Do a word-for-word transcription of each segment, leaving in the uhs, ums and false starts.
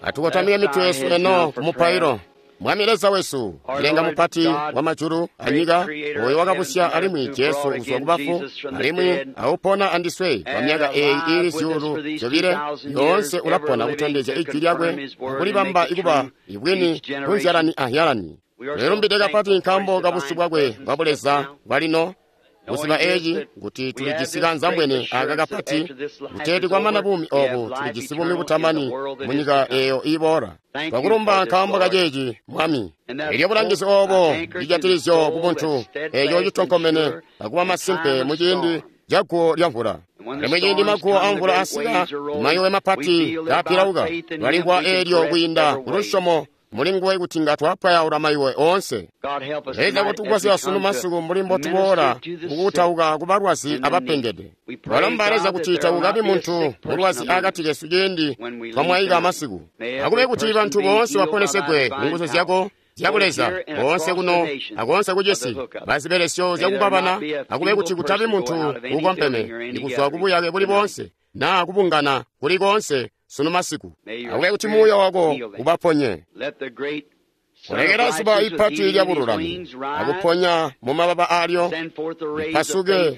Atukotamike mitwe yesu eno ku mupailo. Mwami Leza wesu, Mulengi mupati wa majulu anyika, oyo wakabusya alimwi Jesu kuzwa ku bafu, alimwi aupona andiswe kwa myaka eyi iili zyuulu zyobile, yoonse ulapona kutondezya ijwi lyakwe akulibamba ikuba ibwini kunzyalani ahyalani. Tulilumbide kapati nkaambo ka busyu bwakwe bwa buleza bwalino. Kuziba eci kuti tulijisi kanzambwene aka kapati, kuteeti kwamana buumi obu tulijisi buumi butamani munyika eyo iboola. Twakulumba nkaambo kaceeci, Mwami. Elyo bulangizi obo lijatilisyo ku buntu eco citonkomene akuba masimpe muciindi ca guwo lya mvula. Alimwi ciindi maguwo a mvula asika, mayowe mapati kaapilauka, twalimvwa eelyo kwiinda ku lusyomo muli nguwe kuti nga twapwayaula mayiwe oonse. Leza kutugwasya sunu masiku mbuli mbotuboola kukutauka ku balwazi abapengede. Twalomba Leza kuti takukabi muntu mulwazi akati kesu ciindi twamwaika masiku. Akube kuti bantu boonse baponesegwe mu nguzu zyako zyabuleza, boonse kuno akoonse kucisi, bazibelesyo zyakukabana. Akube kuti kutabi muntu uukompeme ikuzwa kubuyake buli boonse naa kubungana kuli koonse sunu masiku. Akube kuti muuya wako ubaponye. Kulekela zuba ipati lya bululami akuponya mu mababa alyo, ipasuke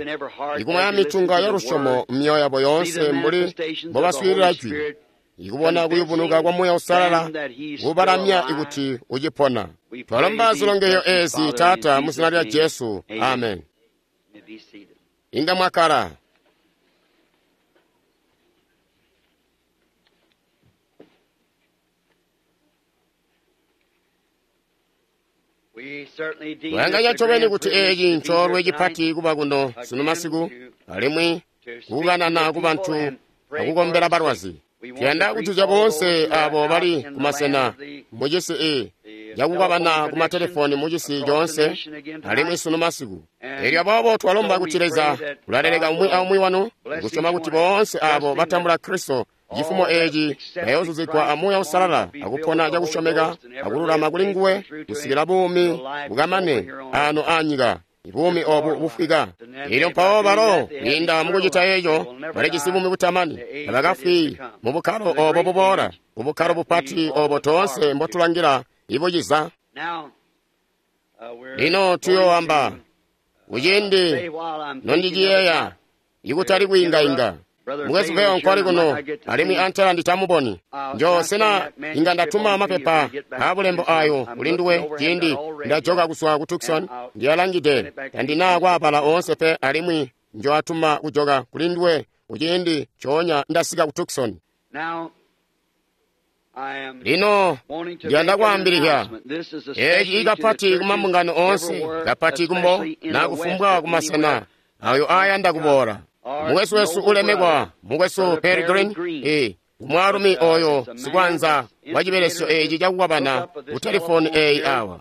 ikumwaya mitunga ya lusyomo mumyoyo yabo yoonse mbuli mbobaswiilila jwi, ikubona kuyubunuka kwa Muuya Uusalala kubalamya ikuti ucipona. Twalomba zilongeyo ezi, Taata, mu zina lya Jesu. Amen. Inga mwakala. Kuyanganya ncobeni kuti eeci ncoolwe cipati kuba kuno sunu masiku, alimwi kukanana ku bantu akukombela balwazi. Tuyanda kutuzya boonse abo bali kumasena mucisi e cakukabana ku matelefoni mucisi coonse alimwi sunu masiku. Elyo aboobo twalomba kuti Leza ulaleleka umwi aumwi wanu, kusyoma kuti boonse abo batambula Kristo cifumo eeci bayoozuzigwa a Muuya Uusalala akupona cakusyomeka akululama kuli nguwe kusikila buumi bukamane ano aanyika, buumi obu bufwika. Elyo mpawo balo kwiinda mukucita eco balijisi buumi butamani, tabakafwi mu bukkalo obo buboola, bukkalo bupati obo toonse mbotulangila ibuciza. Lino tuyooamba kuciindi nondiciyeeya ikutali kwiingainga. Mukwesu Veo nkwali kuno, alimwi antela nditamuboni. Njo sena inga ndatuma mapepa aabulembo ayo kuli nduwe ciindi ndajoka kuzwa ku Tucson. Ndiyalangide tandina kwaabala oonse pe, alimwi njoatuma kujoka kuli nduwe kuciindi coonya ndasika ku Tucson. Lino ndiyanda kwaambilizya eeci kapati kumambungano oonse, kapati kumbo na kufumbwa kumasena ayo aayanda kuboola. Mukwesu wesu ulemekwa, mukwesu Perry Green, e mwaalumi oyo sikwanza wa cibelesyo eeci cakukabana ku telefoni eyi awa.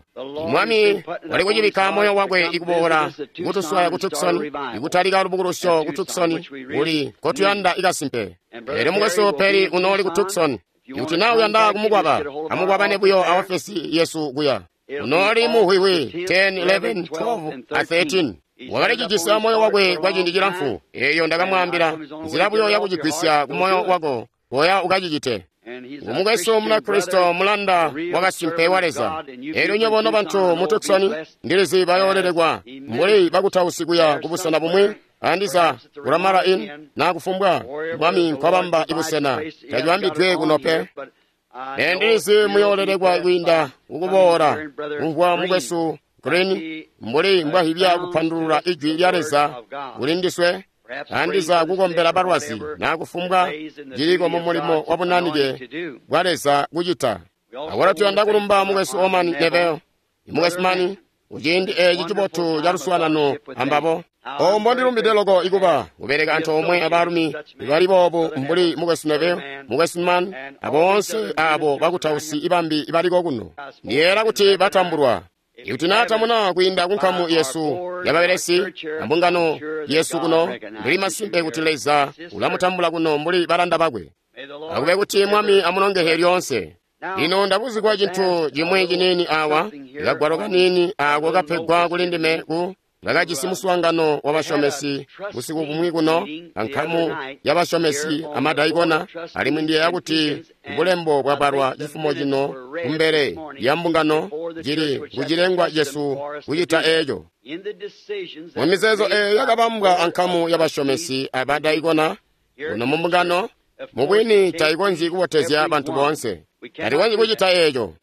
Mwami wali kucibikka moyo wakwe ikuboola kutuswaya ku Tucson, ikutalika lubukulusyo ku Tucson kuli nkotuyanda ikasimpe. Elyo mukwesu Perry unooli ku Tucson. Ikuti naa uyanda kumukwaba, amukwabane buyo a ofesi yesu kuya. Unooli muhwihwi ten, eleven, twelve a thirteen. Wakalicijisi moyo wakwe kwa ciindi cilamfu. Eyo ndakamwaambila nzila buyo yakucigwisya ku moyo wako, koya ukacicite. Mukwesu Munakristo mulanda wakasimpe wa Leza. Elyo nywebo nobantu mu Tucson ndilizi bayoolelekwa mbuli bakutausi kuya kubusena bumwi, andiza kulamala in na kufumbwa Mwami nkwabamba ibusena tacibambidwe kuno pe. Ndilizi muyoolelekwa kwiinda kukuboola kumvwa mukwesu Green mbuli mbwahibya kupandulula ijwi lya Leza kuli ndiswe, andiza kukombela balwazi na kufumbwa ciliko mu mulimo wa bunanike bwa Leza kucita. Akwalo tuyanda kulumba mukwesu Oman Neville, mukwesu Mani, kuciindi eeci cibotu ca luswaanano ambabo. Obo mbondilumbide loko ikuba kubeleka antoomwe abaalumi bali boobu mbuli mukwesu Neville, mukwesu Mann, aboonse abo bakutausi ibambi baliko kuno. Ndiyeera kuti batambulwa. Ikuti naa tamuna kwiinda kunkamu yesu yababelesi ambungano yesu kuno, ndili masimpe kuti Leza ulamutambula kuno mbuli balanda bakwe. Akube kuti Mwami amulongehe lyoonse. Lino ndabuzigwa cintu cimwi ciniini awa, kagwalo kaniini ako kapegwa kuli ndime ku Bakajisi muswaangano wabasyomesi busiku bumwi kuno, ankamu yabasyomesi amadaikona, alimwi ndiyeeya kuti bulembo bwabalwa cifumo cino kumbele lya mbungano cili kucilengwa cesu kucita eeco. Mumizeezo eeyo yakabambwa ankamu yabasyomesi abadaikona kuno mumbungano, mubwini taikonzyi kubotezya bantu boonse. Tatikonzyi kucita eeco.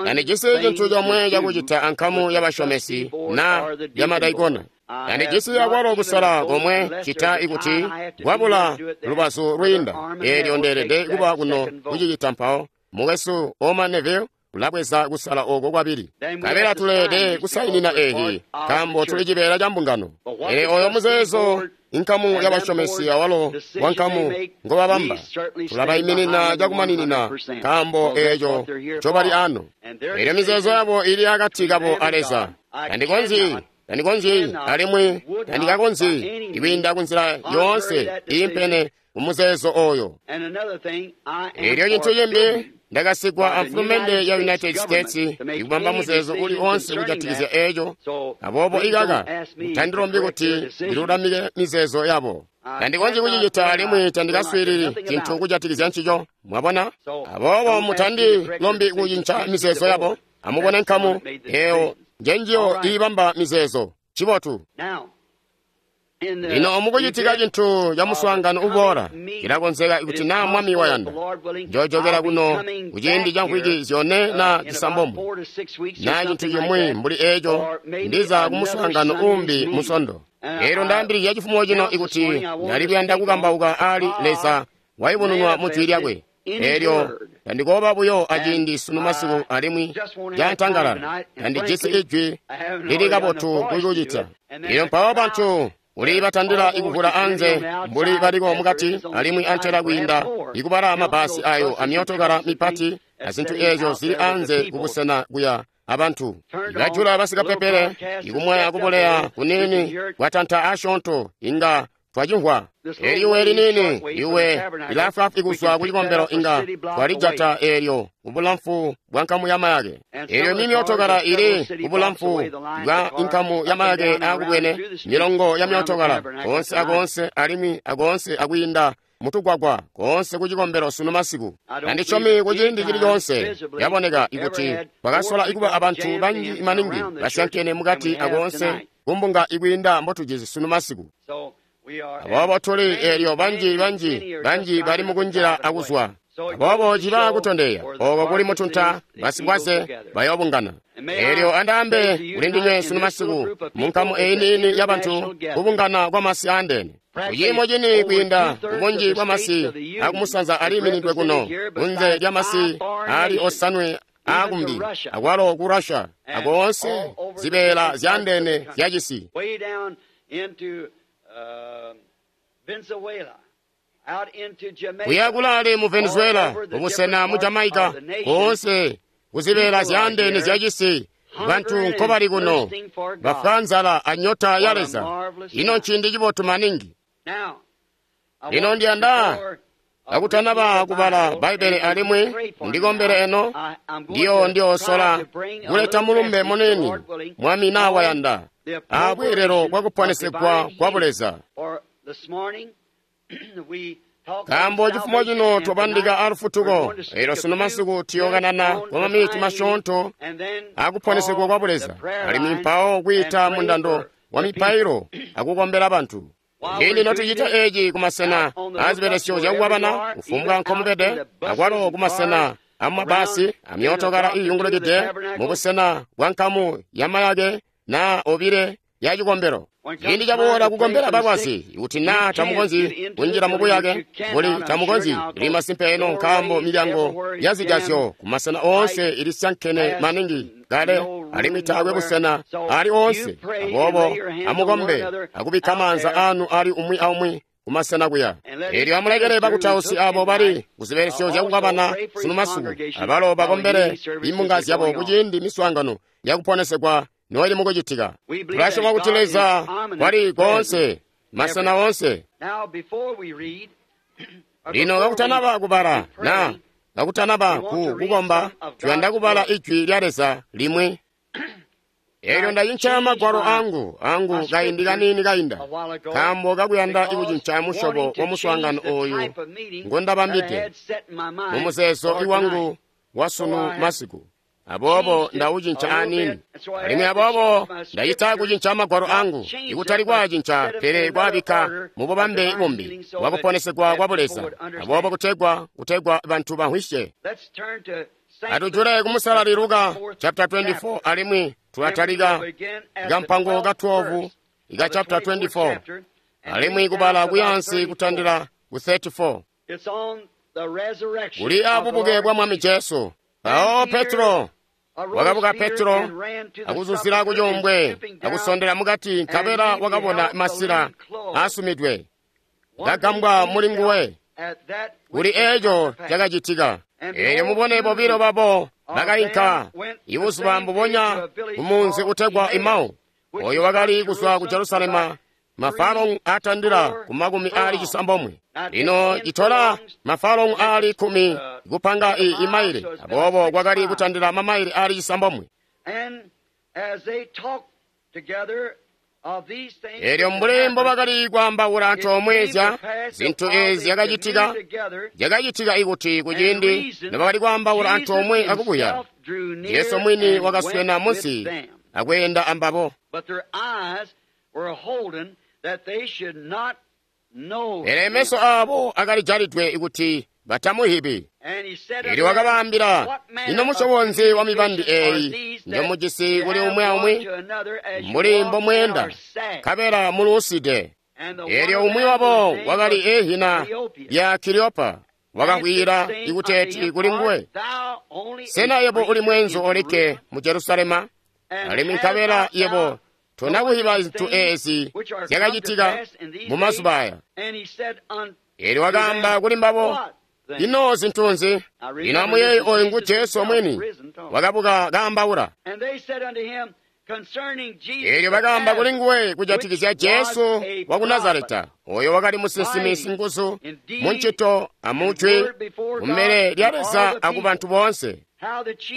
Tandijisi cintu comwe cakucita ankamu yabasyomesi na yamadaikona. Tandijisi akwalo kusala komwe cita ikuti kwabula lubazu lwiinda. Eelyo ndeelede kuba kuno kucicita mpawo. Mukwesu Orman Neville ulabweza kusala oko kwabili. Nkabela tuleelede kusainina eeci, nkaambo tuli cibeela ca mbungano. Pele oyo muzeezo inkamu yabasyomesi awalo wankamu ngobabamba tulabayiminina cakumaninina, nkaambo eeco ncobali ano. Eelyo mizeezo yabo ili akati kabo a Leza. Tandikonzyi tandikonzyi alimwi tandikakonzyi ikwiinda kunzila yoonse iimpene mumuzeezo oyo. Eelyo cintu cimbi, ndakasigwa amfulumende ya United States ikubamba muzeezo uli onse kujatikizya eeco. Aboobo ikaka mutandilombi kuti ndilulamike mizeezo yabo. Tandikonzyi kucicita alimwi tandikaswiilili cintu kujatikizya ncico. Mwabona? Aboobo mutandilombi kucinca mizeezo yabo. Amubone nkamu eeyo njenjiyo iibamba mizeezo. Cibotu. Lino mukucitika cintu ca muswaangano uboola, cilakonzeka kuti naa Mwami wayanda, njoojokela kuno kuciindi ca mvwiki zyone na cisambomwe, naa cintu cimwi mbuli eeco, ndiza kumuswaangano uumbi musondo. Eelyo ndaambilizya cifumo cino ikuti ndali kuyanda kukambauka aali Leza wayubununwa mu Jwi lyakwe. Eelyo tandikooba buyo aciindi sunu masiku alimwi cantangalala, tandijisi ijwi lili kabotu kukucita. Eelyo mpawo bantu uli batandila ikuvula anze mbuli baliko mukati alimwi antela kwiinda ikubala mabasi ayo amyootokala mipati azintu eezyo zili anze kubusena kuya abantu. Ibajula basikapepele ikumwaya kubuleya kuniini kwatanta asyoonto inga twacimvwa. Eliwe liniini iwe lilaafwaafwi kuzwa kucikombelo inga twalijata eelyo kubulamfu bwa nkamu ya mayake. Eelyo mimyootokala ili kubulamfu bwa nkamu ya mayake aakubwene, milongo ya myootokala koonse akoonse alimwi akoonse akwiinda mutugwagwa koonse kucikombelo sunu masiku. Tandisyomi kuciindi cili coonse yaboneka ikuti kwakasola ikuba abantu banji maningi basyankene mukati akoonse kumbunga ikwiinda mbotujisi sunu masiku. Aboobo tuli eelyo banji banji banji bali mukunjila akuzwa. Aboobo ciba kutondeya oko kuli mutunta basikwaze bayoobungana. Eelyo andaambe kuli ndinywe sunu masiku munkamu eyi niini yabantu kubungana kwamasi aandeene. Kuciimo cini kwiinda kubunji bwamasi akumusanza aliiminidwe kuno kunze lyamasi aali osanwe aakumbi, akwalo ku Russia, akoonse zibeela zyaandeene zyacisi. Kuya kulaale mu Venezuela, kubusena mu Jamaica, koonse kuzibeela zyaandeene zyacisi, bantu nkobali kuno bafwa nzala anyota ya Leza. Ino nciindi cibotu maningi. Lino ndiyanda kakutanaba kubala Bbaibbele alimwi ndikombele eno, ndiyo ndiyoosola kuleta mulumbe muniini, Mwami naa wayanda, aabweelelo bwakuponesegwa kwa Buleza. Nkaambo cifumo cino twabandika alufutuko, eelyo sunu masiku tuyookanana kwa maminiti masyoonto akuponesegwa kwa Buleza, alimwi mpawo kwiita mundando wa mipailo akukombela bantu. Ciindi notucita eeci kumasena aazibelesyo zyakukwabana, kufumbwa nkomubede, akwalo kumasena amumabasi amyootokala iiyungulukide mubusena bwa nkamu yamayake naa obile ya cikombelo. Ciindi caboola kukombela balwazi, ikuti naa tamukonzyi kunjila mubuyake, buli tamukonzyi, ili masimpe eno nkaambo milyango yazijazyo kumasena oonse ilisyankene maningi kale alimwi taakwe busena ali oonse. Aboobo amukombe akubikka maanza anu ali umwi aumwi kumasena kuya. Eelyo amulekele bakutausi abo bali kuzibelesyo zyakukwabana sunu masiku, abalo bakombele imbunga zyabo kuciindi miswaangano yakuponesegwa noili mukucitika. Tulasyoma kuti Leza wali koonse, masena oonse. Lino kakutanaba kubala na kakutanaba ku kukomba, tuyanda kubala Ijwi lya Leza limwi. Elyo ndacinca magwalo angu angu kaindi kaniini kainda, nkaambo kakuyanda kucinca musyobo wa muswaangano oyu ngondabambide mumuzeezo iwangu wasunu masiku. Aboobo ndaucinca aniini, alimwi aboobo ndacita kucinca magwalo angu, ikutali kwaacinca pele kwaabikka mu bubambe bumbi bwakuponesegwa kwa Buleza, aboobo kutegwa kutegwa bantu bamvwisye. Atujule kumusalali Luka chapter twenty-four, alimwi tulatalika kampango ka twelve ika chapter twenty-four, alimwi kubala kuyansi kutandila ku thirty-four. Kuli abubuke bwa Mwami Jesu. Mpawo Petro wakabuka Petro akuzuzila kucuumbwe akusondela mukati, nkabela wakabona masila asumidwe, kagambwa muli nguwe kuli eeco cakacitika. Eelyo mubone bobilo babo bakainka ibuzuba mbubonya kumunzi utegwa Emau, oyo wakali kuzwa ku Jerusalema mafalongu atandila ku makumi aali cisambomwe. Lino citola mafalongu aali kkumi kupanga i imaile, aboobo kwakali kutandila mamaile aali cisambomwe. Eelyo mbuli mbobakali kwaambaula antoomwe zya zintu eezi zyakacitika, zyakacitika ikuti kuciindi nobakali kwaambaula antoomwe akubuya, Jesu mwini wakaswena munsi akweenda ambabo. Pele meso aabo akalijalidwe ikuti batamuhibi. Eelyo wakabaambila, ino musyobo nzi wa mibandi eeyi njomujisi kuli umwi aumwi mbuli mbomweenda, nkabela muluuside? Eelyo umwi wabo wakali ehina lya Kiliopa wakakwiila ikuteeti kuli nguwe, sena yebo uli mweenzu olikke mu Jerusalema, alimwi nkabela yebo tonakuhiba zintu eezi zyakacitika mu mazuba aya? Eelyo wakaamba kuli mbabo, ino zintu nzi? Lino amuyeeye oyu ngu Jesu mwini wakabuka kaambaula. Eelyo bakaamba kuli nguwe kujatikizya Jesu waku Nazareta, oyo wakali musinsimi singuzu muncito amujwi kumbele lya Leza akubantu boonse.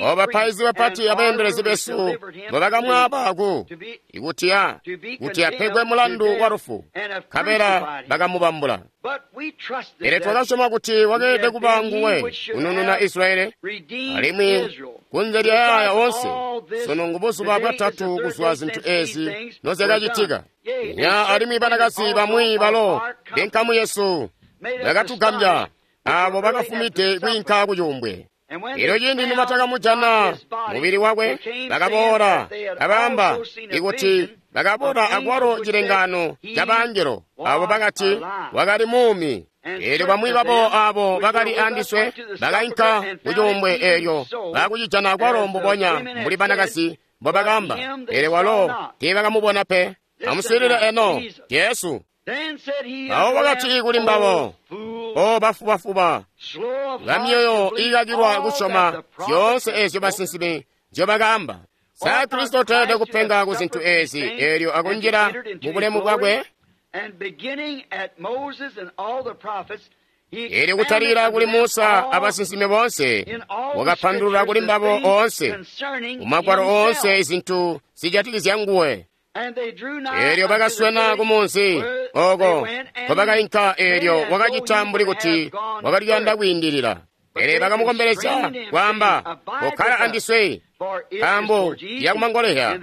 O bapaizi bapati abeendelezi besu mbobakamwaaba ku ikuti a kuti apegwe mulandu wa lufu, nkabela bakamubambula. Pele twakasyoma kuti wakeelede kuba nguwe kunununa Israeli, alimwi kunze lya yaaya onse sunu ngubuzuba bwatatu kuzwa zintu eezi nozyakacitika. Nya alimwi banakazi bamwi balo benkamu yesu bakatugambya, abo bakafumide kwiinka kucuumbwe. Elyo ciindi nibatakamujana mubili wakwe, bakaboola kabaamba ikuti bakabona akwalo cilengaano ca bangelo abo bakati wakali muumi. Eelyo bamwi babo abo bakali andiswe bakainka kucuumbwe, eelyo baakucijana akwalo mbubonya mbuli banakazi mbobakaamba, pele walo teebakamubona pe. Amuswiilile eno Jesu. Mpawo wakati kuli mbabo, O bafubafuba bamyoyo iikakilwa kusyoma zyoonse eezyo basinsimi nzyobakaamba! Sa Kristo teelede kupenga ku zintu eezi eelyo akunjila mu bulemu bwakwe? Eelyo kutalikila kuli Musa abasinsimi boonse, wakapandulula kuli mbabo oonse mu magwalo oonse izintu zijatikizya nguwe. Eelyo bakaswena kumunzi oko nkobakainka, eelyo wakacita mbuli kuti wakali kuyanda kwiindilila. Pele bakamukombelezya kwaamba, kokkala andiswe, nkaambo yakumangoleya,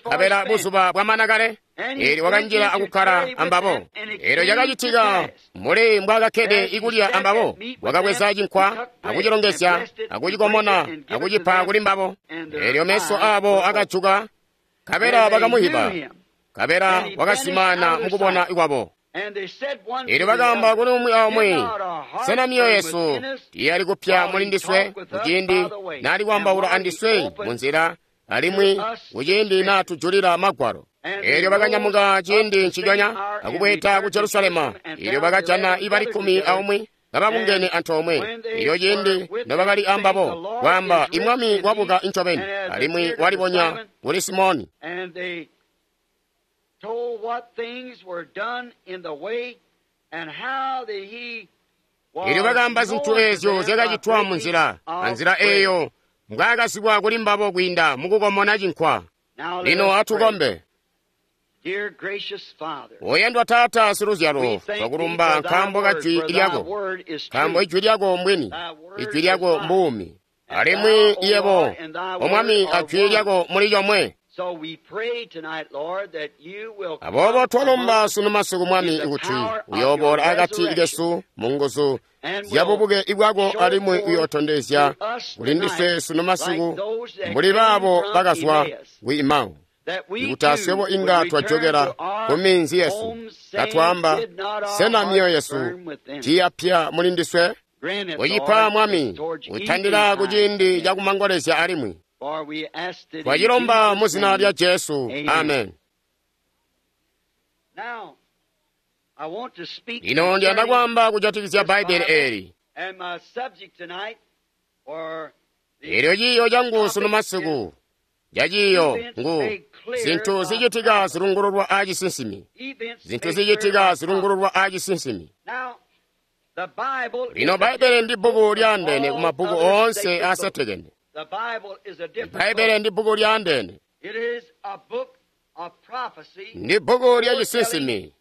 nkabela buzuba bwamana kale. Eelyo wakanjila akukkala ambabo. Eelyo cakacitika mbuli mbwaakakkede ikulya ambabo, wakabweza cinkwa akucilongezya akucikomona akucipa kuli mbabo. Eelyo meso aabo akajuka, nkabela bakamuhiba, nkabela wakazimaana mukubona kwabo. Eelyo bakaamba kuli umwi aumwi, sena myoyo yesu tiyali kupya muli ndiswe kuciindi naali kwaambaula andiswe munzila, alimwi kuciindi naatujulila magwalo? Eelyo bakanyamuka ciindi nciconya akubweeda ku Jerusalema. Eelyo bakajana ibali kkumi aumwi kababungene antoomwe. Eelyo ciindi nobakali ambabo kwaamba, imwami wabuka incobeni, alimwi walibonya kuli Simoni. Eelyo bakaamba zintu eezyo zyakacitwa munzila, anzila eeyo mbwaakazibwa kuli mbabo kwiinda mukukomona cinkwa. Lino atukombe. Oyandwa Taata siluzyalo, twakulumba nkaambo ka jwi lyako, nkaambo ijwi lyako mbwini, ijwi lyako mbuumi, alimwi yebo, O Mwami, ajwi lyako muli comwe. Aboobo twalomba sunu masiku, Mwami, kuti uyooboola akati kesu mu nguzu zyabubuke bwako alimwi uyootondezya kuli ndiswe sunu masiku mbuli baabo bakazwa ku Emau, ikuti aswebo inga twajokela ku minzi yesu katwaamba, sena myoyo yesu tiiyapya muli ndiswe? Ucipa, Mwami, utandila ku ciindi cakumangolezya alimwi. Twacilomba mu zina lya Jesu. Amen. Lino ndiyanda kwaamba kujatikizya Bbaibbele eeli. Eelyo ciiyo cangu sunu masiku caciiyo ngu zintu zicitika zilungululwa aacisinsimi. Zintu zicitika zilungululwa aacisinsimi. Lino Bbaibbele ndi bbuku lyaandeene ku mabbuku oonse aasetekene. Bbaibbele ndi bbuku lyaandeene. Ndi bbuku lya cisinsimi,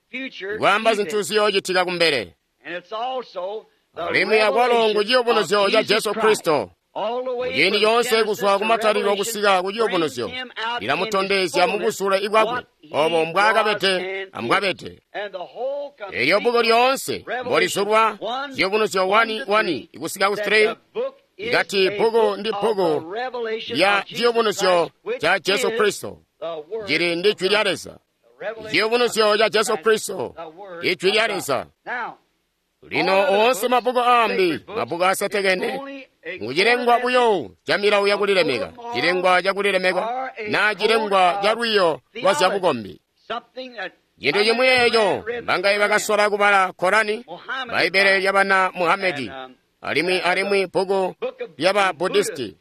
kwaamba zinthu ziyoocitika kumbele. Alimwi akwalo ngu ciyubunuzyo ca Jesu Kristo. Muciindi coonse kuzwa kumatalilo kusika ku ciyubunuzyo, lilamutondezya mu buzule bwakwe obo mbwaakabede ambwabede. Elyo bbuku lyoonse mbolizulwa, ciyubunuzyo one one kusika ku three, ikati bbuku ndi bbuku lya ciyubunuzyo ca Jesu Kristo, cili ndi jwi lya Leza. Ciyubunuzyo ca Jesu Kristo, ijwi lya Leza. Lino oonse mabbuku aambi, mabbuku asetekene, ngucilengwa buyo ca milawo yakulilemeka, cilengwa cakulilemeka, naa cilengwa ca lwiiyo lwa zyabukombi. Cintu cimwi eeco mbangaye bakasola kubala Korani, Bbaibbele lyabana Muhamedi, alimwi alimwi bbuku lyaba Buddhisti,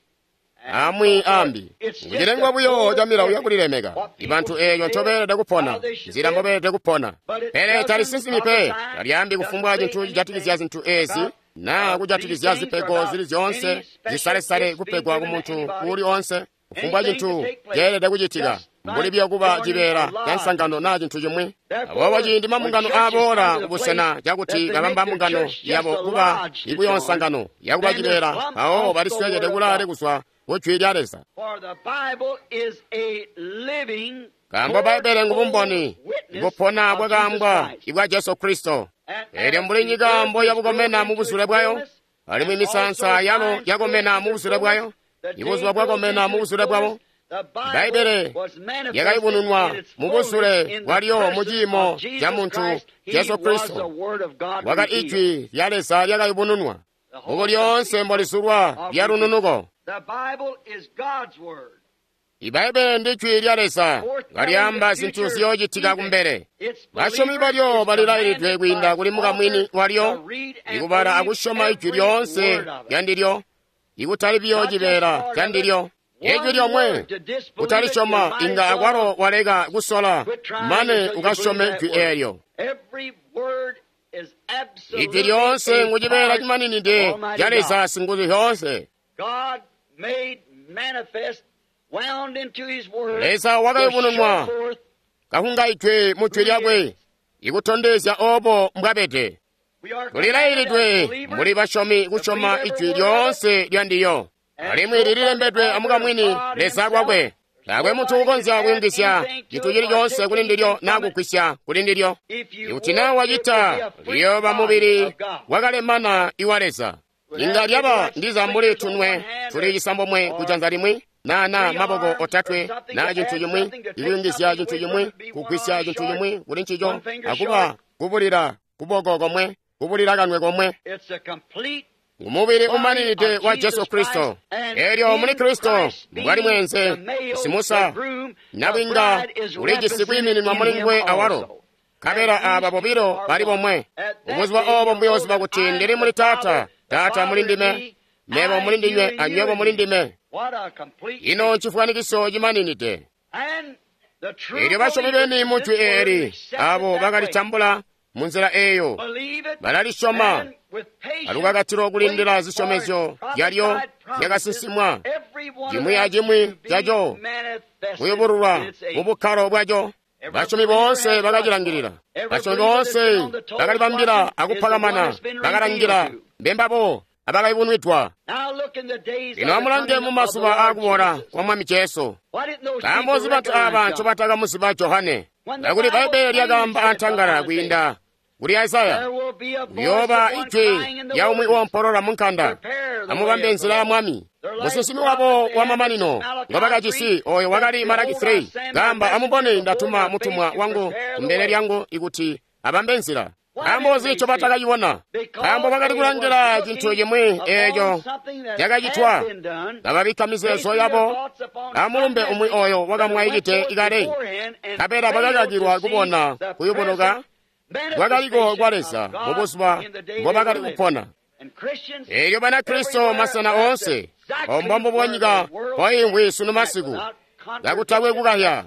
amwi ambi. Ngucilengwa buyo ca milawo yakulilemeka, ibantu eeco ncobeelede kupona, nzila mbobeelede kupona. Pele talisinsimi pe, talyaambi kufumbwa cintu cijatikizya zintu eezi naa kujatikizya zipego zili zyoonse zisalesale kupegwa ku muntu uuli oonse, kufumbwa cintu ceelede kucitika, mbuli buyo kuba cibeela ca nsangano naa cintu cimwi. Aboobo ciindi mambungano aaboola kubusena cakuti babamba mbungano yabo kuba ibuyo nsangano yakuba cibeela, mpawo balisweekede kulaale kuzwa ku jwi lya Leza. Nkaambo Bbaibbele ngubumboni bupona bwakaambwa ibwa Jesu Kristo. Eelyo mbuli nyika mboyabukomena mu buzule bwayo, alimwi misaansa yalo yakomena mu buzule bwayo, ibuzuba bwakomena mu buzule bwabo, Bbaibbele lyakayubununwa mu buzule bwalyo mu ciimo ca muntu Jesu Kristo. Wakali ijwi lya Leza lyakayubununwa. Bbuku lyoonse mbolizulwa lya lununuko. Ibbaibbele ndi jwi lya Leza kalyaamba zinthu ziyoocitika kumbele. Basyomi balyo balilailidwe kwiinda kuli mukamwini walyo, ikubala akusyoma ijwi lyoonse lyandilyo, ikutali biyo cibeela candilyo. Ijwi lyomwe kutalisyoma inga akwalo waleka kusola mane ukasyome jwi eelyo. Ijwi lyoonse ngucibeela cimaninide ca Leza singuzu zyoonse. Leza wakayubununwa kahungaidwe mu jwi lyakwe ikutondezya obo mbwabede. Tulilailidwe mbuli basyomi kusyoma ijwi lyoonse lyandilyo, alimwi lililembedwe amukamwini Leza lwakwe. Taakwe muntu ukonzya kuyungizya cintu cili coonse kuli ndilyo naa kugwisya kuli ndilyo. Ikuti naa wacita, liyooba mubili wakalemana iwa Leza. Inga lyaba ndiza mbuli tunwe tuli cisambomwe kujanza limwi, naa naa maboko otatwe, naa cintu cimwi, ikuyungizya cintu cimwi, kugwisya cintu cimwi kuli ncico, akuba kubulila kuboko komwe, kubulila kanwe komwe. Ngumubili umaninide wa Jesu Kristo. Eelyo muli Kristo mbwali mweenze, simusa nabwinga ulijisi kwiimininwa muli nguwe awalo. Nkabela aaba bobilo bali bomwe. Ubuzuba oobo mbuyooziba kuti ndili muli Taata, Taata muli ndime, mebo muli ndinywe anywebo muli ndime. Ino ncifwanikiso cimaninide. Eelyo basyomi beni mu jwi eeli, aabo bakalitambula munzila eeyo, balalisyoma alukakatilo kulindila zisyomezyo zyalyo zyakasinsimwa, cimwi acimwi caco kuyubululwa mu bukkalo bwaco. Basyomi boonse bakacilangilila. Basyomi boonse bakalibambila akupakamana, bakalangila mbembabo abakayubunwidwa. Lino amulange mu mazuba aakuboola kwa Mwami Jesu. Nkaambo nzi bantu aaba ncobatakamuziba Johane? Kakuli Bbaibbele lyakaamba antangalala kwiinda kuli Isaya, kuyooba ijwi lya umwi woompolola mu nkanda, amubambe nzila ya Mwami. Musinsimi wabo wamamanino ngobakajisi oyo wakali Malaki three, kaamba, amubone ndatuma mutumwa wangu kumbele lyangu ikuti abambe nzila. Nkaambo nzi ncobatakacibona? Nkaambo bakali kulangila cintu cimwi eeco cakacitwa, kababikka mizeezo yabo amulumbe umwi oyo wakamwaikide kale, nkabela bakakakilwa kubona kuyubunuka kwakaliko kwa Leza mubuzuba mbobakali kupona. Eelyo Banakristo masena oonse obo mbombubo nyika mpoimvwi sunu masiku, kakutakwe kukahya.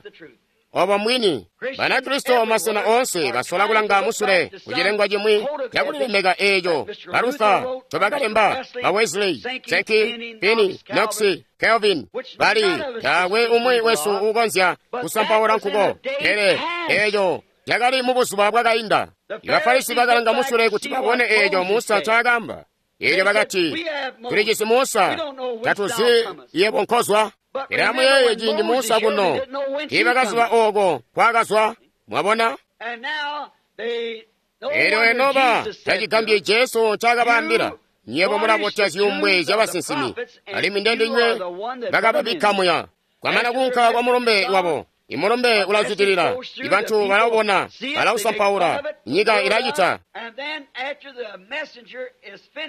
Obo mwini Banakristo masena oonse basola kulanga musule kucilengwa cimwi cakulilemeka eeco ba Luther ncobakalemba, ba Wesley, Sankey, Finney, Knox, Calvin, bali taakwe umwi wesu uukonzya kusampaula nkuko, pele eeco cakali mubuzuba bwakainda. Ibafarisi bakalanga musule kuti babone eeco Musa ncaakaamba. Eelyo bakati, tulijisi Musa, tatuzi yebo nkozwa. Pele amuyeeye ciindi Musa kuno tiibakaziba ooko nkwaakazwa, mwabona? Eelyo enoba tacigambyi Jesu ncaakabaambila, nywebo mulabotya zyuumbwe zyabasinsimi, alimwi ndendinywe bakababikka muya. Kwamana kuunka kwa mulumbe wabo, imulumbe ulazwidilila, ibantu balaubona, balausampaula, nyika ilacita.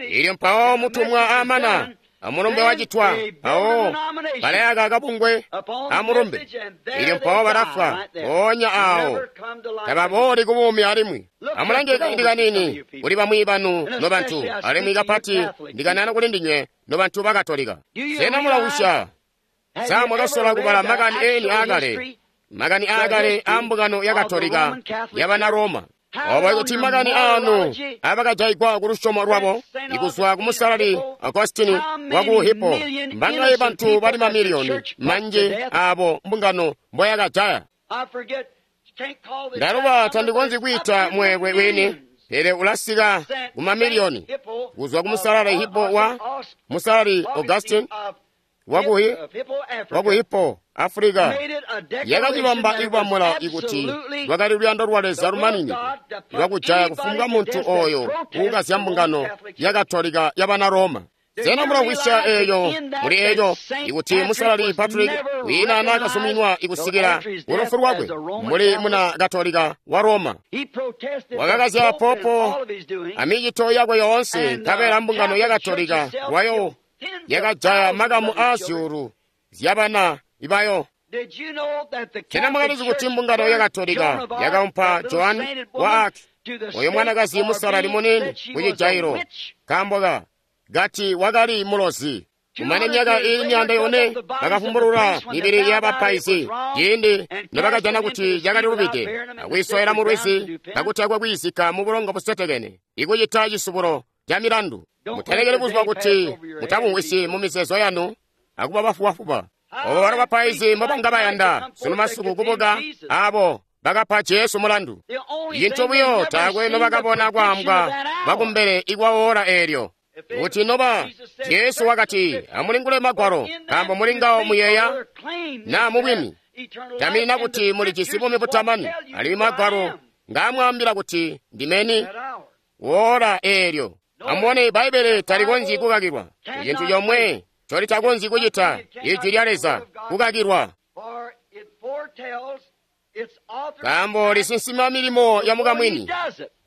Eelyo mpawo mutumwa amana, amulumbe wacitwa, mpawo balayaka kabungwe amulumbe, eelyo mpawo balafwa, mpoonya aawo tababooli kubuumi alimwi. Amulange kaindi kaniini kuli bamwi banu nobantu, alimwi kapati ndikanana kuli ndinywe nobantu ba Katolika. Sena mulausya? Sa mwakasola kubala makani eni aakale, makani aakale aambungano ya Katolika yabana Roma? Obo ikuti makani aanu abakajaigwa ku lusyomo lwabo ikuzwa ku Musalali Augustine waku Hippo, mbangaye bantu bali mamiliyoni manji aabo mbungano mboyakajaya. Ndaluba tandikonzyi kwiita mweelwe wini, pele ulasika ku mamiliyoni kuzwa ku Musalali Hippo wa Musalali Augustine waku Hippo, Africa, yakacibamba ikubamula ikuti lwakali luyando lwa Leza lumaninide lwakujaya kufumbwa muntu oyo uukazya mbungano ya Katolika yabana Roma. Sena mulamvwisya eeyo muli eeco ikuti Musalali Patrick wiina naakazuminwa ikusikila kulufu lwakwe muli muna Katolika wa Roma. Wakakazya popo amicito yakwe yoonse, nkabela mbungano ya Katolika lwayo yakajaya makamu aazyuulu zyabana ibayo. Sena mwakalizi kuti mbungano ya Katolika yakaumpa Joan wa Arc, oyo mwanakazi musalali munini kucijailo, nkaambo ka gati wakali mulozi. Kumane myaka iili myaanda yone bakafumbulula mibili yabapaizi ciindi nobakajana kuti cakali lubide, akwiisowela mulwizi kakutakwe kwiizikka mubulongo busetekene, ikucita cisubulo ca milandu. Mutalekeli buzuba kuti mutabumvwisyi mumizeezo yanu akuba bafubafuba. Obo balo bapaizi mbobanga bayanda sunu masiku kubuka aabo bakapa Jesu mulandu. Cintu buyo taakwe nobakabona kwaambwa kwakumbele ikwa oora eelyo. Kuti noba Jesu wakati, amulingule magwalo, nkaambo muli ngawo muyeeya naa mubwini taminina kuti mulijisi buumi butamani, alimwi magwalo ngaamwaambila kuti ndimeni woola eelyo. Amubone, Bbaibbele talikonzyi kukakilwa. Icintu comwe ncolitakonzyi kucita Ijwi lya Leza kukakilwa, nkaambo lisinsima milimo ya mukamwini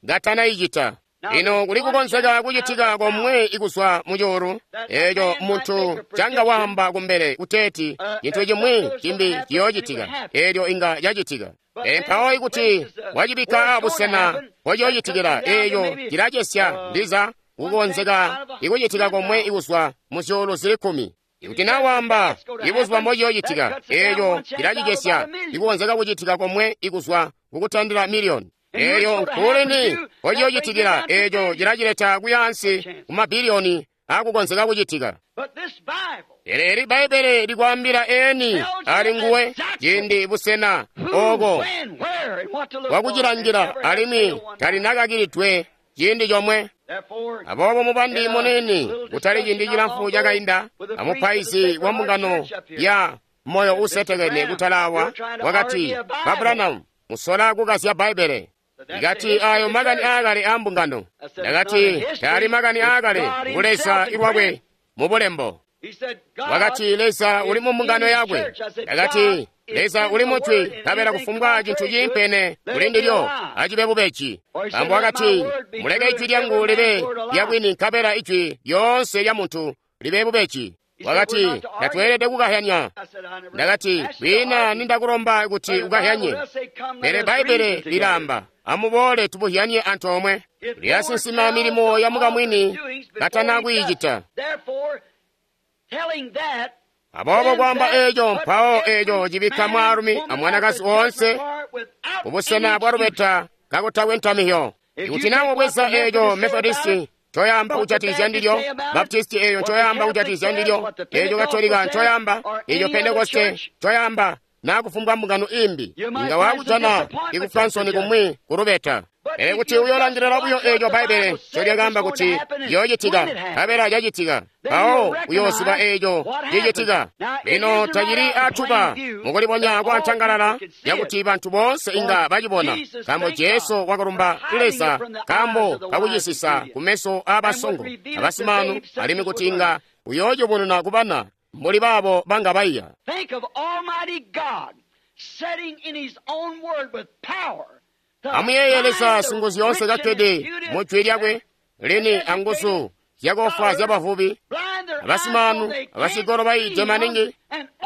ngatanayicita. Lino kuli kukonzeka kucitika komwe ikuzwa mucuulu eeco muntu canga waamba kumbele kuteeti cintu cimwi cimbi ciyoocitika, eelyo inga cacitika. Pele mpawo ikuti wacibikka abusena mpociyoocitikila, eeco cilacesya ndiza kukonzeka ikucitika komwe ikuzwa muzyuulu zili kkumi. Ikuti naa waamba ibuzuba mbociyoocitika, eeco cilacicesya ikukonzeka kucitika komwe ikuzwa kukutandila miliyoni. Eelyo nkuulini mpociyoocitikila, eeco cilacileta kuyaansi kumabiliyoni akukonzeka kucitika. Pele eli Bbaibbele likwaambila eni ali nguwe ciindi, busena, ooko bwakucilangila, alimwi talinakakilidwe ciindi comwe. Aboobo mubandi muniini kutali ciindi cilamfu cakainda amupaizi wa mbungano ya moyo usetekene kutalawa wakati, Ba Branham, musola kukazya Bbaibbele. Ndikati, ayo makani aakale a mbungano. Ndakati, taali makani aakale, ngu Leza lwakwe mu bulembo. Wakati, Leza uli mu mbungano yakwe. Ndakati, Leza uli mujwi, nkabela kufumbwa cintu ciimpene kuli ndilyo acibe bubeji. Nkaambo wakati, muleke ijwi lyangu libe lyabwini, nkabela ijwi lyoonse lya muntu libe bubeji. Wakati, tatweelede kukahyanya. Ndakati, kwiina nindakulomba kuti ukahyanye, pele Bbaibbele lilaamba, amuboole tubuhyanye antoomwe. Lyasinsima milimo ya mukamwini katana kwiicita. Aboobo kwaamba eeco, mpawo eeco cibikka mwaalumi amwanakazi woonse kubusena bwa lubeta kakutakwe ntamihyo. Ikuti naa wabweza eeco Methodisti ncoyaamba kujatikizya ndilyo, Baptisti eeyo ncoyaamba kujatikizya ndilyo, eeco Katolika ncoyaamba, eeco Pentekoste ncoyaamba, naa kufumbwa mbungano imbi, inga wakujana ikufwa nsoni kumwi kulubeta. Pele kuti uyoolangilila buyo eeco Bbaibbele ncolyakaamba kuti yoocitika, nkabela cacitika, mpawo uyooziba eeco cicitika. Lino tacili atuba mukulibonya kwa ntangalala yakuti bantu boonse inga bacibona, nkaambo Jesu wakalumba Leza nkaambo kakucisisa kumeso aabasongo abasimaanu, alimwi kuti inga uyoocibonena kubana mbuli baabo banga baiya. Amuyeeye Leza Singuzyoonse kakkede mu jwi lyakwe lini anguzu zyakoofwaazya zyabavubi, abasimaanu, abasigolo bayiide maningi,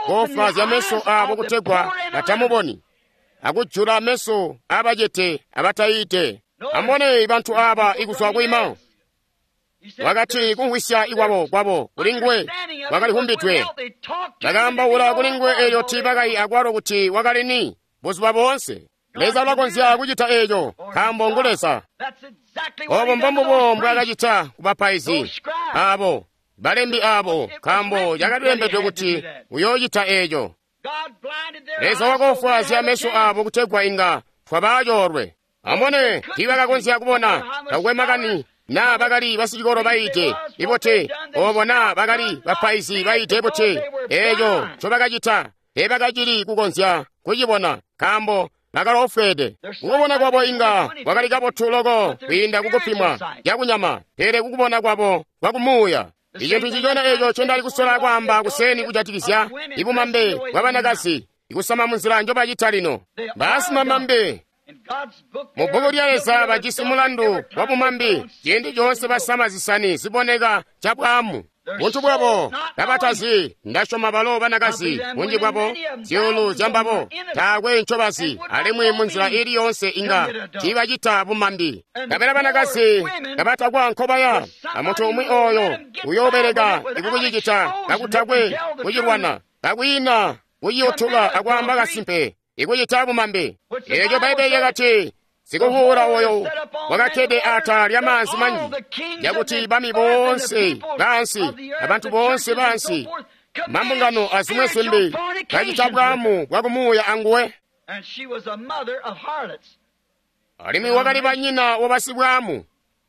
koofwaazya meso aabo kutegwa batamuboni, akujula meso aabacete abatayiide. Amubone bantu aaba ikuzwa kwiima. Wakati kumvwisya ikwabo kwabo kuli nguwe kwakalihumbidwe. Bakaambaula kuli nguwe eelyo tiibakayi akwalo kuti wakali ni buzuba boonse. Leza ulakonzya kucita eeco, nkaambo ngu Leza. Oobo mbombubo mbwaakacita ku bapaizi aabo, balembi aabo, nkaambo cakalilembedwe kuti uyoocita eeco. Leza wakoofwaazya meso aabo kutegwa inga twabaacoolwe. Amubone, tiibakakonzya kubona, takukwe makani naa bakali basicikolo bayiide ibote, oobo naa bakali bapaizi bayiide bote, eeco ncobakacita teebakacili kukonzya kucibona, nkaambo bakaloofweede. Kukubona kwabo inga kwakali kabotu loko kwiinda kukupimwa cakunyama, pele kukubona kwabo kwakumuuya. Icintu ncicona eeco ncendali kusola kwaamba kuseni kujatikizya ibumambe bwabanakazi, ikusama munzila njobacita lino. Baasimamambe mu bbuku lya Leza bajisi mulandu wa bumambi ciindi coonse basama zisani ziboneka cabwaamu. Buntu bwabo kabatazi, ndasyoma balo banakazi bunji bwabo zyuulu zyambabo taakwe ncobazi, alimwi munzila iili yoonse inga tiibacita bumambi. Nkabela banakazi kabatakwa nkobaya, amuntu umwi ooyo uyoobeleka ikukucicita kakutakwe kucilwana, kakwiina kuciyutuka akwaamba kasimpe ikucita bumambi. Eeco Bbaibbele lyakati, sikuvuula oyo wakakkede atala lyamaanzi manji, yakuti bami boonse baansi abantu boonse baansi mambungano azimwe zimbi bacita bwaamu bwakumuuya anguwe. Alimwi wakali banyina wabasibwaamu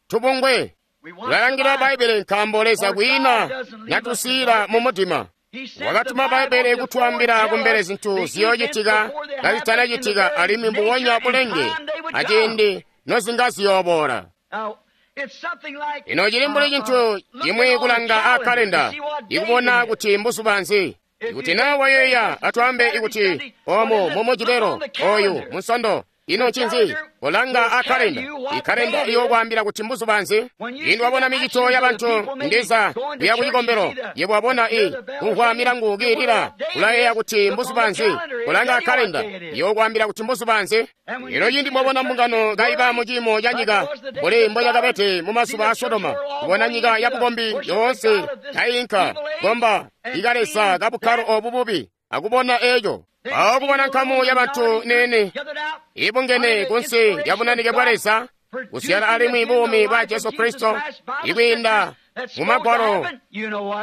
tubungwe. Tulalangila Bbaibbele nkaambo Leza kwiina natusiila mu mudima. Wakatuma Bbaibbele kutwaambila kumbele zintu ziyoocitika kazitanacitika, alimwi mbubonya bulenge aciindi nozinga ziyooboola. Ino cili mbuli cintu cimwi kulanga aakkalenda ikubona kuti mbuzuba nzi. Ikuti naa wayeeya, atwaambe ikuti omu mumujibelo oyu munsondo, ino ncinzi? Kolanga akkalenda. Ikkalenda iyokwaambila kuti mbuzuba nzi. Ciindi wabona micito yabantu ndiza kuya kucikombelo, yebo wabona i kumvwa milangu kiilila, ulayeeya kuti mbuzuba nzi. Kolanga akkalenda, iyokwaambila kuti mbuzuba nzi. Ino ciindi mwabona mbungano kaiba mu ciimo ca nyika mbuli mbocakabede mu mazuba a Sodoma, kubona nyika ya bukombi yoonse kainka komba ikalesa kabukkalo obu bubi, akubona eeco. Mpawo kubona nkamu yabantu nene ibungene kunsi lya bunanike bwa Leza, kuzyala alimwi buumi bwa Jesu Kristo ikwiinda mu Magwalo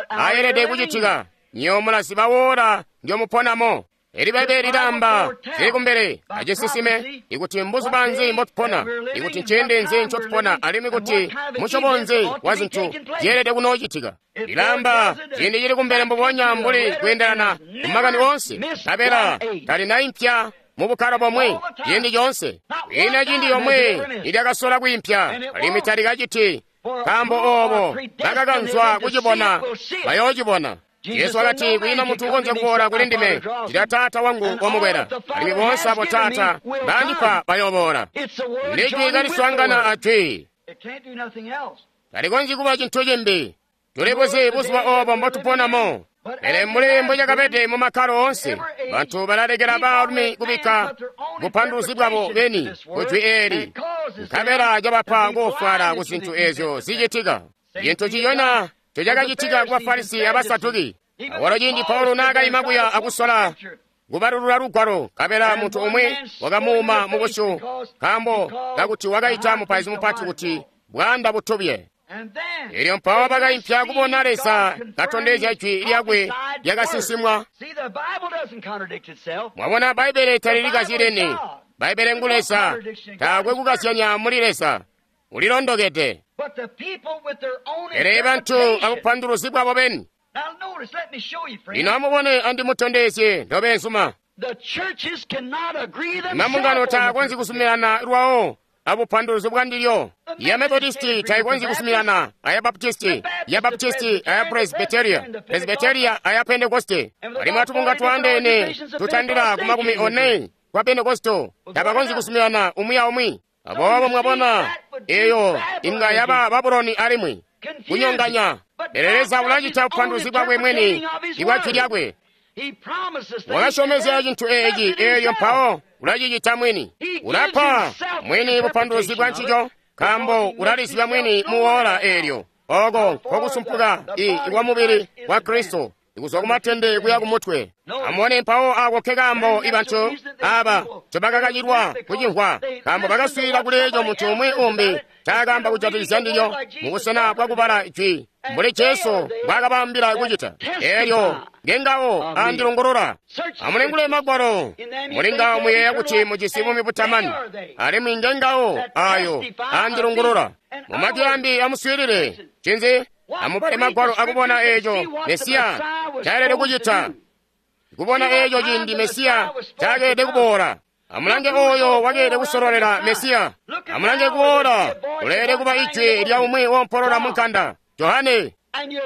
ayelede kucitika, nyo mulaziba woola ndyomuponamo. Eli Bbaibbele lilaamba zili kumbele acisisime ikuti mbuzuba nzi mbotupona, ikuti nciindi nzi ncotupona, alimwi kuti musyobo nzi wa zintu zyeelede kunoocitika. Lilaamba ciindi cili kumbele mbubonya mbuli kweendelana kumakani oonse, nkabela talinaimpya mu bukkalo bomwe ciindi coonse. Kwiina ciindi yomwe ilyakasola kwiimpya, alimwi talikaciti, nkaambo oobo bakakanzwa kucibona bayoocibona. Yesu wakati, kwiina muntu ukonzya kuboola kuli ndime cita Taata wangu wamukwela, alimwi boonse abo Taata baandipa bayooboola. Ndijwi kaliswaangana a jwi, talikonzyi kuba cintu cimbi. Tulibuzi buzuba oobo mbotuponamo. Pele mbuli mbocakabede mu makkalo oonse, bantu balalekela baalumi kubikka bupanduluzi bwabo beni ku jwi eeli, nkabela cabapa kufwala ku zintu eezyo zicitika. Cintu ciyona ncocakacitika ku Bafarisi abasaduki. Awalo ciindi Paulo naakaima kuya akusola kubalulula lugwalo, nkabela muntu umwi wakamuuma mubusyu nkaambo kakuti wakaita mupaizi mupati kuti bwaanda butubye. Elyo mpawo bakaimpya kubona Leza katondezya jwi lyakwe lyakasinsimwa. Mwabona, Bbaibbele talilikazyileni. Bbaibbele ngu Leza, taakwe kukazyanya muli Leza, ulilondokede. Pele bantu abupanduluzi bwabo beni. Lino amubone andimutondezye nobeenzuma. Mambungano taakonzyi kuzuminana lwawo abupanduluzi bwandilyo. Ya Methodisti taikonzyi kuzuminana aya Baptisti, ya Baptisti aya Presbyteria, Presbyteria aya Pentekoste. Alimwi atubunga twaandeene tutandila ku makumi one kwa Pentekosto tabakonzyi kuzuminana umwi aumwi. Aboobo mwabona, eyo inga yaba Babuloni alimwi kunyonganya. Pele Leza ulacita bupanduluzi bwakwe mwini ibwa jwi lyakwe. Wakasyomezya cintu eeci, eelyo mpawo ulacicita mwini. Ulapa mwini bupanduluzi bwa ncico, nkaambo ulalizibya mwini muwoola eelyo. Oko nkokusumpuka i mubili wa Kristo, ikuzwa kumatende kuya kumutwe. Amubone mpawo ako ke kaambo ibantu aba ncobakakacilwa kucimvwa, nkaambo bakaswiilila kuli eco muntu umwi umbi ncaakaamba kujatikizya ndilyo mubusena bwakubala jwi mbuli Jesu mbwaakabaambila kucita. Eelyo ngengawo andilungulula. Amulingule Magwalo, mulingawo muyeeya kuti mujisi buumi butamani, alimwi ngengawo ayo andilungulula. Mumajwi ambi amuswiilile. Cinzi? Amubale Magwalo akubona eeco Mesiya ncaelede kucita, kubona eeco ciindi Mesiya ncakeelede kuboola. Amulange oyo wakeelede kusololela Mesiya. Amulange kuboola, uleelede kuba ijwi lya umwi wompolola munkanda, Johane.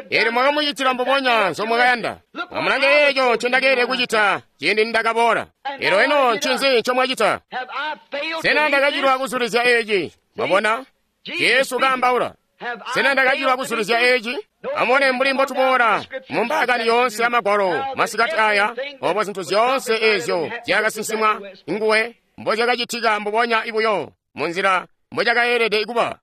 Eelyo mwakamucitila mbubonya nzomwakayanda. Amulange eeco ncendakeelede kucita ciindi nindakaboola. Eelyo eno ncinzi ncomwacita? Sena ndakacilwa kuzulizya eeci? Mwabona? Jesu kaambaula. Sena ndakacilwa kuzulizya eeci? Amubone mbuli mbotuboola mu mbaakani yoonse ya Magwalo masikati aya, obo zintu zyoonse eezyo zyakasinsimwa nguwe mbozyakacitika mbubonya ibuyo munzila mbocakaelede kuba.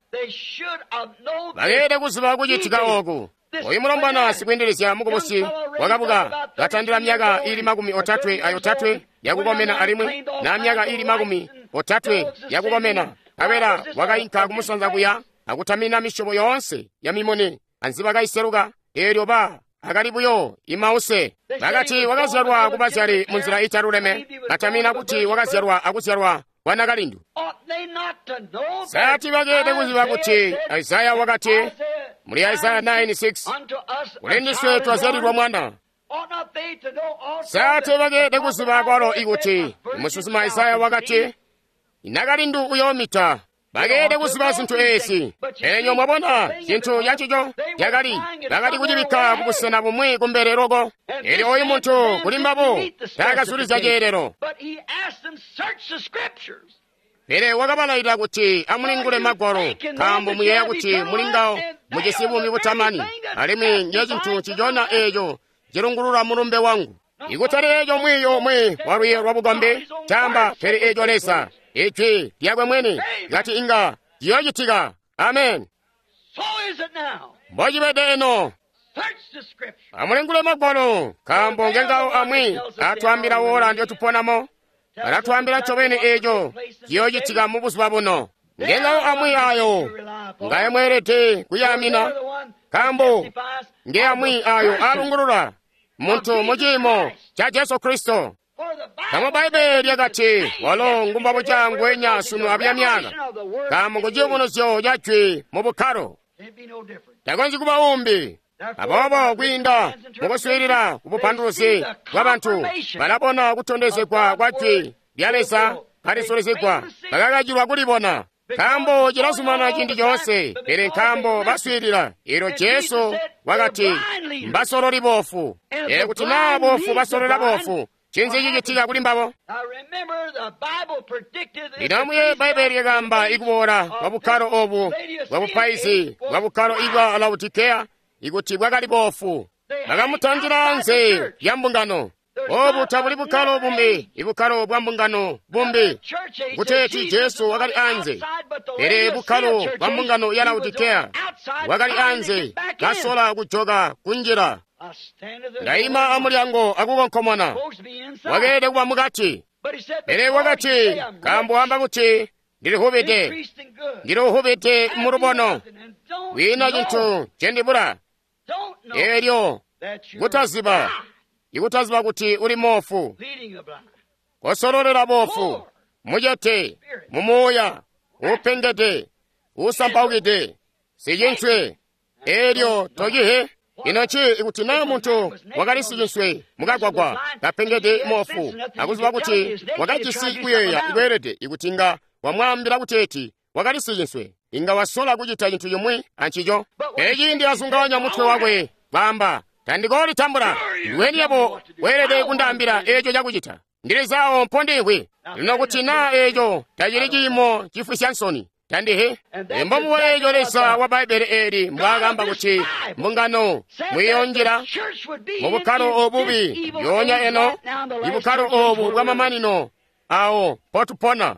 Bakeelede kuziba kucitika ooku. Oyu mulombwana sikwiindilizya mukubusi wakabuka katandila myaka ili makumi otatwe ayotatwe yakukomena alimwi na myaka ili makumi otatwe yakukomena, nkabela wakainka kumusanza kuya akutamina misyobo yoonse ya mimuni anzibakaiseluka. Eelyo ba akali buyo imause. Bakati wakazyalwa kubazyali munzila italuleme, batamina kuti wakazyalwa akuzyalwa kwa nakalindu. Sati bakeelede kuziba kuti Isaya wakati muli Isaya nine six, kuli ndiswe twazyalilwa mwana. Sati bakeelede kuziba kwalo ikuti musinsimi Isaya wakati nakalindu uyoomita. Bakeelede kuziba zintu eezi. Pele mwabona cintu cancico cakali bakali kucibikka kubusena bumwi kumbele loko. Eelyo oyu muntu kuli mbabo taakazulizya ceelelo. Pele wakabalailila kuti amulingule Magwalo, nkaambo muyeeya kuti mulingawo mujisi buumi butamani, alimwi ncecintu ncicona eeco cilungulula mulumbe wangu. Ikutali eeco mwiiyo umwi walwiiyo lwabukombi caamba, pele eeco Leza ijwi lyakwe mwini kati inga ciyoocitika. Amen. Mbocibede eno. Amulingule Magwalo, nkaambo ngengawo amwi atwaambila woola ndyotuponamo, alatwaambila ncobeni eeco ciyoocitika mubuzuba buno. Ngengawo amwi ayo ngaye mweelede kuyaamina, nkaambo nge amwi ayo alungulula muntu muciimo ca Jesu Kristo. Nkaambo Bbaibbele lyakati walo ngumbabuca ngwenya sunu abya myaka, nkaambo ngu ciyubunuzyo ca jwi mu bukkalo. Takonzyi kuba umbi. Aboobo kwiinda mukuswiilila kubupanduluzi bwabantu, balabona kutondezegwa kwa jwi lya Leza kalisulizigwa, bakakacilwa kulibona. Nkaambo cilazumanana ciindi coonse, pele nkaambo baswiilila. Elyo Jesu wakati mbasololi boofu. Pele kuti naa boofu basolola boofu, ncinzi cicitika kuli mbabo? Lino amuyeeye Bbaibbele lyakaamba ikuboola kwa bukkalo obu bwa bupaizi bwa bukkalo ibwa Laodikeya ikuti bwakali boofu. Bakamutandila anze lya mbungano. Obu tabuli bukkalo bumbi, ibukkalo bwa mbungano bumbi. Kuteeti Jesu wakali anze, pele bukkalo bwa mbungano ya Laodikeya wakali anze, kasola kujoka kunjila. Ndaima amulyango akukonkomona. Wakeelede kuba mukati. Pele wakati, nkaambo wamba kuti ndilihubide, ndilihubide mulubono, kwiina cintu ncendibula. Elyo kutaziba, ikutaziba kuti uli moofu, kosololela boofu, mucete, mumuuya, uupengede, uusampaukide, sicinswe, elyo tocihe. Ino nci ikuti naa muntu wakali sicinswe mukagwagwa kapengede moofu, akuziba kuti wakajisi kuyeeya ikweelede, ikuti inga wamwaambila kuteeti wakali sicinswe, inga wasola kucita cintu cimwi ancico. Pele ciindi azunganya mutwe wakwe kwaamba, tandikoolitambula, ndiweni yabo weelede kundaambila eeco cakucita, ndilizawo mpondihwi. Lino kuti naa eeco tacili ciimo cifwisya nsoni, tandihe. Mbomubo eeco Leza wa Bbaibbele eeli mbwaakamba kuti mbungano mwiyoonjila mu bukkalo obubi yoonya eno, ibukkalo obu bwamamanino awo mpotupona.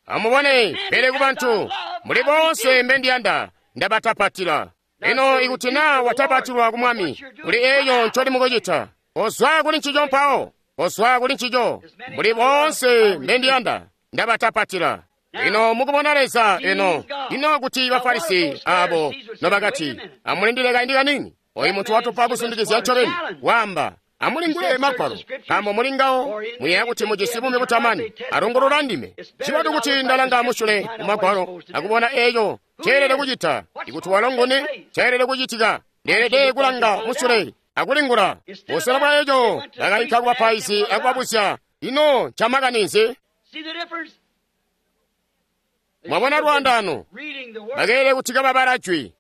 Amubone, pele kubantu muli boonse mbendiyanda ndabatapatila. Lino ikuti naa watapatilwa ku Mwami, kuli eeco ncoli mukucita, kozwa kuli ncico mpawo, kozwa kuli ncico. Muli boonse mbendiyanda ndabatapatila. Lino mukubona Leza eno, ino kuti Bafarisi abo nobakati, amulindile kaindi kanini, oyu muntu watupa kusindikizya ncobeni, waamba, amulingule Magwalo, nkaambo muli ngawo muyeeya kuti mujisi buumi butamani, alongolola ndime. Ncibotu kuti ndalanga musyule mu Magwalo akubona eeco ceelede kucita. Ikuti walongone ceelede kucitika, ndeelede kulanga musyule akulingula. Busena bwa eeco bakainka kubapaizi akubabuzya, ino ncamakani nzi? Mwabona lwaandaano, bakeelede kuti kababala jwi.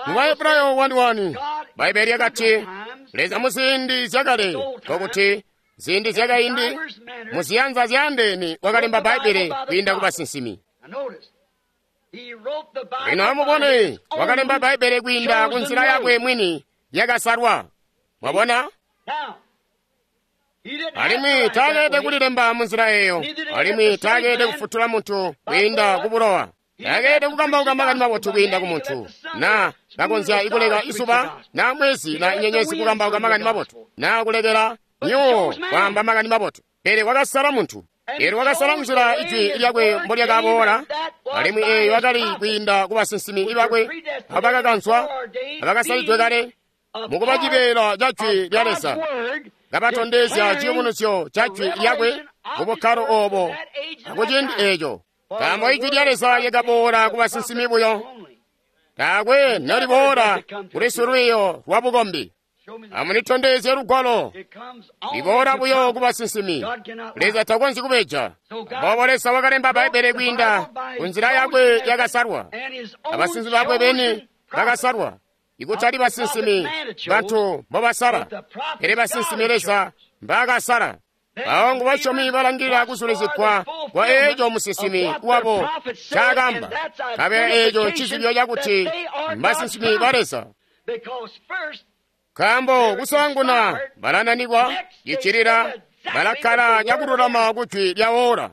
Mu Bahebrayo wani wani, Bbaibbele lyakati, Leza muziindi zyakale, nkokuti ziindi zyakaindi, muziyanza zyaandeene wakalemba Bbaibbele kwiinda ku basinsimi. Lino amubone, wakalemba Bbaibbele kwiinda ku nzila yakwe mwini yakasalwa. Mwabona? Alimwi taakeelede kulilemba munzila eeyo, alimwi taakeelede kufutula muntu kwiinda ku bulowa. Taakeelede kukambauka makani mabotu kwiinda ku muntu, naa kakonzya ikuleka izuba naa mwezi na nyenyezi kukambauka makani mabotu, naa kulekela nyuwo kwaamba makani mabotu. Pele wakasala muntu, eelyo wakasala nzila ijwi lyakwe mbolyakaboola, alimwi eeyo yakali kwiinda ku basinsimi bakwe abakakanzwa abakasalidwe kale mukuba cibeela ca jwi lya Leza, kabatondezya ciyubunuzyo ca jwi lyakwe ku bukkalo obo akuciindi eeco. Nkaambo ijwi lya Leza lyakaboola ku basinsimi buyo, taakwe noliboola kuli silwiiyo lwa bukombi. Amunitondezye lugwalo, liboola buyo ku basinsimi. Leza takonzyi kubeja. Aboobo Leza wakalemba Bbaibbele kwiinda ku nzila yakwe yakasalwa, abasinsimi bakwe beni bakasalwa, ikutali basinsimi bantu mbobasala, pele basinsimi Leza mbaakasala. Awo ngu basyomi balangilila kusulizigwa kwa eeco musinsimi wabo ncaakamba, nkabela eeco ncizibyo cakuti mbasinsimi ba Leza. Nkaambo kusaanguna balananikwa, cicilila balakkala cakululama kujwi lya oora.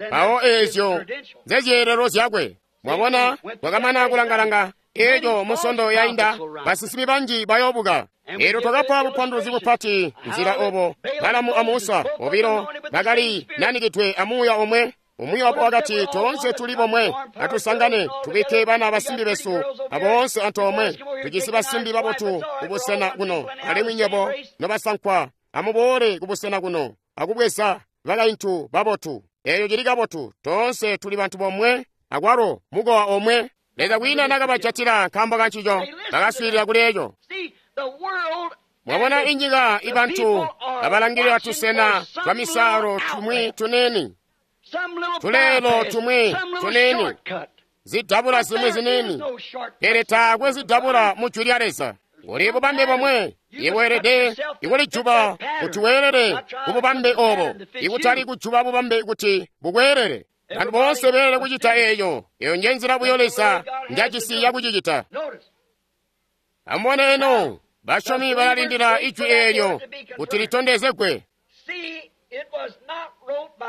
Mpawo eezyo nzezyeelelo zyakwe. Mwabona, twakamana kulanga-langa eeco musondo yainda, basinsimi banji bayoobuka. Eelyo twakapa bupanduluzi bupati nzila obo Balamu a Musa bobilo bakali nanikidwe amuuya omwe, Umwi wabo wakati, toonse tuli bomwe, atusangane, tubikke bana basimbi besu aboonse antoomwe. Tujisi basimbi babotu kubusena kuno, alimwi nywebo nobasankwa amuboole kubusena kuno akubweza bakaintu babotu. Eeyo cili kabotu, toonse tuli bantu bomwe, akwalo mukowa omwe. Leza kwiina nakabajatila nkaambo kancico, bakaswiilila kuli eco. Mwabona inyika ibantu abalangilila tusena twa misaalo tumwi tunini, tuleelo tumwi tunini, zidabula zimwi zinini, pele taakwe zidabula mu Jwi lya Leza. Kuli bubambe bomwe, iweelede ikulijuba kuti weelele kububambe obo, ikutali kujuba bubambe kuti bukweelele. Bantu boonse beelele kucita eeyo. Eyo nje nzila buyo Leza njajisi yakucicita. Amubone eno, basyomi balalindila ijwi eelyo kuti litondezegwe.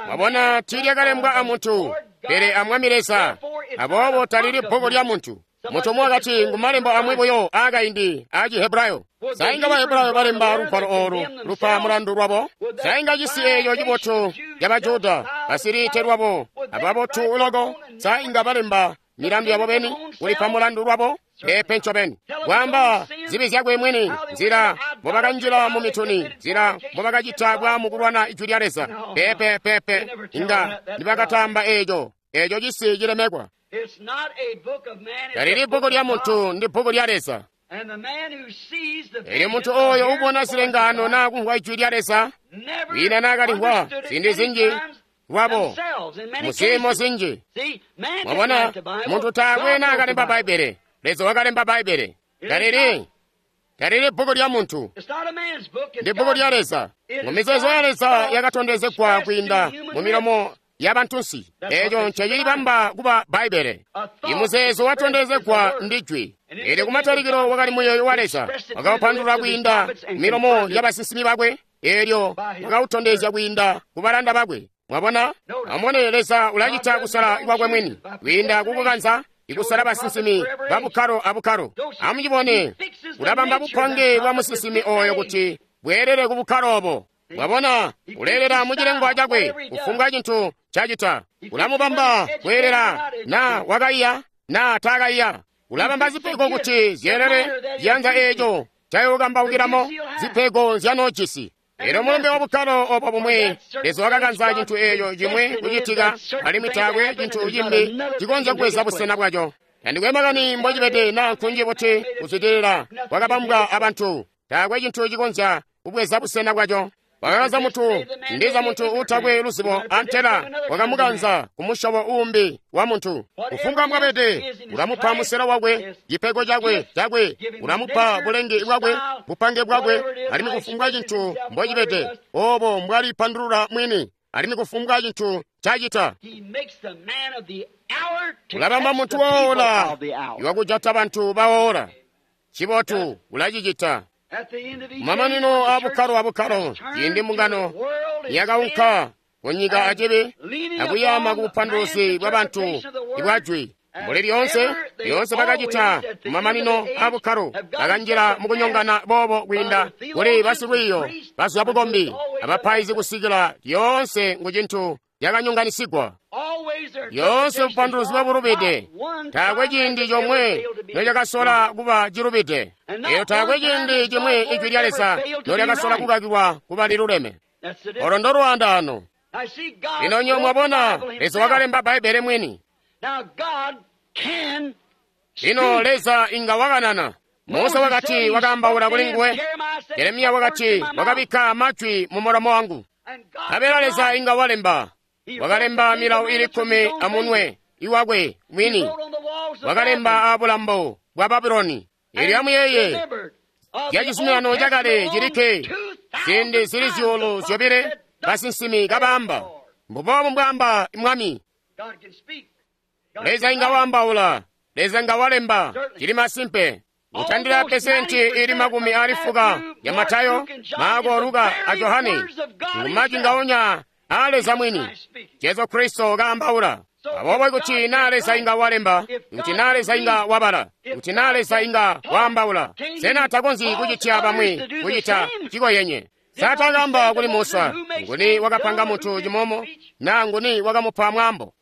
Mwabona, tiilyakalembwa amuntu, pele a Mwami Leza. Aboobo talili bbuku lya muntu. Muntu umwi wakati ngu malembo amwi buyo aakaindi aa Cihebrayo. Sainga Bahebrayo balemba lugwalo oolu lupa mulandu lwabo. Sainga cisi eeco cibotu ca Bajuda basiliite lwabo ababotu loko. Sainga balemba milandu yabo beni kulipa mulandu lwabo. Peepe ncobeni. Kwaamba zibi zyakwe mwini, nzila mbobakanjila mu mituni, nzila mbobakacita bwaamu kulwana ijwi lya Leza. Peepe peepe, inga nibakatamba eeco. Eeco cisi cilemekwa. Talili bbuku lya muntu, ndi bbuku lya Leza. Elyo muntu oyo ubona zilengaano naa kumvwa ijwi lya Leza, wina naakalimvwa ziindi zinji lwabo muziimo zinji. Mwabona, muntu taakwe naakalemba Bbaibbele. Leza wakalemba Bbaibbele. Talili talili bbuku lya muntu, ndi bbuku lya Leza. Mu mizeezo ya Leza yakatondezegwa kwiinda mu milomo ya bantunsi. Eeco ncecilibamba kuba Bbaibbele. Imuzeezo watondezegwa ndi jwi. Eelyo kumatalikilo wakali muyeeyo wa Leza, wakaupandulula kwiinda milomo ya basinsimi bakwe. Eelyo wakautondezya kwiinda ku balanda bakwe. Mwabona, amubone Leza ulacita kusala kwakwe mwini kwiinda kukukanza ikusala basinsimi ba bukkalo abukkalo. Amucibone, ulabamba bupange bwa musinsimi oyo kuti bweelele ku bukkalo obo. Mwabona, uleelela mucilengwa cakwe kufumbwa cintu cacita. Ulamubamba kweelela na wakaiya na taakaiya. Ulabamba zipego kuti zyeelele ciyanza eeco cayokambaukilamo zipego nzyanoojisi. Elyo mulumbe wa bukkalo obo bumwi, Leza wakakanza cintu eeco cimwi kucitika, alimwi taakwe cintu cimbi cikonzya kubweza busena bwaco. Tandikwe makani mbocibede naa nkunji buti kuzwidilila kwakabambwa abantu, taakwe cintu cikonzya kubweza busena bwaco. Wakakanza muntu, ndiza muntu uutakwe luzibo antela wakamukanza ku musyobo uumbi wa muntu. Kufumbwa mbwabede, ulamupa musela wakwe, cipego cakwe cakwe, ulamupa bulenge bwakwe, bupange bwakwe, alimwi kufumbwa cintu mbocibede, obo mbwalipandulula mwini, alimwi kufumbwa cintu cacita. Ulabamba muntu woola iwakujata bantu baoola. Cibotu ulacicita. Mamanino a bukkalo abukkalo, ciindi mbungano yakaunka kunyika acibi akuyaama ku bupanduluzi bwa bantu ibwajwi. Mbuli lyoonse, lyoonse bakacita kumamanino a bukkalo, bakanjila mukunyongana boobo kwiinda kuli basilwiiyo bazwa bukombi abapaizi kusikila lyoonse ngu cintu cakanyonganisigwa. Lyoonse bupanduluzi bwabulubide, taakwe ciindi comwe nocakasola kuba cilubide. Elyo taakwe ciindi cimwi ijwi lya Leza nolyakasola kukakilwa kuba liluleme. Olo ndolwaandaano. Lino nyo mwabona, Leza wakalemba Bbaibbele mwini. Lino Leza inga wakanana. Musa wakati wakaambaula kuli nguwe. Jeremiya wakati wakabikka majwi mu mulomo wangu. Nkabela Leza inga walemba. Wakalemba milawo ili kkumi amunwe iwakwe mwini. Wakalemba abulambo bwa Babuloni. Elyo amuyeeye, lya cizuminano cakale cilikke ziindi zili zyuulu zyobile basinsimi kabaamba, mbuboobu mbwaamba Mwami. Leza inga waambaula, Leza inga walemba, cili masimpe. Kutandila pesenti ili makumi ali fuka ya Matayo, Marko, Luka a Johane ngu majwi ngaonya a Leza mwini, Jesu Kristo kaambaula. Aboobo kuti naa Leza inga walemba, kuti naa Leza inga wabala, kuti naa Leza inga waambaula, sena takonzyi kucitya bamwi kucita cikoyenye? Sa taakamba kuli Musa, nguni wakapanga munthu chimomo, na nguni wakamupa mwambo?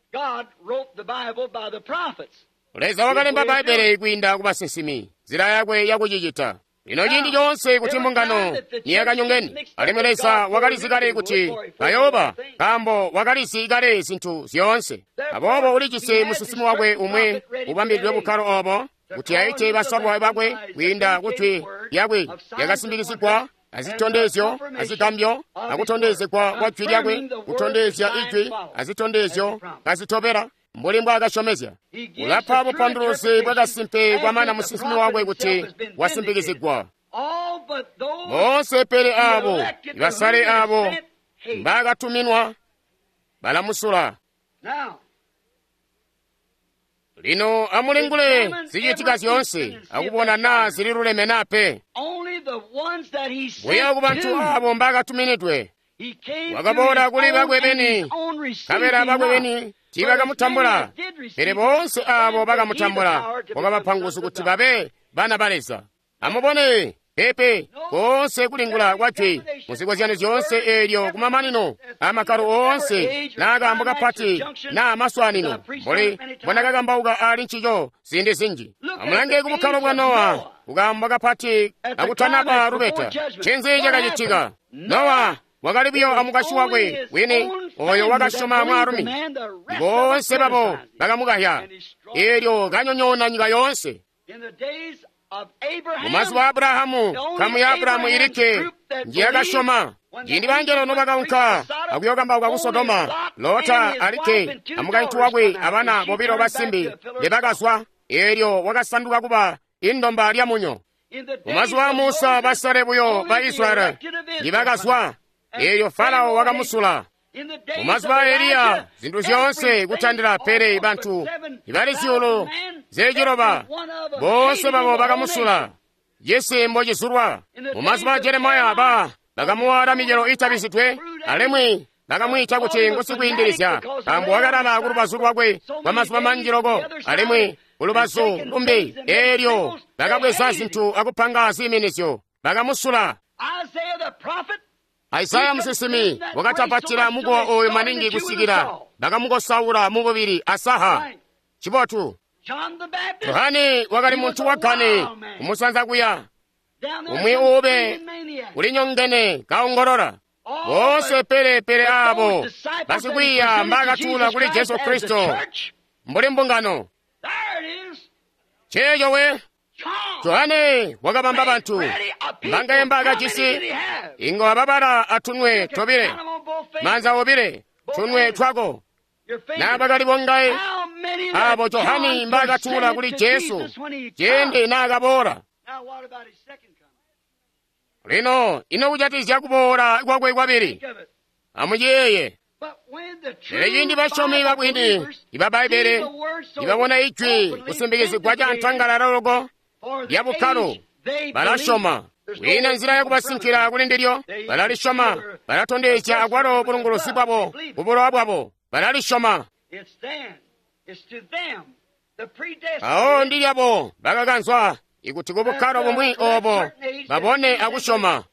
Leza wakalemba Bbaibele kwiinda ku basinsimi, nzila yakwe yakucicita. Lino ciindi coonse kuti mbungano niyakanyongene, alimwi Leza wakalizi kale kuti bayooba, nkaambo wakalizi kale zinthu zyoonse. Aboobo ulijisi musinsimi wakwe umwe ubambidwe bukkalo obo, kuti aite basalwa bakwe kwiinda kujwi lyakwe lyakasimbikizigwa azitondezyo azigambyo akutondezegwa kwa jwi lyakwe, kutondezya ijwi azitondezyo kazitobela mbuli mbwaakasyomezya. Ulapa bupanduluzi bwakasimpe kwamana musinsimi wakwe kuti wasimbikizigwa. Boonse pele abo basale abo mbaakatuminwa balamusula. Lino amulingule zicitika zyoonse akubona naa zililuleme naa pe. Buya ku bantu abo mbaakatuminidwe. Wakaboola kuli bakwe beni, nkabela bakwe beni tiibakamutambula, pele boonse abo bakamutambula wakabapa nguzu kuti babe bana ba Leza. Amubone pepe koonse kulingula kwa jwi muzikozyanyo zyoonse eelyo kumamanino amakkalo oonse naa kaambo kapati naa maswaanino mbuli mbondakakambauka aali ncico ziindi zinji. Amulange ku bukkalo bwa Nowa, kukaambo kapati akutanaba lubeta. Ncinzi cakacitika? Nowa wakali buyo amukwasyi wakwe wini oyo wakasyoma mwaalumi. Boonse babo bakamukahya, eelyo kanyonyoona nyika yoonse. Mumazuba a Abrahamu, nkamu ya Abrahamu ilikke njiyakasyoma. Ciindi bangelo nobakaunka akuyokambauka ku Sodoma, Lota alikke amukaintu wakwe abana bobilo basimbi mbebakazwa, eelyo wakasanduka kuba indomba lyamunyo. Mumazuba a Musa, basale buyo ba Israyeli njibakazwa, eelyo Farao wakamusula. Mumazuba a Eliya, zinthu zyoonse kutandila pele bantu ibali zyuulu zeciloba boonse babo bakamusula. Cisi mbocizulwa. Mumazuba a Jeremiya ba bakamuwaala micelo itabizidwe, alimwi bakamwiita kuti ngusikwiindilizya, nkaambo wakalala kulubazu lwakwe kwa mazuba manji loko, alimwi kulubazu lumbi. Eelyo bakabweza zinthu akupanga ziiminizyo, bakamusula. Isaya musinsimi wakatapatila mukowa oyo maningi kusikila bakamukosaula mububili asaha. Chibotu. Yohane wakali muntu wagane kumusanza kuya, umwi uube ulinyongene kaongolola. Boonse pele pele abo basikwiiya mbakatula kuli Jesu Kristo mbuli mbungano. Cheecho we. Yohane wakabamba bantu mbangaye mbaakajisi inga wababala atunwe tobile, manza obile, tunwe twako naa bakali bongaye abo Johani mbaakatula kuli Jesu ciindi naakaboola. Lino ino kujatikizya kuboola kwakwe kwabili, amuyeeye. Pele ciindi basyomi babwini iba Bbaibbele nibabona ijwi kusimbikizigwa ca ntangalala loko lya bukkalo, balasyoma. Kwiina nzila yakubasinkila kuli ndilyo, balalisyoma. Balatondezya akwalo bulunguluzi bwabo kubulowa bwabo, balalisyoma. Awo ndilyabo bakakanzwa ikuti kubukkalo bumwi obo babone akusyoma.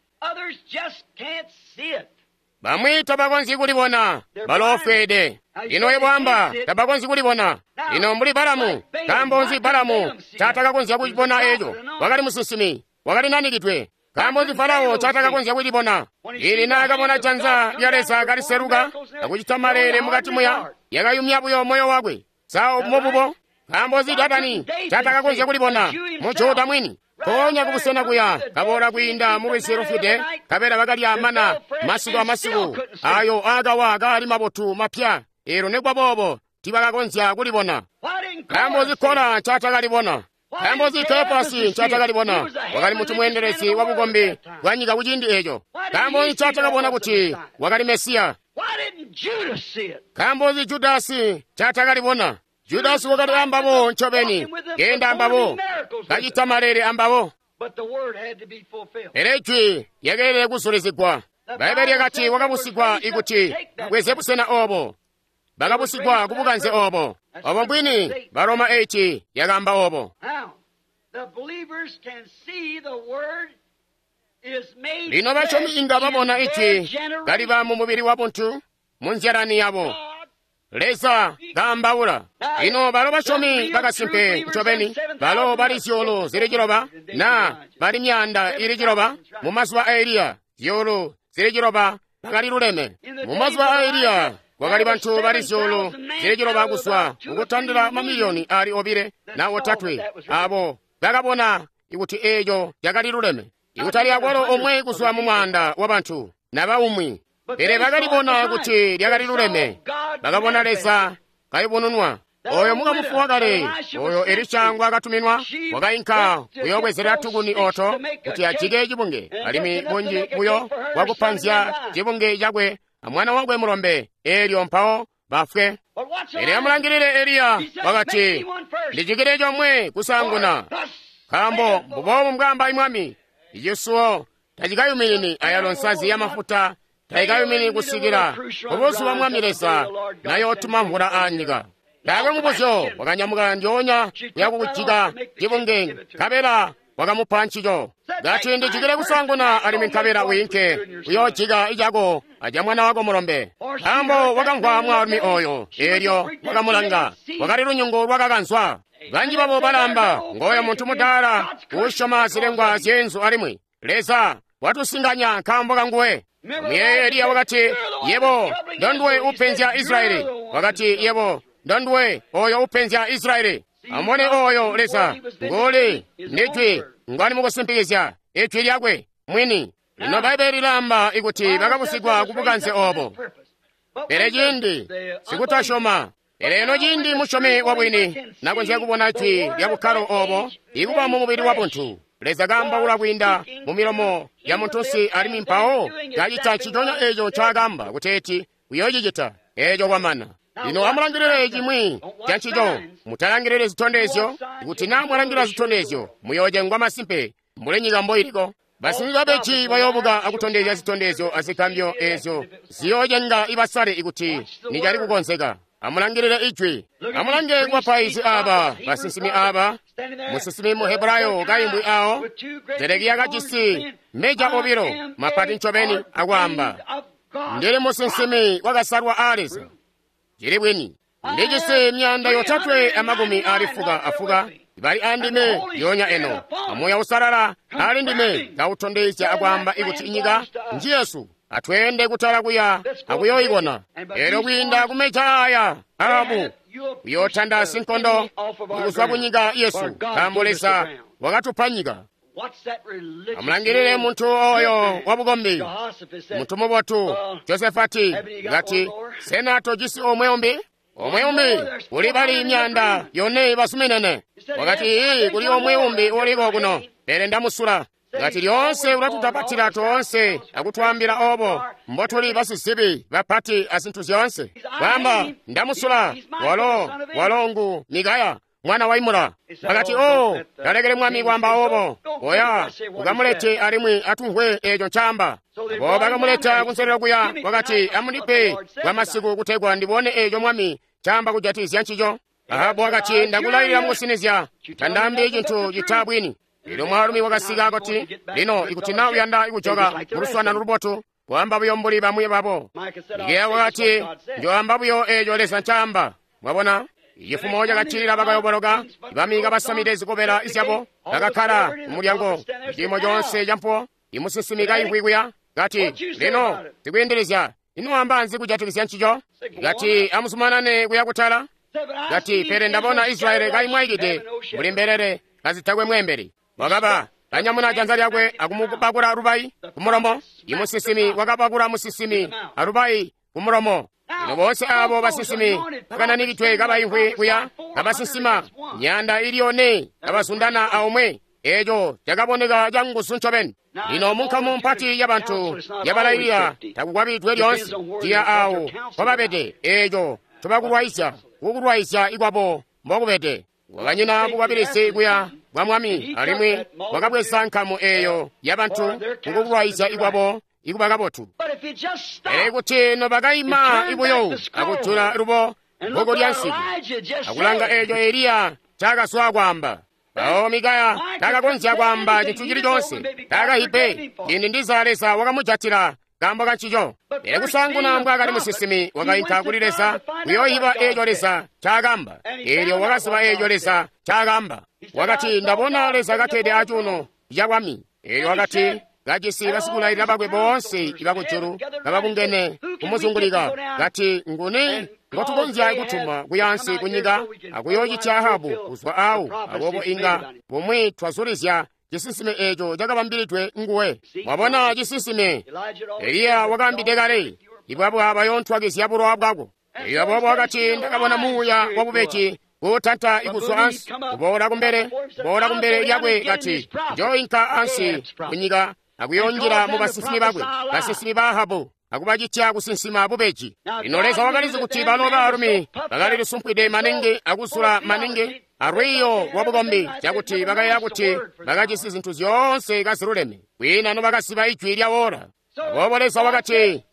Bamwi tabakonzyi kulibona, baloofweede. Lino yebwamba tabakonzyi kulibona. Lino mbuli Balamu, nkaambo nzi Balamu taatakakonzya kucibona eco? Wakali musinsimi, wakali nanikidwe. Nkaambo nzi Farao taatakakonzya kulibona? Ili naakabona janza lya Leza kaliseluka akucita maleele mukati muya, yakayumya buyo moyo wakwe. Sa mububo? Nkaambo nzi Datani taatakakonzya kulibona? Mujuda mwini. Mpoonya kubusena kuya kaboola kwiinda mu lwizi lufwide, nkabela bakalya mana masiku amasiku ayo aakawa kaali mabotu mapya. Eelyo nikuba boobo tiibakakonzya kulibona. Nkaambo nzi Kola ncaatakalibona? Nkaambo nzi Kefasi ncaatakalibona? Wakali muntu mweendelezi wa bukombi bwa nyika kuciindi eeco. Nkaambo nzi ncaatakabona kuti wakali Mesiya? Nkaambo nzi Judasi ncaatakalibona? Judasi wakali ambabo ncobeni, keenda ambabo, kacita maleele ambabo. Pele ijwi lyakeelede kuzulizigwa. Bbaibbele lyakati wakabusigwa ikuti bweze busena obo. Bakabusigwa kubukanze obo. Obo mbwini, Baroma eight yakaamba obo. Lino basyomi inga babona Ijwi kaliba mu mubili wabuntu mu nzyalani yabo. Leza kaambaula. Lino balo basyomi bakasimpe ncobeni, balo bali zyuulu zili ciloba na bali myaanda ili ciloba mu mazuba a Eliya, zyuulu zili ciloba bakali luleme. Mu mazuba a Eliya kwakali bantu bali zyuulu zili ciloba kuzwa kukutandila mamiliyoni ali obile na otatwe abo bakabona kuti eeco cakali luleme. Ikutali akwalo omwe kuzwa mu mwaanda wa bantu naba umwi, pele bakalibona kuti lyakali luleme. Bakabona Leza kayubununwa. Oyo mukamufu wakale, oyo Elisha ngwaakatuminwa, wakainka kuyoobwezela tukuni oto kuti ajike cibunge, alimwi bunji buyo bwakupanzya cibunge cakwe amwana wakwe mulombe, eelyo mpawo bafwe. Pele amulangilile Eliya, wakati, ndijikile comwe kusaanguna, nkaambo mbuboobu mbwaamba Mwami, icisuwo tacikayuminini ayalo nsazi yamafuta tayikayumini kusikila kubuzuba Mwami Leza nayootuma mvula aanyika. Taakwe mubuzyo, wakanyamuka ndyoonya kuya kukujika cibunge, nkabela wakamupa ncico. Kati ndijikile kusaanguna alimwi nkabela wiinke uyoojika icako aca mwana wako mulombe. Nkaambo wakamvwa mwaalumi oyo, eelyo wakamulanga, wakali lunyungu lwakakanzwa. Banji babo balamba, ngooyo muntu mudaala uusyoma zilengwa zyeenzu alimwi Leza watusinganya nkaambo kanguwe. Muyeeye Eliya wakati, yebo ndonduwe upenzya Israyeli. Wakati, yebo ndonduwe oyo upenzya Israyeli. Amubone oyo Leza nguli ndijwi ngwali mukusimpikizya ijwi lyakwe mwini. Lino Bbaibeli lilaamba ikuti bakabusigwa ku bukanze obo. Pele ciindi sikutasyoma, pele eno ciindi musyomi wabwini nakonzya kubona jwi lya bukkalo obo ikuba mu mubili wabuntu, Leza kaambaula kwiinda mu milomo ya muntunsi alimwi mpawo kacita nciconya eco ncaakamba kuteeti uyoocicita. Eco kwamana. Lino amulangilile cimwi ca ncico. Mutalangilile zitondezyo. Kuti naa mwalangila zitondezyo, muyoocengwa masimpe mbuli nyika mboiliko. Basimbi babeji bayoobuka akutondezya zitondezyo azigambyo eezyo ziyoocenga ibasale ikuti nicali kukonzeka. Amulangilile ijwi. Amulange kubapaizi aba, basinsimi aba, musinsimi mu Hebrayo kaimbwi awo, Zedekiya kajisi meja obilo mapati ncobeni akwaamba, ndili musinsimi wakasalwa a Leza. Cili bwini. Ndijisi myaanda yotatwe amakumi ali fuka afuka bali andime yonya eno. Amoya usalala ali ndime kautondezya akwaamba ikuti inyika nji Yesu. Atweende kutala kuya akuyoibona. Elyo kwiinda kumeja aya Ahabu uyootanda sinkondo kuzwa kunyika Yesu, nkaambo Leza wakatupa nyika. Amulangilile muntu oyo wabukombi, muntu mubotu Josefati, ngati sena tojisi omwe umbi? Omwe umbi kuli bali myaanda yone basuminene. Wakati ii kuli omwe umbi uliko kuno, pele ndamusula. Ngati lyoonse ulatutapatila toonse akutwaambila obo mbotuli basizibi bapati azintu zyoonse. Kwaamba ndamusula, walo walo ngu Mikaya mwana wa Imula. Wakati o talekele mwami kwaamba obo, oya ukamulete alimwi atumvwe eco ncaamba. Abo bakamuleta kunselelo kuya, wakati amundipe kwa masiku kutegwa ndibone eco mwami ncaamba kujatikizya ncico. Ahabu wakati ndakulailila mukusinizya, tandaambi cintu cita bwini. Lino mwaalumi wakasika kuti, lino ikuti na uyanda kujoka muluswaanano lubotu, kwaamba buyo mbuli bamwi babo. Mikeya wakati njoamba buyo eco Leza ncaamba. Mwabona? Ichifumo cakaccilila bakayoboloka, bami kabasamide zikobela zyabo, bakakkala kumulyango ciimo conse campuwo. Imusinsimi kaimvwi kuya, kati, lino zikwiindilizya, ino wamba nzi kujatikizya ncico? Kati amuzumanane kuya kutala. Kati pele ndabona Israyeli kaimwaikide mbuli mbelele kazitakwe mweembeli. Wakaba kanyamuna janza lyakwe akumubakula lubayi kumulomo. Imusinsimi wakabakula musinsimi alubayi kumulomo. Lino boonse abo basinsimi bakananikidwe kabaimvwi kuya kabasinsima myaanda ili yone kabazundana aomwe. Eco cakaboneka canguzu ncobeni. Lino munkamu mpati yabantu yabalayilila takukwabilidwe lyoonse ciya awo mpobabede. Eco tobakulwaizya kukulwaizya ikwabo mbokubede. Wakanyina bukwabilizi kuya bwa mwami alimwi wakabweza nkamu eyo yabantu kukukulwaizya ikwabo ikuba kabotu. Pele kuti nobakaima ibuyo akujula lubo bbuku lya nsiku akulanga eco Eliya ncaakazwa kwaamba. Mpawo Mikaya takakonzya kwaamba cintu cili coonse, takahipe ciindi ndiza Leza wakamujatila kaambo kancico. Pele kusaanguna mbwaakali musinsimi, wakainka kuli Leza kuyooyiba eeco Leza ncaakamba. Eelyo wakaziba eeco Leza ncaakamba. Wakati, ndabona Leza kakkede acuuno cabwami. Eelyo wakati, kajisi basikulailila bakwe boonse ibakujulu kababungene kumuzungulika, kati, nguni ngotukonzya kutuma kuyaansi kunyika akuyoocitya Ahabu kuzwa awo, aboobo inga bumwi twazulizya cisinsime eeco cakabambilidwe nguwe. Mwabona cisinsime Eliya wakaambide kale, ibwabwa bayoontwakizya bulowa bwako. Eelyo aboobo wakati, ndakabona muuya wabubeji kuutanta kuzwa ansi, kuboola kumbele, kuboola kumbele lyakwe, kati, njooinka ansi kunyika akuyoonjila mu basinsimi bakwe, basinsimi ba Ahabu, akubacitya kusinsima bubeji. Lino Leza wakalizi kuti bano baalumi bakali lisumpwide maningi akuzula maningi alwiiyo lwa bukombi cakuti bakayeeya kuti bakajisi zintu zyoonse kaziluleme, kwiina nobakaziba ijwi lya wora. Aboobo Leza wakati,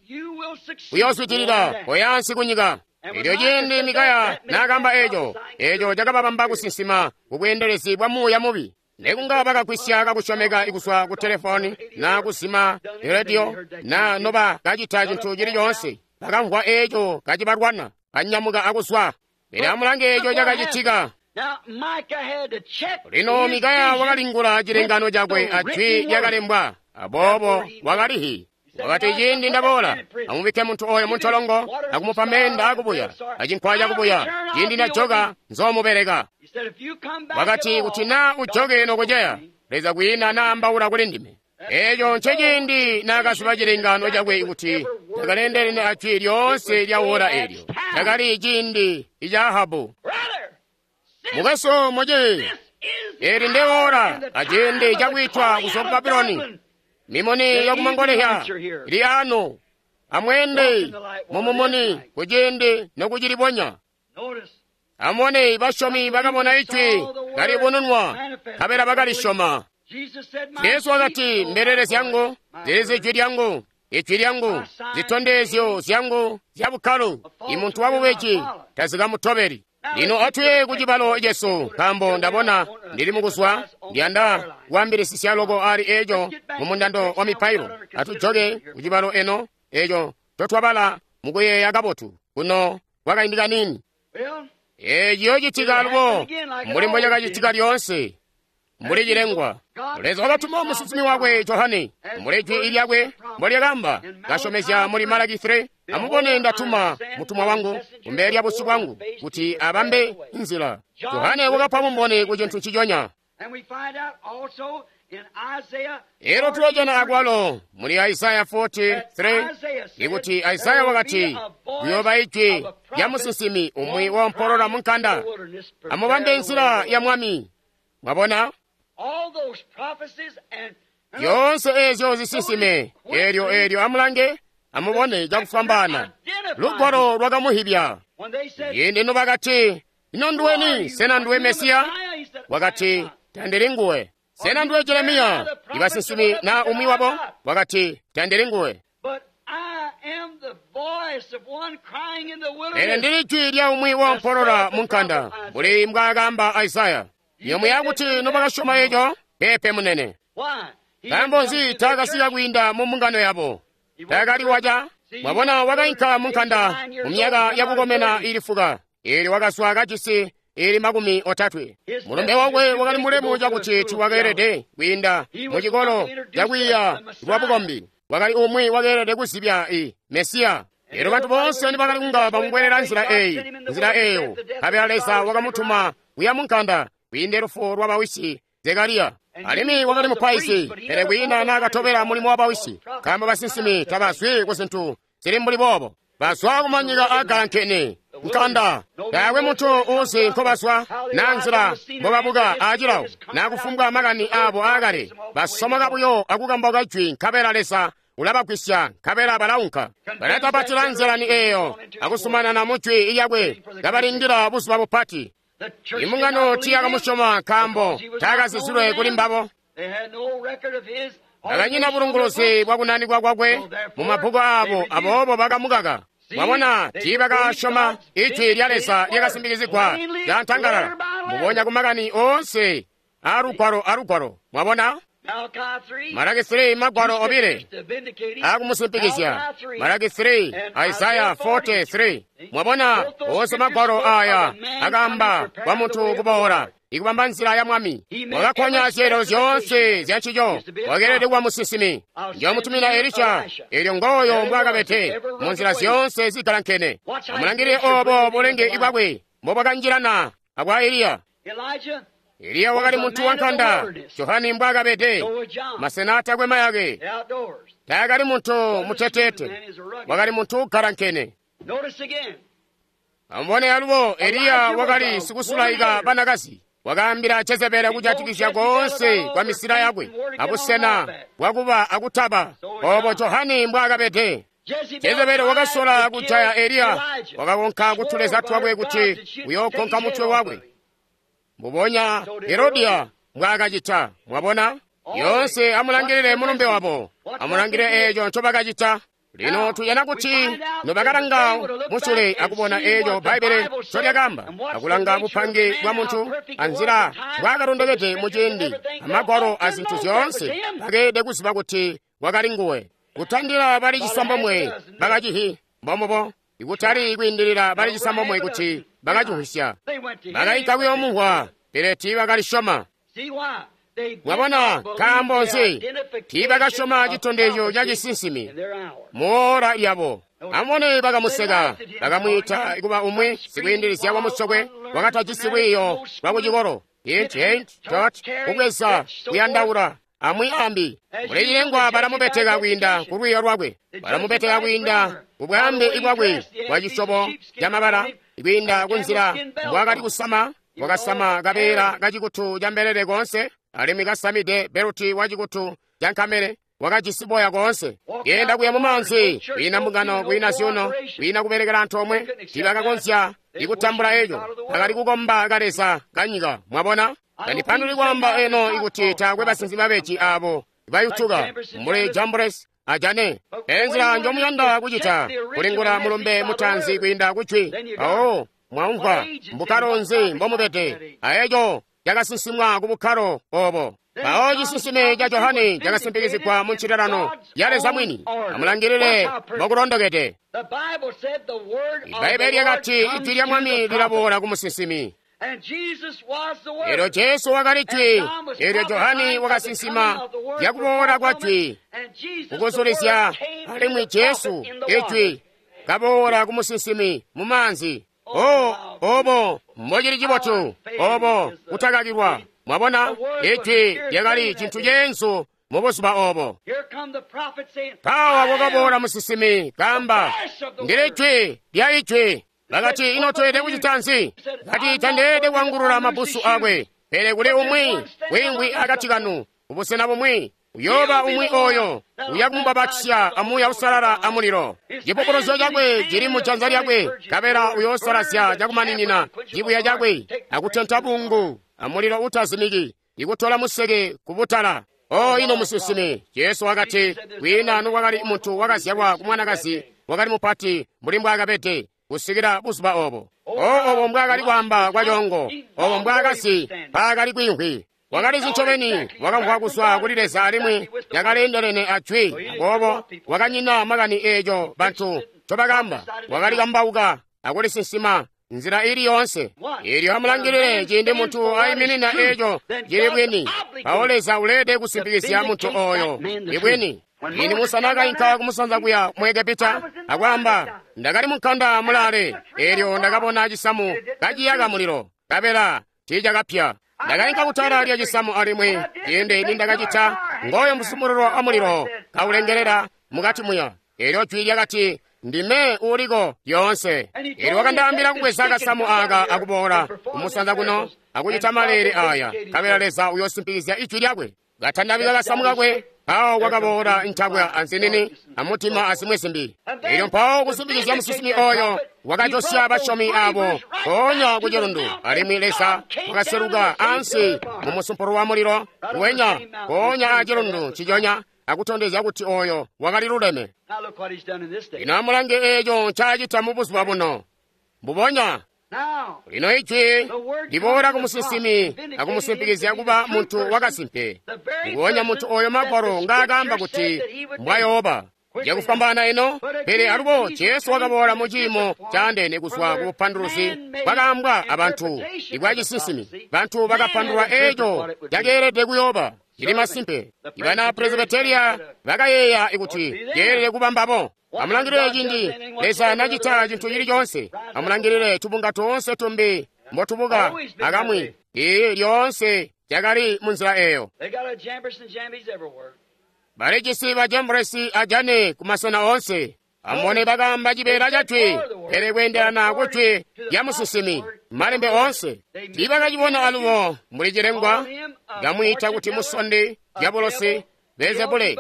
uyoozwidilila koyaansi kunyika. Eelyo ciindi Mikaya naakamba eeco, eeco cakababamba kusinsima kubweendelezi bwa muuya mubi. Nekunga bakagwisya kakusyomeka kuzwa ku telefoni na kuzima rediyo na noba kacita cintu cili coonse, bakamvwa eeco kacibalwana, kanyamuka akuzwa. Pele amulange eeco cakacitika. Lino Mikaya wakalingula cilengano cakwe ajwi lyakalembwa, aboobo wakalihi. Wakati, ciindi ndaboola, amubikke muntu oyo muntolongo akumupa meenda akubuya acinkwa cakubuya. Ciindi najoka nzoomubeleka. Wakati, kuti naa ujoke nokuceya, Leza kwiina naambaula kuli ndime. Eeco nceciindi naakaziba cilengano cakwe kuti cakaleendelene ajwi lyoonse lya wora eelyo. Cakali ciindi ica Ahabu. Mukwesu muci, eli nde wora aciindi cakwiitwa kuzwa ku Babuloni. Mimuni yakumangolezya ili ano, amweende mumumuni kuciindi nokucilibonya. Amubone basyomi bakabona ijwi kalibununwa, nkabela bakalisyoma. Jesu wakati, mbelele zyangu zilizi ijwi lyangu, ijwi lyangu, zitondezyo zyangu zya bukkalo. Imuntu wabubeji tazikamutobeli. Lino atuye ku cibalo cesu, nkaambo ndabona ndili mukuzwa, ndiyanda kuambilisisya loko ali eeco mu mundando wa mipailo. Atujoke ku cibalo eno eeco totwabala mukuyeeya kabotu kuno kwakaindi kaniini. Eeci yoocitika alubo mbuli mbocakacitika lyoonse, mbuli cilengwa. Leza wakatuma musinsimi wakwe Johane, mbuli jwi lyakwe mbolyakamba, kasyomezya muli Malaki three, amubone ndatuma mutumwa wangu kumbele lya busyu bwangu kuti abambe nzila. Johane wakapa bumboni ku cintu nciconya. Elo tulojana akwalo muli Isaya forty-three ikuti Isaya wakati, kuyooba ijwi lya musinsimi umwi woompolola munkanda, amubambe nzila ya Mwami. Mwabona? Zyoonse eezyo zisinsime, eelyo eelyo amulange, amubone cakufwambaana. Lugwalo lwakamuhibya. Ciindi nobakati, ino nduweni? Sena nduwe Mesiya? Wakati, tandili nguwe. Sena nduwe Jeremiya? Ibasinsimi na umwi wabo? Wakati, tandili nguwe. Pele ndili jwi lya umwi woompolola munkanda, mbuli mbwaakamba Isaya. Yomwe yakuti nobakasyoma eco, peepe munene. Nkaambo nzi taakasika kwiinda mu mbungano yabo? Taakali waca. Mwabona, wakainka munkanda mu myaka yakukomena ili fuka, eelyo wakazwa kajisi ili makumi otatwe. Mulumbe wakwe wakali mulemu cakuti tiwakeelede kwiinda mu cikolo cakwiiya lwa bukombi. Wakali umwi wakeelede kuzibya i Mesiya. Eelyo bantu boonse nibakali kunga bamubwelela nzila eyi, nzila eyo, nkabela Leza wakamutuma kuya munkanda kwiinda lufu lwa bawisi Zekariya. Alimwi wakali mupaizi, pele kwiina naakatobela mulimo wa bawisi, nkaambo basinsimi tabazwi ku zintu zili mbuli boobo. Bazwa kumanyika aagalankene nkanda, taakwe muntu uuzi nkobazwa naa nzila mbobabuka aacilawo naa kufumbwa makani aabo aakale. Basomoka buyo akukambauka jwi, nkabela Leza ulabagwisya, nkabela balaunka. Balatapatila nzilani eeyo akusumanana mu jwi lyakwe, kabalindila buzuba bupati. Imbungano tiyakamusyoma nkaambo taakazizilwe kuli mbabo. Bakanyina bulunguluzi bwakunanikwa kwakwe mu mabbuku aabo, aboobo bakamukaka. Mwabona, tiibakasyoma ijwi lya Leza lyakasimbikizigwa lyantangalala, mbubonya ku makani oonse aa Lugwalo a Lugwalo. Mwabona? Malaki three, Magwalo obile akumusimpikizya. Malaki three, Isaya forty-three. Mwabona, oonse Magwalo aya akaamba kwa muntu kuboola ikubamba nzila ya Mwami. Wakakkonya zyeelelo zyoonse zya ncico. Wakeelede kuba musinsimi. Njomutumina Elisha, elyo ngooyo mbwaakabede mu nzila zyoonse zigalankene. Amulangilile obo bulenge bwakwe mbobwakanjilana abwa Eliya. Eliya wakali muntu wankanda, Johani mbwaakabede, masena atakwe mayake. Taakali muntu muteteete, wakali muntu ugalankene. Amubone alubo, Eliya wakali sikusulaika banakazi. Wakaambila Jezebeli kujatikizya koonse kwa misila yakwe abusena bwakuba akutaba. Obo Johani mbwaakabede. Jezebeli wakasola kujaya Eliya, wakakonka kutuleza twakwe kuti uyookonka mutwe wakwe. Mbubonya Herodiya mbwaakacita. Mwabona? Yoonse amulangilile mulumbe wabo, amulangilile eeco ncobakacita. Lino tuyana kuti nobakalanga musule akubona eeco Bbaibbele ncolyakaamba, akulanga bupange bwa muntu anzila mbwaakalondokede muciindi amagwalo azintu zyoonse, bakeelede kuziba kuti wakali nguwe. Kutandila bali cisambomwe bakacihi mbomubo, ikutali kwiindilila bali cisambomwe kuti bakacihwisya. Bakainka kuyoomumvwa, pele tiibakalisyoma. Mwabona, nkaambo nzi? Tiibakasyoma citondezyo ca cisinsimi muora lyabo. Amubone, bakamuseka, bakamwiita kuba umwi sikwiindilizya wa musokwe wakatajisi lwiiyo lwa kucikolo. Hint, hint, tot, kubweza, kuyandaula, amwi ambi. Muli cilengwa balamubeteka kwiinda ku lwiiyo lwakwe, balamubeteka kwiinda ku bwaambe bwakwe bwa cisyobo camabala, kwiinda ku nzila mbwaakali kusama. Wakasama kabeela kacikutu ca mbelele koonse, alimwi kasamide beluti wa cikutu ca nkamele, wakajisi boya koonse. Yenda kuya mu maanzi, kwiina mbungano, kwiina zyuuno, kwiina kubelekela antoomwe. Tiibakakonzya ikutambula eco. Bakali kukomba kaleza kanyika. Mwabona? Tandipanduli kwaamba eno ikuti taakwe basinsimi babeji abo bayutuka mbuli Jambres a Jane. Enzila njomuyanda kucita kulingula mulumbe mutaanzi kwiinda kujwi. Mpawo mwaumvwa mbukkalo nzi mbomubede, aeco cakasinsimwa ku bukkalo obo. Mpawo cisinsime ca Johane cakasimpikizigwa mu ncililano ya Leza mwini. Amulangilile mbokulondokede. Ibbaibbele lyakati ijwi lya Mwami lilaboola ku musinsimi. Elyo Jesu wakali jwi. Elyo Johane wakasinsima zyakuboola kwa jwi kukuzulizya, alimwi Jesu ijwi kaboola ku musinsimi mu maanzi. Oh, obo mbocili cibotu, obo kutakakilwa. Mwabona, ijwi lyakali cintu ceenzu mu buzuba obo. Mpawa kwakaboola musinsimi kaamba, ndili jwi lya ijwi. Bakati, ino tweelede kucita nzi? Kati, tandeelede kuangulula mabbusu akwe, pele kuli umwi wiingwi akati kanu, kubusena bumwi uyooba umwi oyo uya kumubapatizya a Muuya Uusalala a mulilo. Cipupuluzyo cakwe cili mu janza lyakwe, nkabela uyoosalazya cakumaninina cibuya cakwe akutenta bungu a mulilo utazimiki, ikutola museke kubutala. O ino musinsimi! Jesu wakati, kwiina nokwakali muntu wakazyalwa ku mwanakazi wakali mupati mbuli mbwaakabede kusikila buzuba obo. O obo mbwaakali kwaamba kwa coongo, obo mbwaakazi mpaakali kwiimvwi. Wakalizi ncobeni, wakamvwa kuzwa kuli Leza alimwi yakaleendelene a jwi. Aboobo wakanyina makani eeco bantu ncobakaamba. Wakali kambauka akulisinsima nzila ili yoonse. Elyo amulangilile ciindi muntu aiminina eeco cili bwini, mpawo Leza uleelede kusimpikizya muntu oyo ibwini. Ini Musa naakainka kumusanza kuya mu Egepita akwaamba, ndakali munkanda mulaale, elyo ndakabona cisamu kaciyaka mulilo, nkabela tiicakapya. Ndakainka kutala lya cisamu alimwi ciindi nindakacita, ngooyo musumulilo wa mulilo kaulengelela mukati muya. Elyo jwi lyakati, ndime uuliko lyoonse. Elyo wakandaambila kubweza kasamu aka akuboola kumusanza kuno akucita maleele aya, nkabela Leza uyoosimpikizya ijwi lyakwe. Katandabika kasamu kakwe, mpawo kwakaboola ntabwa anzinini amutima azimwi zimbi. Elyo mpawo kusimpikizya musinsimi oyo wakajosya basyomi abo mpoonya ku cilundu, alimwi Leza wakaseluka ansi mu musumpulu wa mulilo wenya mpoonya a cilundu nciconya akutondezya kuti oyo wakali luleme. Lino amulange eeco ncaacita mu buzuba buno. Mbubonya Lino Ijwi liboola ku musinsimi akumusimpikizya kuba muntu wakasimpe, nguonya muntu oyo Magwalo ngaakaamba kuti mbwayooba. Cakufwambaana ino, pele alubo Jesu wakaboola mu ciimo caandeene kuzwa ku bupanduluzi bwakaambwa abantu ibwa cisinsimi. Bantu bakapandulula eeco cakeelede kuyooba. Cili masimpe, ibana Presbyteria bakayeeya kuti ceelede kuba mbabo. Amulangilile cindi Leza nacita cintu cili coonse. Amulangilile tubunga toonse tumbi mbotubuka akamwi. Iyi lyoonse cakali munzila eyo. Balijisi ba Jambresi a Jane kumasena oonse. Amubone bakaamba cibeela ca jwi, pele kweendelana ku jwi lya musinsimi, malembe oonse. Tiibakacibona alubo mbuli cilengwa, kamwiita kuti musondi, dyabulosi, Beelzebule,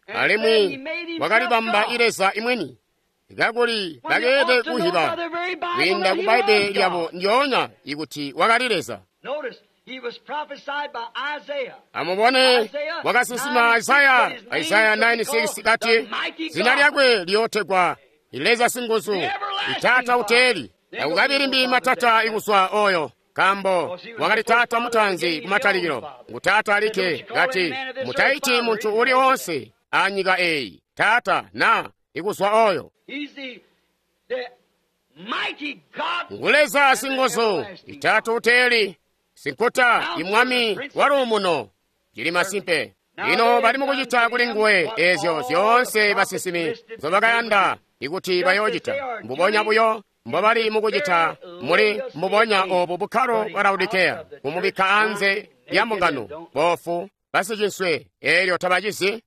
alimwi wakalibamba Leza imwini, kakuli bakeelede kuhiba kwiinda ku Bbaibbele lyabo ndyoonya ikuti wakali Leza. Amubone, wakasinsima Isaya, Isaya nine six kati, zina lyakwe liyootegwa Leza Singuzu, Taata uteeli. Takukabili mbi matata ikuzwa oyo, nkaambo wakali taata mutaanzi kumatalikilo. Ngu taata alikke, kati, mutaiti muntu uli oonse anyika eyi taata na ikuzwa oyo. Ngu Leza Singuzu, Taata uteeli, Sinkuta imwami waluumuno. Cili masimpe. Lino bali mukucita kuli nguwe ezyo zyoonse basinsimi nzobakayanda ikuti bayoocita. Mbubonya buyo mbobali mukucita muli mbubonya obu bukkalo bwa Laodikeya, kumubikka anze lya mbungano, boofu, basicinswe, eelyo tabacizi.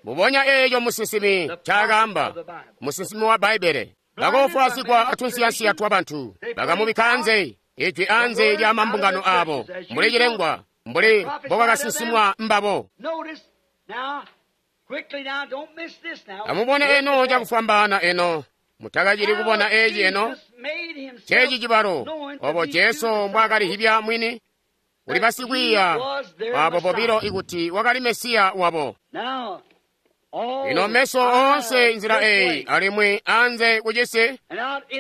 Mbubonya eeco musinsimi ncaakaamba, musinsimi wa Bbaibbele. Bakoofwaazigwa atunsiyansiya twabantu, bakamubikka anze, ijwi anze lya mambungano aabo, mbuli cilengwa, mbuli mbokwakasinsimwa mbabo. Amubone eno cakufwambaana eno, mutakacili kubona eeci eno. Ceeci cibalo, obo Jesu mbwaakalihibya mwini kuli basikwiiya abo bobilo ikuti wakali Mesiya wabo. Lino meso oonse nzila eyi alimwi anze kucisi,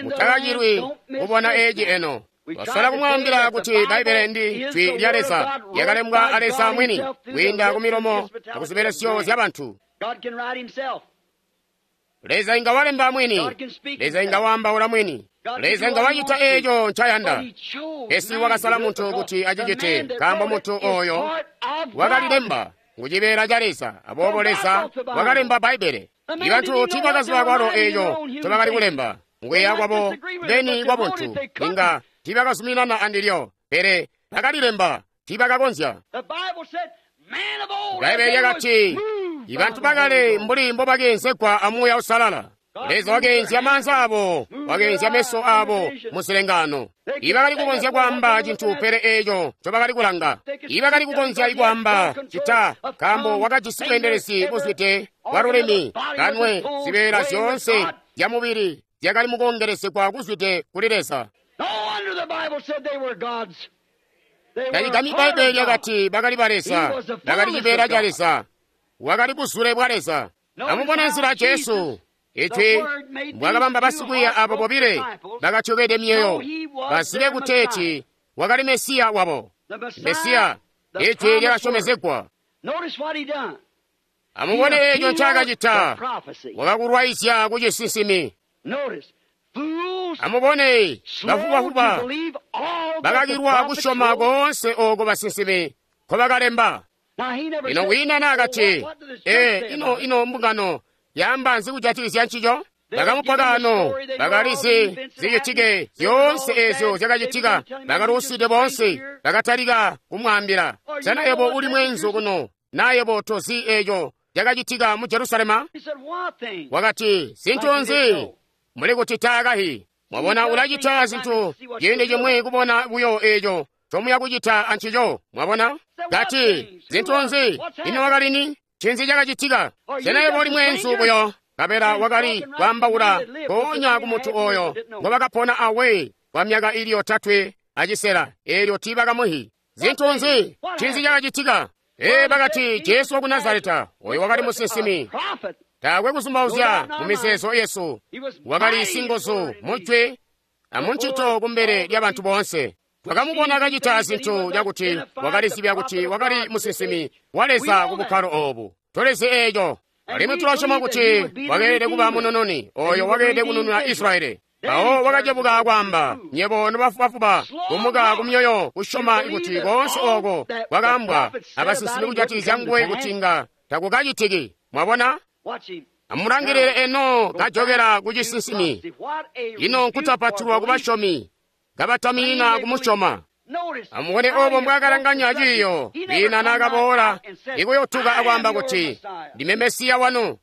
mutakacilwi kubona eeci eno. Basola kumwaambila kuti Bbaibbele ndi jwi lya Leza, lyakalembwa a Leza mwini kwiinda ku milomo akuzibelesyo zyabantu. Leza inga walemba mwini, Leza inga waambaula mwini, Leza inga wacita eeco ncayanda. Pesi wakasala muntu kuti acicite, nkaambo muntu oyo wakalilemba ngu cibeela ca Leza. Aboobo Leza wakalemba Bbaibbele. Ibantu tiibakaziba kwalo eeco ncobakali kulemba. Nguyeeya kwabo beni kwabuntu inga tiibakazuminana andilyo, pele bakalilemba, tiibakakonzya. Bbaibbele lyakati, ibantu bakale mbuli mbobakeenzegwa amuuya usalala. Leza wakeenzya maanza abo, wakeenzya meso abo muzilengano. Ibakali kukonzya kwaamba cintu pele eeco ncobakali kulanga. Ibakali kukonzya kwaamba cita, nkaambo wakajisi bweendelezi buzwide bwa lulimi, kanwe, zibeela zyoonse zyamubili zyakali mukoongelezegwa kuzwide kuli Leza. Tacigambyi Bbaibbele lyakati bakali ba Leza, bakali cibeela ca Leza, wakali buzule bwa Leza. Amubone nzila Jesu ijwi mbwakabamba basikwiiya abo bobile bakatyokede myoyo bazibe kuteeti wakali Mesiya wabo. Mesiya, ijwi lyakasyomezegwa. Amubone eeco ncaakacita, wakakulwaizya kucisinsimi. Amubone bafubafuba bakakilwa kusyoma koonse ooko basinsimi nkobakalemba. Ino kwiina naakati, ee, ino ino mbungano yaamba nzi kujatikizya ncico? Bakamupa kaano, bakalizi zicitike zyoonse eezyo zyakacitika, bakaluuside boonse, bakatalika kumwaambila, sena yebo uli mweenzu kuno, na yebo tozi eeco cakacitika mu Jerusalema? Wakati, zintu nzi? Muli kuti taakahi. Mwabona, ulacita zintu ciindi cimwi kubona buyo eeco ncomuya kucita ancico. Mwabona? Kati, zintu nzi? Ino wakali ni? Ncinzi cakacitika? Sena yebo uli mweenzu buyo? Kabela wakali kwaambaula mpoonya ku muntu oyo ngobakapona awe kwa myaka ili yotatwe acisela, eelyo tiibakamuhi. Zintu nzi? Ncinzi cakacitika? Ee, bakati Jesu waku Nazareta, oyo wakali musinsimi. Taakwe kuzumbauzya mu mizeezo yesu, wakali singuzu mujwi amuncito kumbele lya bantu boonse. Twakamubona kacita zintu cakuti wakalizibya kuti wakali musinsimi wa Leza ku bukkalo obu. Tulizi eeco. Alimwi tulasyoma kuti wakeelede kuba munununi, oyo wakeelede kunununa Israyeli. Mpawo wakacebuka akwaamba, nyebo nobafubafuba, kumuka kumyoyo kusyoma kuti koonse oko kwakaambwa abasinsimi kujatikizya nguwe kuti inga takukacitiki. Mwabona? Amulangilile eno kajokela ku cisinsimi. Ino nkutapatulwa ku basyomi, kabataminina kumusyoma. Amubone obo mbwakalanganya ciiyo, kwiina naakaboola ikuyotuka akwaamba kuti, ndime Mesiya wanu.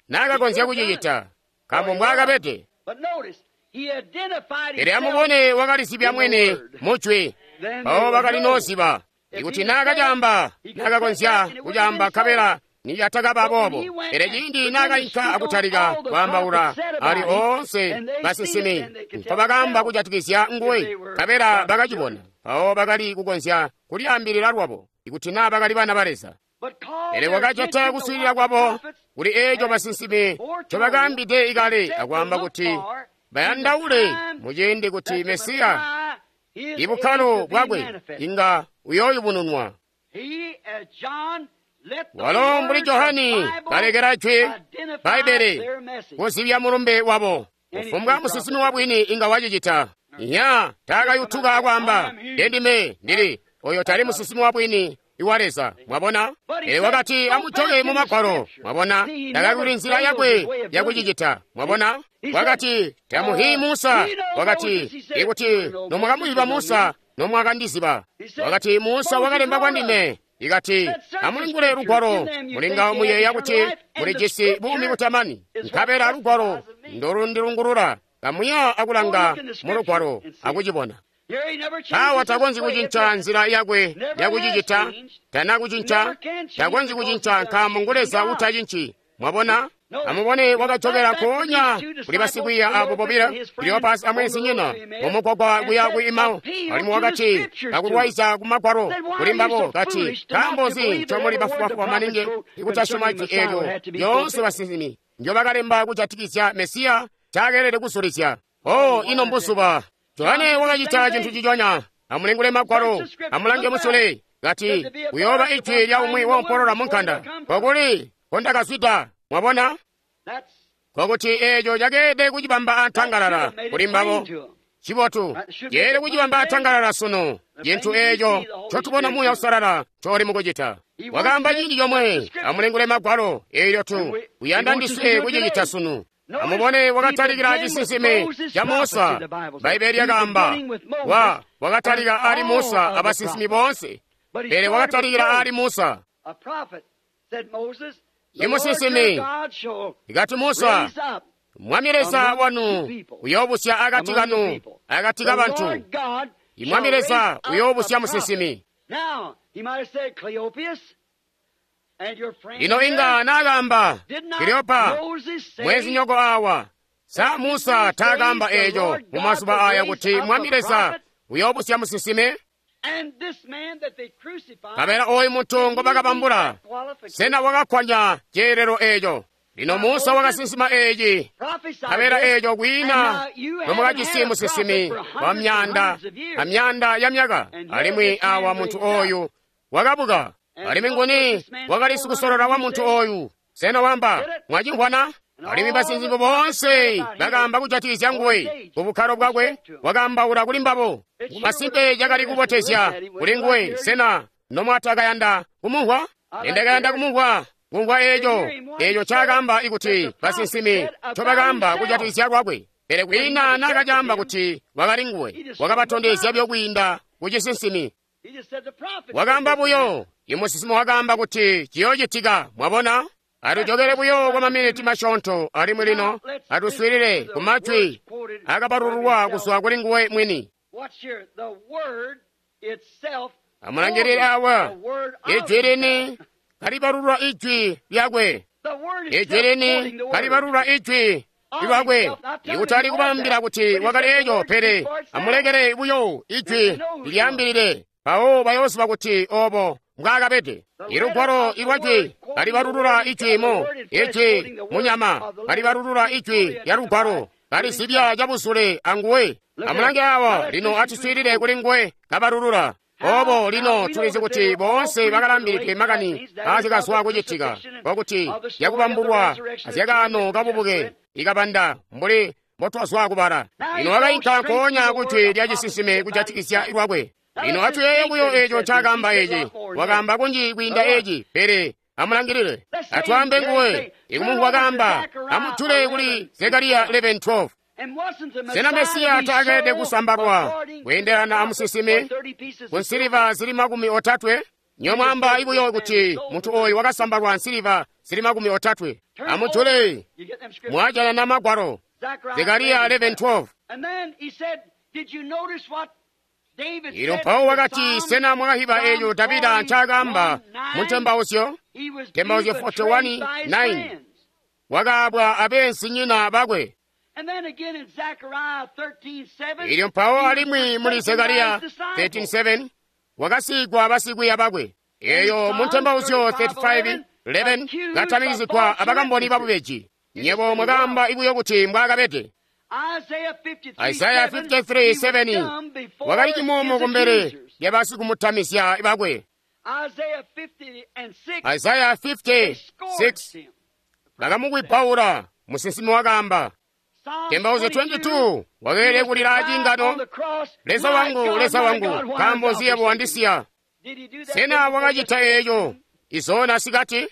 Naakakonzya kucicita, nkaambo mbwaakabede. Pele amubone wakalizibya mwini mujwi, mpawo bakali nooziba. Ikuti naakacaamba, naakakonzya kucaamba nkabela niyatakaba boobo. Pele ciindi naakainka akutalika kwaambaula ali oonse basinsimi mpobakaamba kujatikizya nguwe, nkabela bakacibona, mpawo bakali kukonzya kulyaambilila lwabo ikuti naa bakali bana ba Leza. Pele wakacita kuswiilila kwabo kuli eeco basinsimi ncobakaambide ikale akwaamba kuti bayandaule muciindi kuti Mesiya ibukkalo bwakwe inga uyooyubununwa. Walo mbuli Johani kalekela jwi Bbaibbele kuzibya mulumbe wabo. Kufumbwa musinsimi wabwini inga wacicita. Nya taakayutuka akwaamba, ndendime ndili oyo tali musinsimi wabwini iwa Leza. Mwabona? Pele wakati amujoke mu Magwalo. Mwabona? Takakuli nzila yakwe yakucicita. Mwabona? Wakati tamuhi Musa. Wakati ikuti nomwakamuyiba Musa nomwakandiziba. Wakati Musa wakalemba kwa ndime. Ikati amulingule lugwalo mulinga muyeeya kuti mulijisi buumi butamani, nkabela lugwalo ndolundilungulula. Kamuya akulanga mu lugwalo akucibona. Awa takonzyi kucinca nzila yakwe yakucicita, tana kucinca, takonzyi kucinca nkaambo ngu Leza utacinci. Mwabona? Amubone wakajokela nkoonya kuli basikwiiya abo bobilo, Kleopasi amweenzinyina, mumugwagwa kuya ku Emau. Alimwi wakati kakulwaizya ku Magwalo kuli mbabo kati, nkaambo nzi ncomuli bafubafuba maningi ikutasyoma jwi eelyo lyoonse basinsimi ndyobakalemba kujatikizya Mesiya caakeelede kuzulizya. Oh, ino mbuzuba! Johane wakacita cintu ciconya. Amulingule Magwalo, amulange musule, kati kuyooba ijwi lya umwi woompolola mu nkanda. Kokuli kondakazwida. Mwabona? Kokuti eeco cakeelede kucibamba antangalala kuli mbabo. Cibotu, ceelede kucibamba antangalala sunu. Cintu eeco ncotubona Muuya Uusalala ncoli mukucita. Wakaamba ciindi comwe, amulingule Magwalo, eelyo tu uyanda ndiswe kucicita sunu. Amubone wakatalikila cisinsimi ca Musa. Bbaibbele lyakaamba, wa wakatalika ali Musa abasinsimi boonse, pele wakatalikila ali Musa. Imusinsimi ikati Musa, Mwami Leza wanu uyoobusya akati kanu, akati kabantu. Imwami Leza uyoobusya musinsimi. Lino inga naakaamba, Kleopa, mwezinyoko awa, sa Musa taakaamba eeco mu mazuba aya kuti Mwami Leza uyoobusya musinsimi? Nkabela oyu muntu ngobakabambula, sena wakakkwanya ceelelo eeco? Lino Musa wakasinsima eeci, nkabela eeco kwiina nomwakajisi musinsimi wa myaanda amyaanda ya myaka, alimwi awa muntu oyu wakabuka. Alimwi nguni wakali sikusolola wa muntu oyu? Sena wamba mwacimvwana? Alimwi basinsimi boonse bakaamba kujatikizya nguwe ku bukkalo bwakwe, wakaambaula kuli mbabo. Masimpe cakali kubotezya kuli nguwe. Sena nomwatakayanda kumumvwa? Nindakayanda kumumvwa kumvwa eeco eeco ncaakaamba ikuti basinsimi ncobakaamba kujatikizya lwakwe. Pele kwiina naakacaamba kuti wakali nguwe, wakabatondezya buyo kwiinda kucisinsimi. Wakaamba buyo, imusinsimi wakaamba kuti ciyoocitika. Mwabona? Atujokele buyo kwa maminiti masyoonto, alimwi lino atuswiilile ku majwi akabalulwa kuzwa kuli nguwe mwini. Amulangilile awa, ijwi lini kalibalulwa ijwi lyakwe, ijwi lini kalibalulwa ijwi lwakwe. Ikutali kubambila kuti wakali eco, pele amulekele buyo ijwi lilyaambilile, mpawo bayooziba kuti obo mbwaakabede. Ilugwalo ilwajwi kalibalulula ijwi mu ijwi munyama, kalibalulula ijwi lya lugwalo, Kalizibya cabuzule anguwe. Amulange awa, lino atuswiilile kuli nguwe kabalulula. Obo lino tulizi kuti boonse bakalambilidwe makani azyakazwa kucitika, kokuti yakubambulwa azyakaano kabubuke ikabanda mbuli mbotwazwa kubala. Lino wakainka nkoonya kujwi lya cisinsime kujatikizya lwakwe. Lino atuyeeye buyo eco ncaakaamba eci. Wakaamba kunji kwiinda eci, pele amulangilile. Atwaambe nguwe, ikumumvwa kaamba, amutule kuli Zekariya eleven twelve. Sena Mesiya taakeelede kusambalwa kweendelana amusinsimi ku nsiliva zili makumi otatwe? Nyomwamba ibuyo kuti muntu oyu wakasambalwa nsiliva zili makumi otatwe. Amutule, mwajana na magwalo. Zekariya eleven twelve. Ilo mpawo wakati, sena mwakahiba eco Davida ncaakaamba mu ntembauzyo? Ntembauzyo forty-one nine. Wakaabwa abeenzinyina bakwe. Ilyo mpawo alimwi muli Zekariya thirteen seven wakasigwa basikwiiya bakwe. Eyo mu ntembauzyo thirty-five eleven katamikizigwa abakamboni babubeji. Nyebo mwakaamba ibuyo kuti mbwaakabede. Isaya fifty-three seven wakali cimumo kumbele lya basikumutamizya bakwe. Isaya fifty six bakamukwibbaula, musinsimi wakaamba. Ntembauzyo twenty-two wakeelede kulila acingano, Leza wangu, Leza wangu, nkaambo nzi yebo wandisiya? Sena wakacita eeco izona sikati?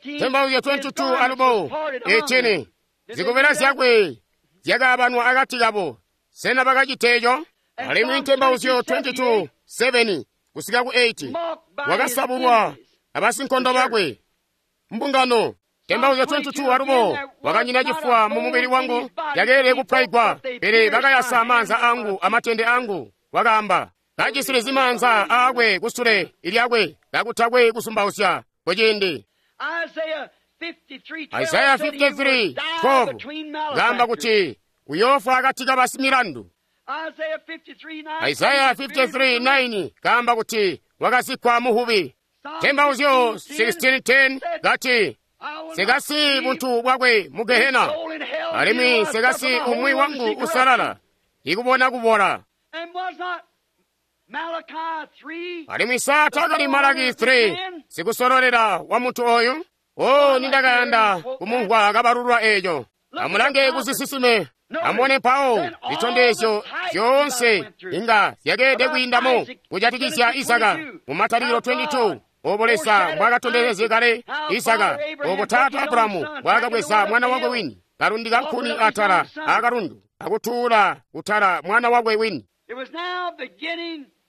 Ntembauzyo twenty-two alubo eighteen zikobela zyakwe zyakaabanwa akati kabo. Sena bakacita eeco? Alimwi ntembauzyo twenty-two seven kusika ku eight wakasabulwa abasinkondo bakwe mbungano. Ntembauzyo twenty-two alubo wakanyina cifuwa mu mubili wangu, yakeelede kupwaigwa, pele bakayasa maanza angu amatende angu. Wakaamba kajisilizi maanza aakwe kusule ilyakwe kakutakwe kusumbausya kuciindi. Isaya fifty-three twelve kaamba kuti uyoofwa akati ka basimilandu. Isaya fifty-three nine kaamba kuti wakazikkwa muhubi. Ntembauzyo sixteen ten kati sekasi buntu bwakwe mu Gehena, alimwi sekasi umwi wangu usalala ikubona kubola. Alimwi sa takali Malaki three sikusololera wa muntu oyu? O, nindakayanda kumumvwa kabalulwa eco. Amulange kuzisisime, amubone mpawo zitondezyo zyoonse inga zyakeelede kwiindamo kujatikizya Isaka mu Matalikilo twenty-two. Obo Leza mbwaakatondezezye kale Isaka, obo taata Abulahamu mbwaakabweza mwana wakwe wini, kalundika nkhuni atala akalundu, akutuula kutala mwana wakwe wini.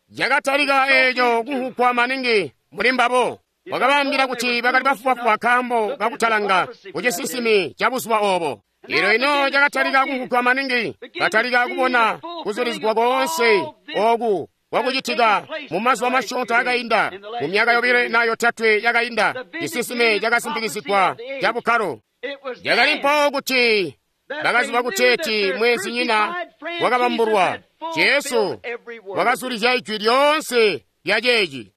Yakatalika eeco kunhukwa maningi muli mbabo. Wakabaambila kuti bakali bafubafuba nkaambo kakutalanga kucisisimi ca buzuba obo. Ilo ino cakatalika kunhukwa maningi, batalika kubona kuzulizigwa koonse oku kwakucitika mu mazuba masyoonto akainda, mu myaka yobile na yotatwe yakainda, cisisime cakasimpikizigwa ca bukkalo. Cakali mpawo kuti bakaziba kuteeti mweenzinyina wakabambulwa, Jesu wakazulizya ijwi lyoonse lya ceeci.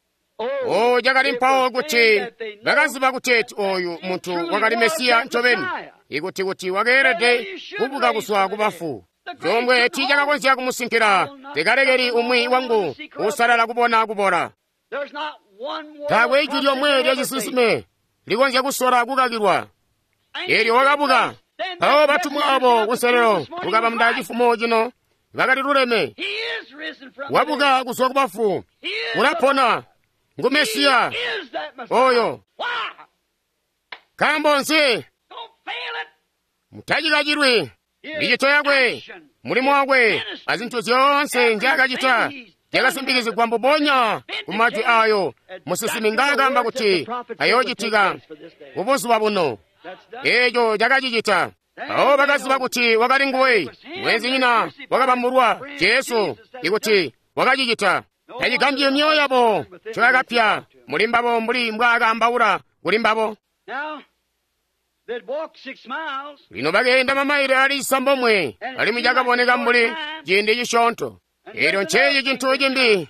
O, cakali mpawo kuti bakaziba kuteeti oyu muntu wakali Mesiya ncobeni, ikuti kuti wakeelede kubuka kuzwa ku bafu. Chomwe tiicakakonzya kumusinkila, tekalekeli umwi wangu usalala kubona kubola. Taakwe ijwi lyomwe lya cisinsime likonzya kusola kukakilwa. Eelyo wakabuka. Mpawo batumwa abo kunselelo kukabamba cifumo cino bakali luleme. Wabuka kuzwa ku bafu, ulapona, ngu Mesiya oyo. Nkaambo nzi? Mutacikacilwi micito yakwe, mulimo wakwe, azintu zyoonse nzyaakacita zyakasimpikizigwa mbubonya ku majwi ayo musinsimi ngaakaamba kuti ayoocitika kubuzuba buno. Eeco cakacicita. Mpawo bakaziba kuti wakali nguwe, mweenzinyina wakabambulwa, Jesu, ikuti wakacicita. Tacigambyi myoyo yabo ncoyakapya muli mbabo mbuli mbwaakaambaula kuli mbabo. Lino bakeenda mamaile ali cisambomwe, alimwi cakaboneka mbuli ciindi cisyoonto. Eelyo nceeci cintu cimbi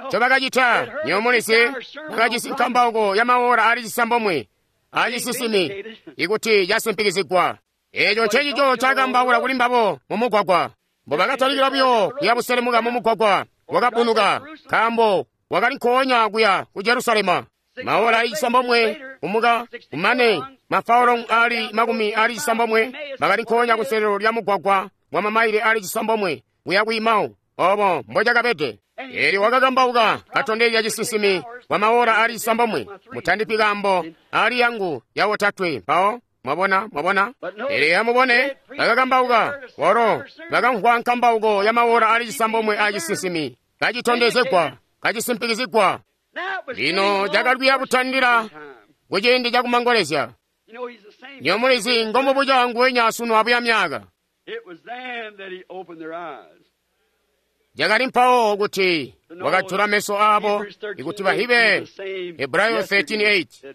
ncobakacita. Nywebo mulizi, bakajisi nkambauko ya maora ali cisambomwe acisisimi ikuti casimpikizigwa. Eeco ncecico ncaakaambaula kuli mbabo mumugwagwa. Mbobakatalikila buyo kuya buselemuka mumugwagwa, wakabunuka, nkaambo wakali nkoonya kuya ku Jerusalema. Maola ali cisambomwe kumuka kumane mafaolomu ali makumi ali cisambomwe bakali nkoonya kunselelo lya mugwagwa wa mamaile ali cisambomwe kuya ku Emau. Obo mbocakabede. Eelyo wakakambauka katondezya cisinsimi kwa maola ali cisambomwe. Mutandipi kaambo ali yangu ya otatwe mpawo. Mwabona, mwabona? Pele amubone, bakakambauka walo bakamvwa nkambauko ya maola ali cisambomwe a cisinsimi kacitondezegwa, kacisimpikizigwa. Lino cakali kutandila kuciindi cakumangolezya. Nyomulizi ngomubuca nguwenya sunu abuya myaka. Cakali mpawo kuti wakajula meso aabo ikuti bahibe. Hebrayo thirteen eight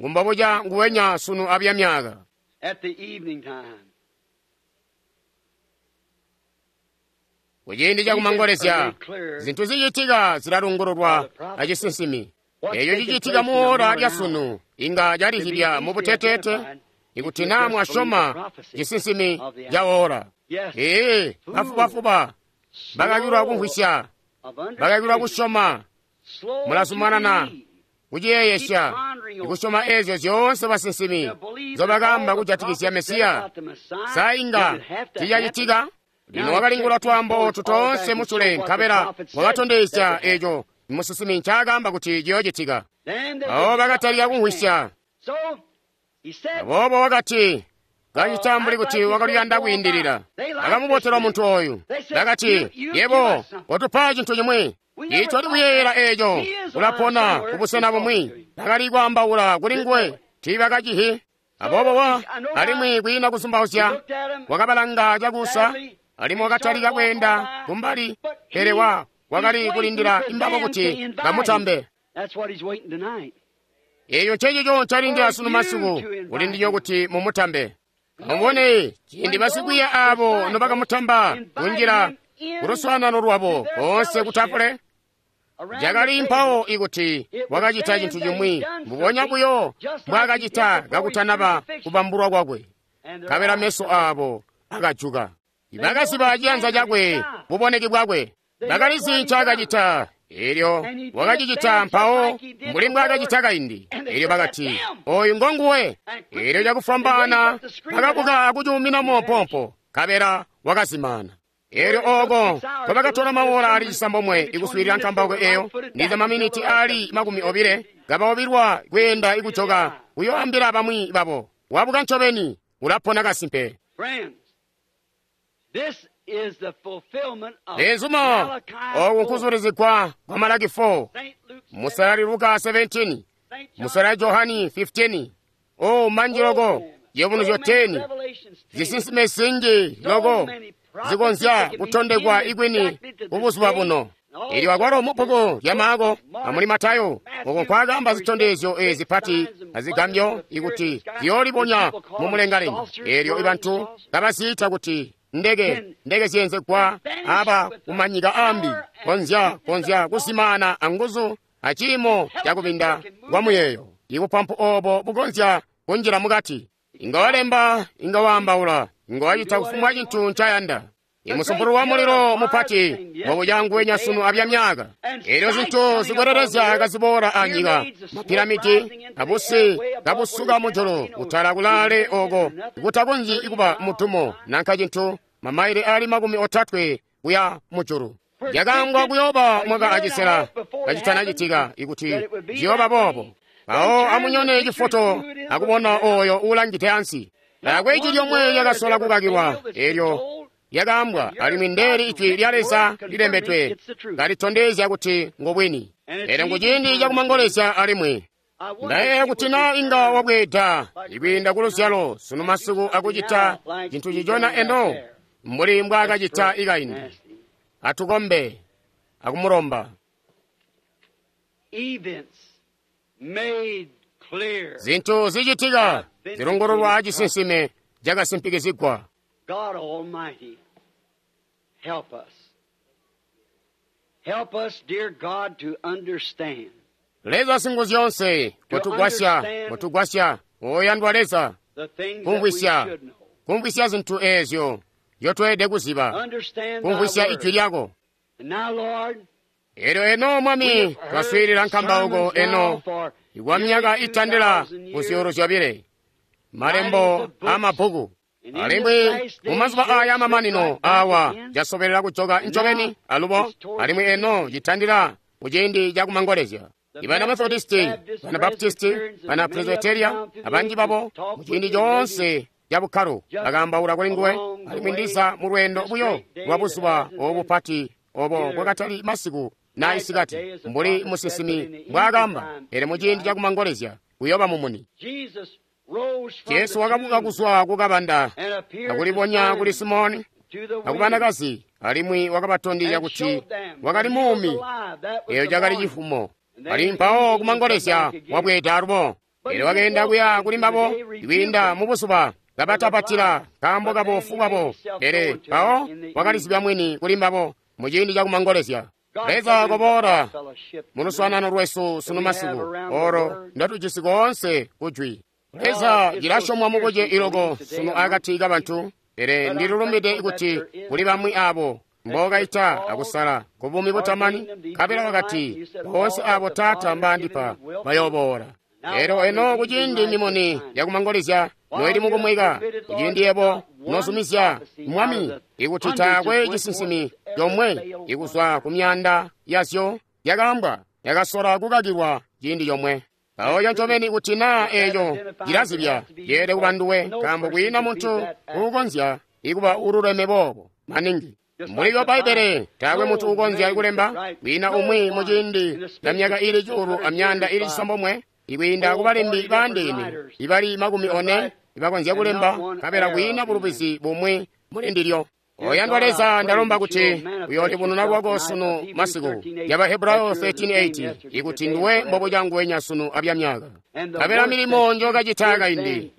ngumbobuca nguwenya sunu abuya myaka. Kuciindi cakumangolezya zintu zicitika zilalungululwa acisinsimi. Eeco cicitika muora lya sunu inga calizibya mubuteteete ikuti naa mwasyoma cisinsimi ca ora. Ee, bafubafuba bakakilwa kumvwisya, bakakilwa kusyoma. Mulazumanana kuciyeeyesya ikusyoma eezyo zyoonse basinsimi nzobakaamba kujatikizya Mesiya. Sa inga ticacitika? Lino wakalingula twaambo otu toonse musule, nkabela wakatondezya eeco musinsimi ncaakaamba kuti ciyoocitika. Abo bakatalika kumvwisya. Aboobo wakati kacita mbuli kuti wakaluyanda kwiindilila. Bakamubotelwa muntu ooyu. Bakati, yebo watupa cintu cimwi. Itwali kuyeeyela eeco, ulapona kubusena bumwi. Bakali kwaambaula kuli nguwe, tiibakacihi. Aboobo wa alimwi kwiina kusumbauzya, wakabalanga cakuusa, alimwi wakatalika kweenda kumbali, pele wa wakali kulindila imbabo kuti bamutambe. Eeyo ncecico ncalindila sunu masiku, kulindilyo kuti mumutambe. Mubone ciindi basikwiiya aabo nobakamutamba kunjila kuluswaanano lwabo boonse kutafule, cakali mpawo ikuti wakacita cintu cimwi mbubonya buyo mbwaakacita kakutanaba kubambulwa kwakwe. Nkabela meso aabo akajuka. Bakaziba ciyanza cakwe, buboneki bwakwe. Bakalizi ncaakacita. Eelyo wakacicita mpawo mbuli mbwaakacita kaindi. Eelyo bakati, oyu ngonguwe. Eelyo cakufwambaana bakabuka akucuumina moopoompo, nkabela wakazimana. Eelyo ooko nkobakatola maola ali cisambomwe ikuswiilila nkambauko eyo, ndiza maminiti ali makumi obile, kabaobilwa kweenda ikujoka kuyoambila bamwi babo. Wabuka ncobeni, ulapona kasimpe. Lezuma oku nkuzulizigwa kwa Malaki four, musalali Luka seventeen, musalali Johani fifteen, o manji loko yebunuzyo ten, zisinsime zinji loko zikonzya kutondekwa ikwini kubuzuba buno. Eelyo akwalo mubbuku lya Maako amuli Matayo oko nkwaakamba zitondezyo ezi zipati azigambyo ikuti ziyoolibonya mumulengalenga. Eelyo ibantu kabaziita kuti ndeke ndeke ziyenzegwa aba kumanyika ambi, konzya konzya kusimana anguzu aciimo cakubinda kwa muyeeyo. Ibupampu obo bukonzya kunjila mukati. Inga walemba, inga waambaula, inga wacita kufumbwa cintu ncayanda. Imusumpulu wa mulilo mupati wabuyanguwenya sunu abya myaka. Eelyo zintu zikwelelezya kaziboola anyika, mapiramidi abusi kabusuka mujulu kutala kulaale oko kutakonzyi kuba mutumo nanka cintu, mamaile ali makumi otatwe kuya mujulu. Yakangwa kuyooba mwaka acisela kacitanacitika ikuti ciyooba boobo. Mpawo amunyone cifoto akubona oyo uulangide ansi. Taakwe ijwi lyomwe lyakasola kukakilwa eelyo lyakaambwa, alimwi ndeeli ijwi lya Leza lilembedwe kalitondezya kuti ngobwini. Pele nkuciindi cakumangolezya alimwi. Ndayeeya kuti naa inga wabweeda ikwiinda kuluzyalo sunu masiku akucita cintu cicona eno mbuli mbwaakacita ikaindi. Atukombe akumulomba. Zintu zicitika zilongololwa acisinsime cakasimpikizigwa. God Almighty, help us. Help us, dear God, to understand. Leza Singuzyoonse, kutugwasya, kutugwasya, oyandwa Leza, The things that we kumvwisya, should know. Kumvwisya zintu eezyo nzyotweelede kuziba, kumvwisya Ijwi lyako. Elyo eno, Mwami, twaswiilila nkambauko eno kwa myaka itandila ku zyuulu zyobile, malembo amabbuku. Alimwi mumazuba aya amamanino awa casobelela kujoka ncobeni alubo, alimwi eno citandila kuciindi cakumangolezya. Ibana Methodisti, bana Baptisti, bana Presbyteria, abanji babo muciindi coonse ca bukkalo bakaambaula kuli nguwe, alimwi ndiza mu lweendo buyo lwa buzuba obu bupati obo bwakatali masiku na isikati, mbuli musinsimi mbwaakamba, pele muciindi cakumangolezya kuyooba mumuni. Jesu wakabuka kuzwa kukabanda akulibonya kuli Simoni akubanakazi, alimwi wakabatondezya kuti wakali muumi. Eyo cakali cifumo. Ali mpawo kumangolezya wabweeda alubo. Elyo wakeenda kuya kuli mbabo kwiinda mubuzuba kabatapatila nkaambo kabofu bwabo, pele mpawo wakalizibya mwini kuli mbabo muciindi cakumangolezya. Leza koboola mu luswaanano lwesu sunu masiku olo ndotujisi koonse kujwi. Leza cilasyomwa mubuce iloko sunu akati kabantu, pele ndilulumbide kuti kuli bamwi abo mbokaita akusala ku buumi butamani, nkabela wakati boonse abo Taata mbaandipa bayooboola. Elyo eno kuciindi mimuni yakumangolezya noili mukumweka, kuciindi yebo nozumizya Mwami ikuti taakwe cisinsimi comwe ikuzwa ku myanda yazyo yakaambwa yakasola kukakilwa ciindi comwe. Mpawo ncobeni kuti naa eeco cilazibya yeelede kuba nduwe, nkaambo kwiina muntu uukonzya ikuba ululeme boobo maningi. Mbuli lya Bbaibbele taakwe muntu uukonzya kulemba, kwiina umwi muciindi ca myaka ili cuulu amyanda ili cisambomwe ikwiinda kubalembi baandeene ibali makumi one ibakonzya kulemba, nkabela kwiina bulubizi bumwi muli ndilyo. Oyandwa Leza, ndalomba kuti uyoolibununa lwako sunu masiku ya Bahebrayo thirteen eight, ikuti nduwe mbobuca nguwenya sunu abyamyaka. Nkabela milimo njokacita kaindi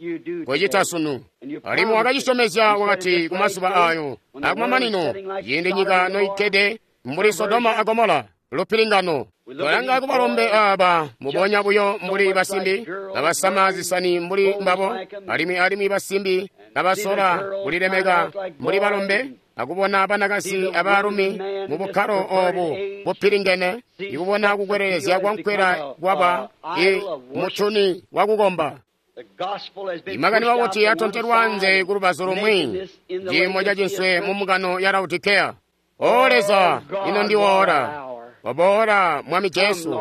kocita sunu, alimwi wakacisyomezya wakati kumazuba ayo akumamanino, ciindi nyika noikkede mbuli Sodoma a Gomora, lupilingano. Twalanga kubalombe aba mubonya buyo mbuli basimbi kabasama zisani mbuli mbabo, alimwi alimwi basimbi kabasola kulilemeka mbuli balombe, akubona banakazi abaalumi mu bukkalo obu bupilingene, ikubona kukwelelezya kwankwela kwaba i mutuni wakukomba. Imakani wakuti atontelwa anze ku lubazu lumwi, ciimo ca cinswe mu mbungano ya Laodikeya. O Leza, ino ndiwoora. Waboola Mwami Jesu,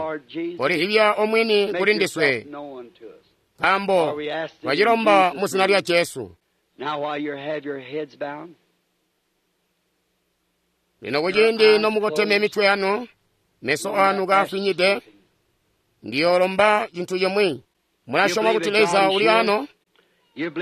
kolihibya omwini kuli ndiswe, nkaambo twacilomba mu zina lya Jesu. Lino kuciindi nomukoteme mitwe yanu, meso anu kaafinyide, ndiyoolomba cintu cimwi. Mulasyoma kuti Leza uli ano?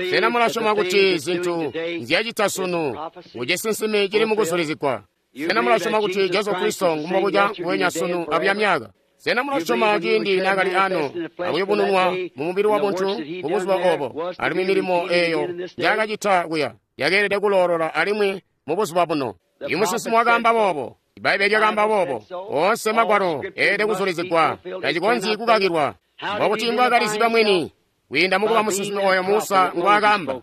Sena mulasyoma kuti zintu nzyacita sunu kucisinsimi cili mukuzulizigwa? Sena mulasyoma kuti Jesu Kristo ngumbobuca nguwenya sunu abuya myaka? Sena mulasyoma ciindi naakali ano akuyubununwa mu mubili wa buntu mubuzuba obo, alimwi milimo eyo njaakacita kuya yakeelede kuloolola alimwi mubuzuba buno? Imusinsimi wakaamba boobo, Ibbaibbele lyakaamba boobo, oonse magwalo eelede kuzulizigwa, tacikonzyi kukakilwa. Mbokuti mbwaakaliziba mwini kwiinda mukuba musinsimi oyo Musa ngwaakaamba,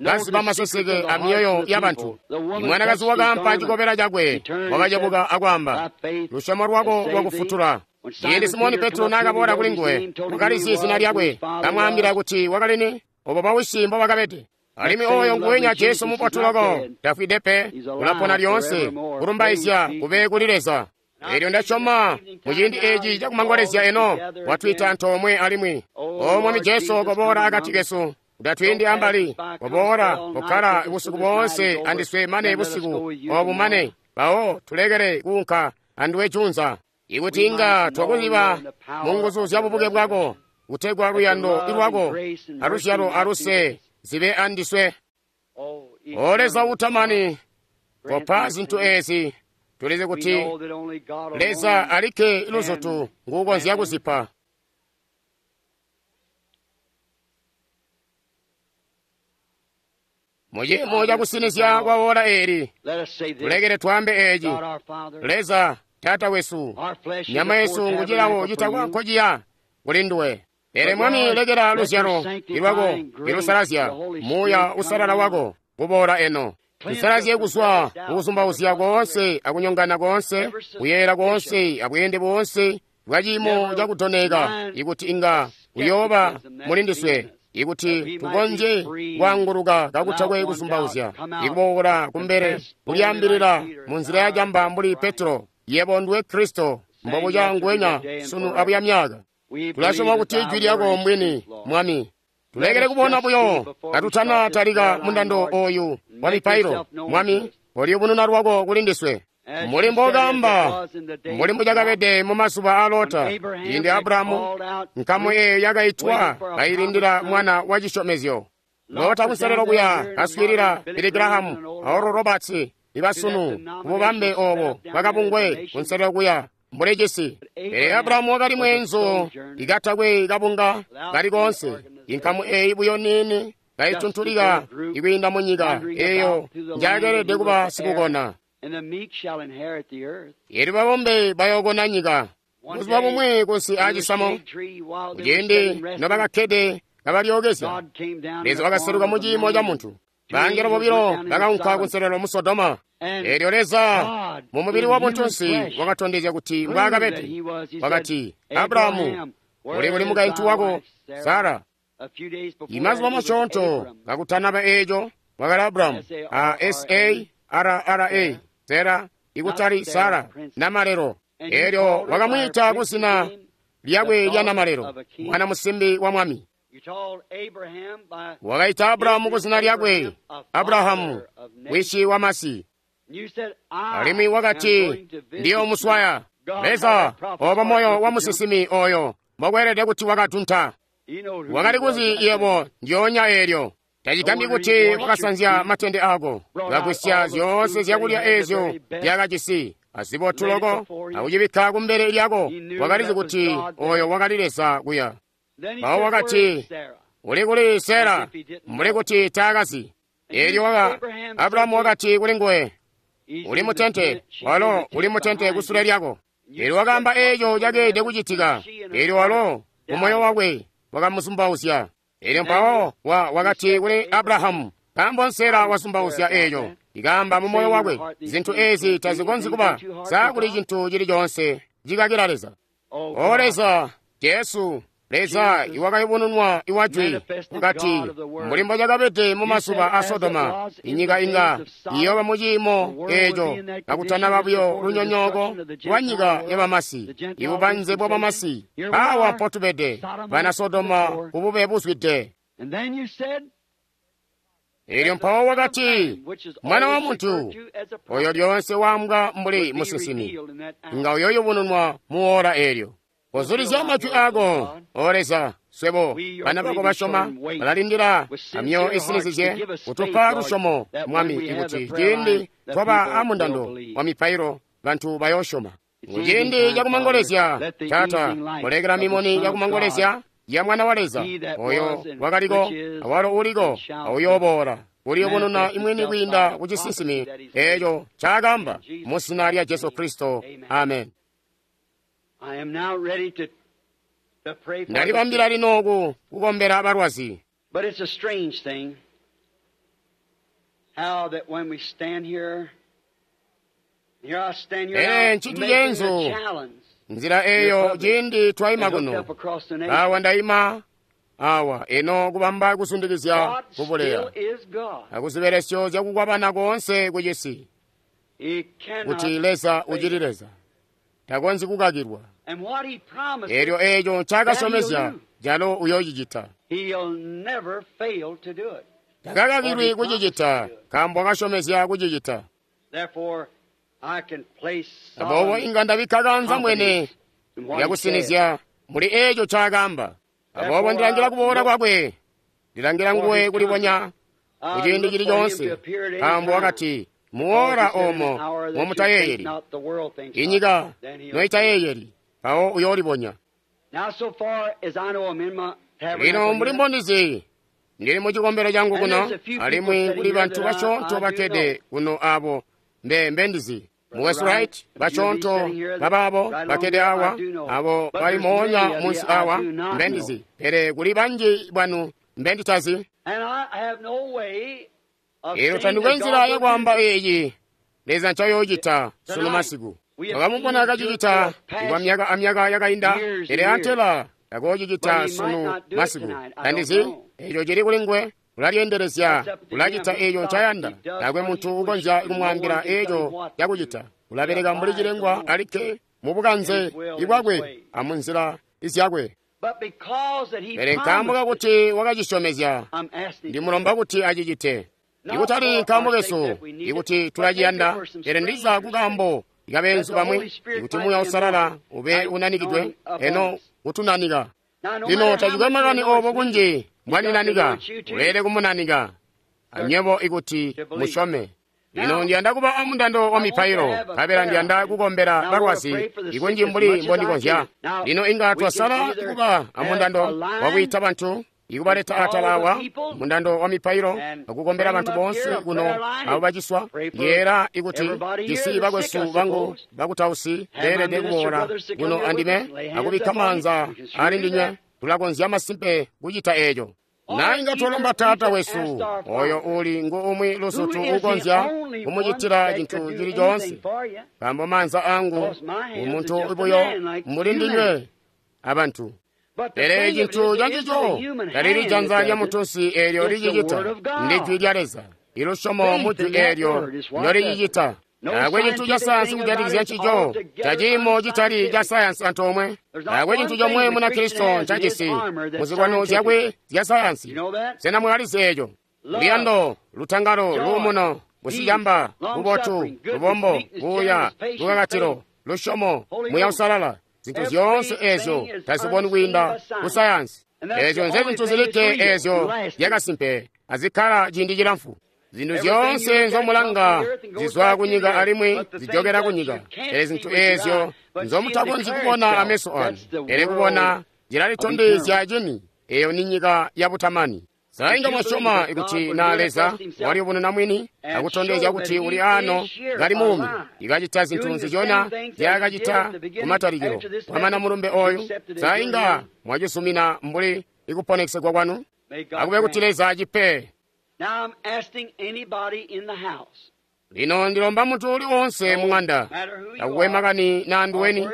kaziba maseseke amyoyo yabantu. Imwanakazi wakaampa cikobela cakwe, wakacebuka akwaamba, lusyomo lwako lwakufutula. Ciindi Simoni Petro naakaboola kuli nguwe, wakalizi zina lyakwe, kamwaambila kuti wakali ni, obo bawisi mbobakabede. Alimwi oyo nguwenya Jesu mubotu loko, tafwide pe, ulapona lyoonse, kulumbaizya kube kuli Leza. Elyo ndasyoma muciindi eci cakumangolezya eno watwiita antoomwe alimwi. O Mwami Jesu, koboola akati kesu, utatwiindi ambali, koboola kukkala busiku boonse andiswe mane busiku obu mane, mpawo tulekele kuunka anduwe junza. Ikuti inga twakuziba mu nguzu zya bubuke bwako, kutegwa luyando lwako aluzyalo aluse zibe andiswe. O Leza utamani, kopa zintu ezi. Tulizi kuti Leza alikke luzutu nguukonzya kuzipa. Muciimo cakusinizya kwa ora eli, tulekele twaambe eci. Leza Taata wesu, nyama yesu ngucilawo citakwa nkociya kuli nduwe. Pele Mwami, lekela luzyalo lwako ilusalazya, Muuya Uusalala wako kuboola eno. Tusalazye kuzwa kukuzumbauzya koonse akunyongana koonse, kuyeeyela koonse abweende boonse bwa ciimo cakudooneka, ikuti inga kuyooba muli ndiswe, ikuti tukonzye kwaanguluka kakutakwe kuzumbauzya, ikuboola kumbele kulyaambilila munzila ya camba mbuli Petro, yebo nduwe Kristo, mbobuca nguwenya sunu abuya myaka. Tulasyoma kuti ijwi lyako mbwini, Mwami. Tulekele kubona buyo katutana talika mundando oyu wa mipailo. Mwami, koliyubununa lwako kuli ndiswe. Mbuli mbokamba, mbuli mbucakabede mu mazuba a Lota, ciindi Abrahamu nkamu eyo yakaitwa kailindila mwana wa cisyomezyo. Lota kunselelo kuya kaswiilila Billy Graham a Oral Roberts ibasunu kububambe obo bwakabungwe kunselelo kuya mbuli cisi. Pele Abrahamu wakali mweenzu ikatakwe kabunga kali koonse, inkamu eyi buyo niini kaituntulika ikwiinda mu nyika eyo njakelede kuba sikukona. Elyo babombe bayookona nyika. Buzuba bumwi kunsi aacisamo, kuciindi nobakakkede kabalyookezya, Leza wakaseluka mu ciimo ca muntu. Bangelo bobilo bakaunka kunselelo mu Sodoma. Elyo Leza mu mubili wa buntunsi wakatondezya kuti mbwaakabede. Wakati, Abrahamu, uli kuli mukaintu wako Sara? Imazuba masyoonto kakutanaba eeco, wakali Abrahamu, a S A R R A, Sera, ikutali Sara, namalelo. Elyo wakamwiita kuzina lyakwe lya namalelo, mwana musimbi wa mwami. Wakaita Abrahamu kuzina lyakwe, Abrahamu, wishi wa masi. Alimwi wakati, ndiyo muswaya. Leza, obo moyo wa musinsimi oyo mbokweelede kuti wakatunta. Wakali kuzi yebo ndyoonya eelyo. Tacigambyi kuti wakasanzya matende ako, wakagwisya zyoonse zyakulya eezyo zyakajisi, azibotu loko, akucibikka kumbele lyako. Wakalizi kuti oyo wakali Leza kuya. Mpawo wakati, uli kuli Sera? Mbuli kuti taakazi. Eelyo waka Abrahamu wakati kuli nguwe, uli mutente, walo uli mutente kusule lyako. Eelyo wakaamba eeco cakeelede kucitika. Eelyo walo mumoyo wakwe wakamuzumbauzya. Eelyo mpawo wa wakati kuli Abrahamu, nkaambo Sera wazumbauzya eeco, ikaamba mumoyo wakwe, zintu eezi tazikonzyi kuba sa kuli cintu cili coonse cikakila Leza. O Leza, Jesu, Leza iwakayubununwa iwajwi wakati, mbuli mbocakabede mu mazuba a Sodoma, inyika inga iyooba mu ciimo eeco kakutanaba buyo lunyonyooko lwa nyika yabamasi, ibubanze bwa bamasi. Awa mpotubede, bana Sodoma kubube buzwide. Eelyo mpawo wakati, mwana wa muntu, oyo lyoonse waambwa mbuli musinsimi, inga uyoyubununwa mu oora eelyo. Kozulizya majwi ako, O Leza, swebo bana bako basyoma balalindila amyoyo isinizizye kutupa lusyomo, Mwami, ikuti ciindi twaba amundando wa mipailo bantu bayoosyoma. Kuciindi cakumangolezya, Taata, kolekela mimuni yakumangolezya ya Mwana wa Leza, oyo wakaliko, awalo uliko, auyooboola, kuliyubununa imwini kwiinda ku cisinsimi eeco ncaakaamba mu zina lya Jesu Kristo. Amen. Ndalibambila lino ku kukombela balwazi. But it's a strange thing how that when we stand here, here I stand here Pele now ncintu making a ceenzu challenge nzila eyo ciindi twayima and looked kuno. up across the nation. Awa ndayima awa eno kubamba kusundikizya God kubuleya still is God. akuzibelesyo zyakukwabana koonse kucisi He cannot kuti Leza fail. ucili Leza takonzyi kukakilwa. And what he promised, Eelyo eeco ncaakasyomezya calo uyoocicita. he'll never fail to do it. Takakakilwi kucicita nkaambo wakasyomezya kucicita. Therefore, I can place Aboobo solemn inga ndabikka kanza mwene confidence in what he said. lyakusinizya muli eeco ncaakaamba. Aboobo ndilangila kuboola kwakwe, ndilangila nguwe kulibonya I kuciindi look cili for him coonse, to appear at any nkaambo time. wakati muora Because he said in omo an hour that you momutayeeyeli, think not, the world thinks inyika not, then he'll noitayeeyeli, mpawo uyoolibonya. Now, so far as I know, I'm in my tabernacle Lino mbuli here. mbondizi, ndili mu cikombelo changu And kuno, there's a few people alimwi sitting kuli here bantu that I- basyoonto I do bakkede kuno abo mbe mbendizi. Mukwesu Wright, basyoonto babaabo bakkede awa, abo bali moonya munsi awa, mbendizi. Pele kuli banji bwanu mbenditazi. Elo tandikwe nzila yakwaamba eeci Leza ncayoocita sunu masiku. Wakamubona kacicita kwa myaka amyaka yakainda, pele antela takoocicita sunu masiku. Tandizi eco cili kuli nguwe. Ulalyeendelezya, ulacita eeco ncayanda. Taakwe muntu ukonzya kumwaambila eeco cakucita. Ulabeleka mbuli cilengwa alikke mubukanze ibwakwe amunzila izyakwe. Pele nkaambo kakuti wakacisyomezya, ndimulomba kuti acicite. Ikutali nkaambo kesu ikuti tulaciyanda, pele ndiza kukaambo kabenzu bamwi, ikuti Muuya Uusalala ube unanikidwe, eno kutunanika. Lino tacikwe makani obo kunji mbwaninanika, uleele kumunanika anywebo ikuti musyome. Lino ndiyanda kuba amundando wa mipailo, nkabela ndiyanda kukombela balwazi ikunji mbuli mbondikonzya. Lino inga twasala kuba amundando wakwiita bantu, ikubaleta atala awa mundando wa mipailo akukombela bantu boonse kuno abo baciswa. Yeera ikuti jisi bakwesu bangu bakutausi beelede kuboola kuno andime akubikka maanza ali ndinywe. Tulakonzya masimpe kucita eeco. Na inga twalomba Taata wesu oyo uli ngu umwi lusutu ukonzya kumucitila cintu cili coonse, nkaambo maanza angu umuntu buyo mbuli ndinywe abantu. Pele cintu cancico talili janza lya muntunsi eelyo licicita, ndi jwi lya Leza. Ilusyomo mu jwi eelyo ndyolicicita. Taakwe cintu ca sayansi kujatikizya ncico, caciimo citali ca sayansi antoomwe. Taakwe cintu comwe Munakristo ncajisi muzilwano zyakwe zya sayansi. Sena mwakalizi eeco? Luyando, lutangalo, luumuno, busicamba, bubotu, lubombo, buuya, lukakatilo, lusyomo, Muuya Uusalala. Zintu zyoonse eezyo taziboni kwiinda ku sayansi. Eezyo nze zintu zilikke eezyo zyakasimpe azikkala ciindi cilamfu. Zintu zyoonse nzomulanga zizwa kunyika alimwi zijokera kunyika. Pele zintu eezyo nzomutakonzyi kubona ameso anu, pele kubona zilalitondezya cini. Eyo ni nyika ya butamani. Sa inga mwasyoma ikuti na Leza waliyubununa mwini akutondezya kuti uli ano kali muumi, ikacita zintu nzizyona zyakacita kumatalikilo. Kwamana mulumbe oyu, sa inga mwacisumina mbuli ikuponesegwa kwanu? Akube kuti Leza acipe. Lino ndilomba muntu uli wonse mung'anda, takukwe makani na nduweni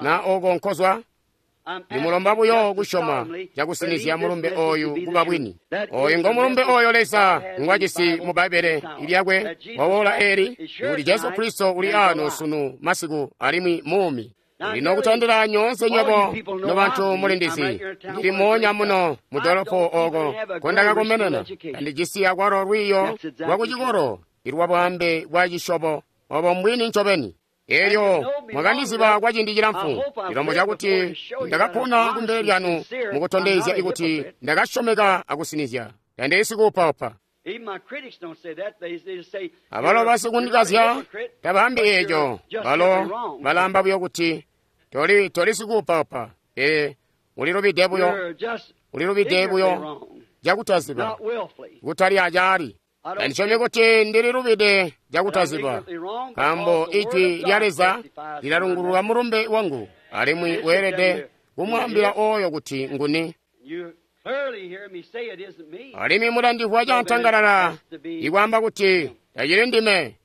na oko nkozwa. Ndimulomba buyo kusyoma cakusinizya mulumbe oyu kuba bwini. Oyu ngo mulumbe oyo Leza ngwajisi mu Bbaibbele lyakwe wawola eli, kuti Jesu Kristo uli ano sunu masiku alimwi muumi. Lino kutandila nyoonse nywebo nobantu mulindizi, ndili moonya muno mu dolopo oko nkondakakomenena. Ndijisi akwalo lwiiyo lwa kucikolo ilwa bwaambe bwa cisyobo obo mbwini ncobeni. Elyo mwakandiziba kwa ciindi cilamfu, cilombo cakuti ndakapona kumbele lyanu mukutondezya ikuti ndakasyomeka akusinizya. Tandili sikuupaupa. Abalo basikundikazya tabaambi eeco, balo balaamba buyo kuti toli toli sikuupaupa, pele ulilubide buyo, ulilubide buyo cakutaziba, kutali acaali. Tandisyomi kuti ndililubide cakutaziba, nkaambo ijwi lya Leza lilalungulula mulumbe wangu, alimwi weelede kumwaambila oyo kuti nguni. Alimwi mulandimvwa cantangalala ikwaamba kuti tacili ndime,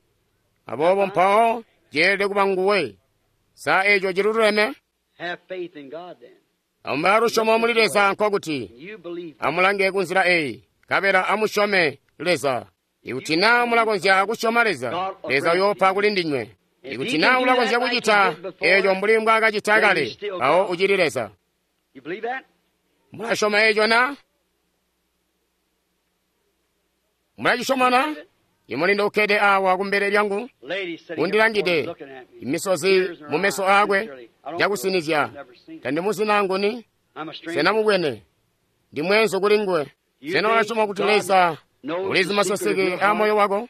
aboobo mpawo ceelede kuba nguwe. Sa eeco ciluleme? Amubaa lusyomo muli Leza nkokuti amulange kunzila eyi, nkabela amusyome Leza. Ikuti naa mulakonzya kusyoma Leza, Leza uyoopa kuli ndinywe. Ikuti naa ulakonzya kucita eeco mbuli mbwaakacita kale, mpawo ucili Leza. Mulasyoma eeco na? Mulacisyoma na? Imulindo ukkede awa kumbele lyangu undilangide, imisozi mumeso aakwe cakusinizya. Tandimuzina nguni? Sena mubwene? Ndi mweenzu kuli nguwe. Sena ulasyoma kuti Leza ulizi maseseke a moyo wako,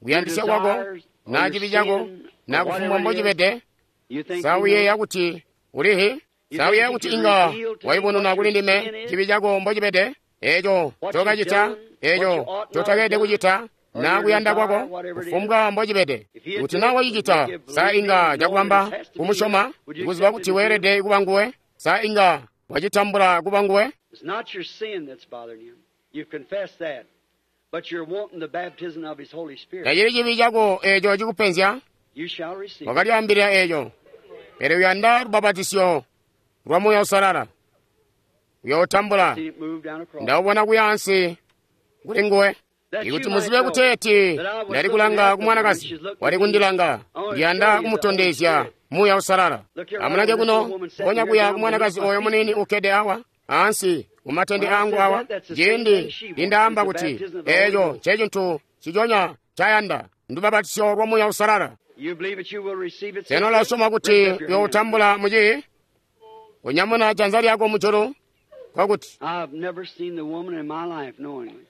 kuyandisya kwako, na cibi cako, na kufumbwa mbocibede? Sa uyeeya kuti ulihi? Sa uyeeya kuti inga wayubununa kuli ndime cibi cako mbocibede? Eeco ncokacita, eeco ncotakeelede kucita, na kuyanda kwako, kufumbwa mbocibede. Kuti na wacicita, sa inga cakubamba kumusyoma, kuziba kuti weelede kuba nguwe? Sa inga wacitambula kuba nguwe? It's not your sin that's bothering you. You've confessed that. But you're wanting the baptism of His Holy Spirit. Tacili cibi cako eeco cikupenzya, You shall receive. wakalyaambilila eeco. Pele uyanda lubabatisyo lwa Muuya Uusalala. Uyootambula. See it move down across. Ndawubona kuya ansi kuli nguwe. Ikuti muzibe kuteeti ndali kulanga ku mwanakazi wali kundilanga, ndiyanda kumutondezya Muuya Uusalala. Amulange kuno, ponya kuya ku mwanakazi oyo muniini ukkede awa ansi kumatende angu awa, ciindi nindaamba kuti eeco ncecintu ciconya cayanda ndubabatisyo lwa Muuya Uusalala. You believe that you will receive it. Sena sister? ulasyoma kuti Lift up your hand. uyootambula muci? Kunyamuna janza lyako mujulu kwakuti I've never seen the woman in my life knowingly.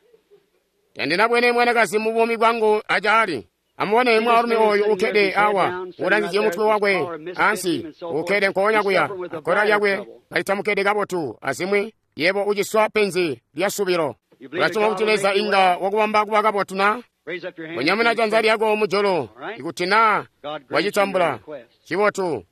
tandinabwene mwanakazi mu buumi bwangu acaali. Amubone mwaalumi oyu ukkede awa, ulanzizye mutwe wakwe ansi, ukkede nkoonya kuya, akkora lyakwe kalitamukede kabotu, azimwi yebo uciswa penzi lya subilo. Ulasyoma kuti Leza inga wakubamba kuba kabotu na? Raise up your hand. Kunyamuna janza lyako mujulu, ikuti na God grant you your wacitambula, request. cibotu.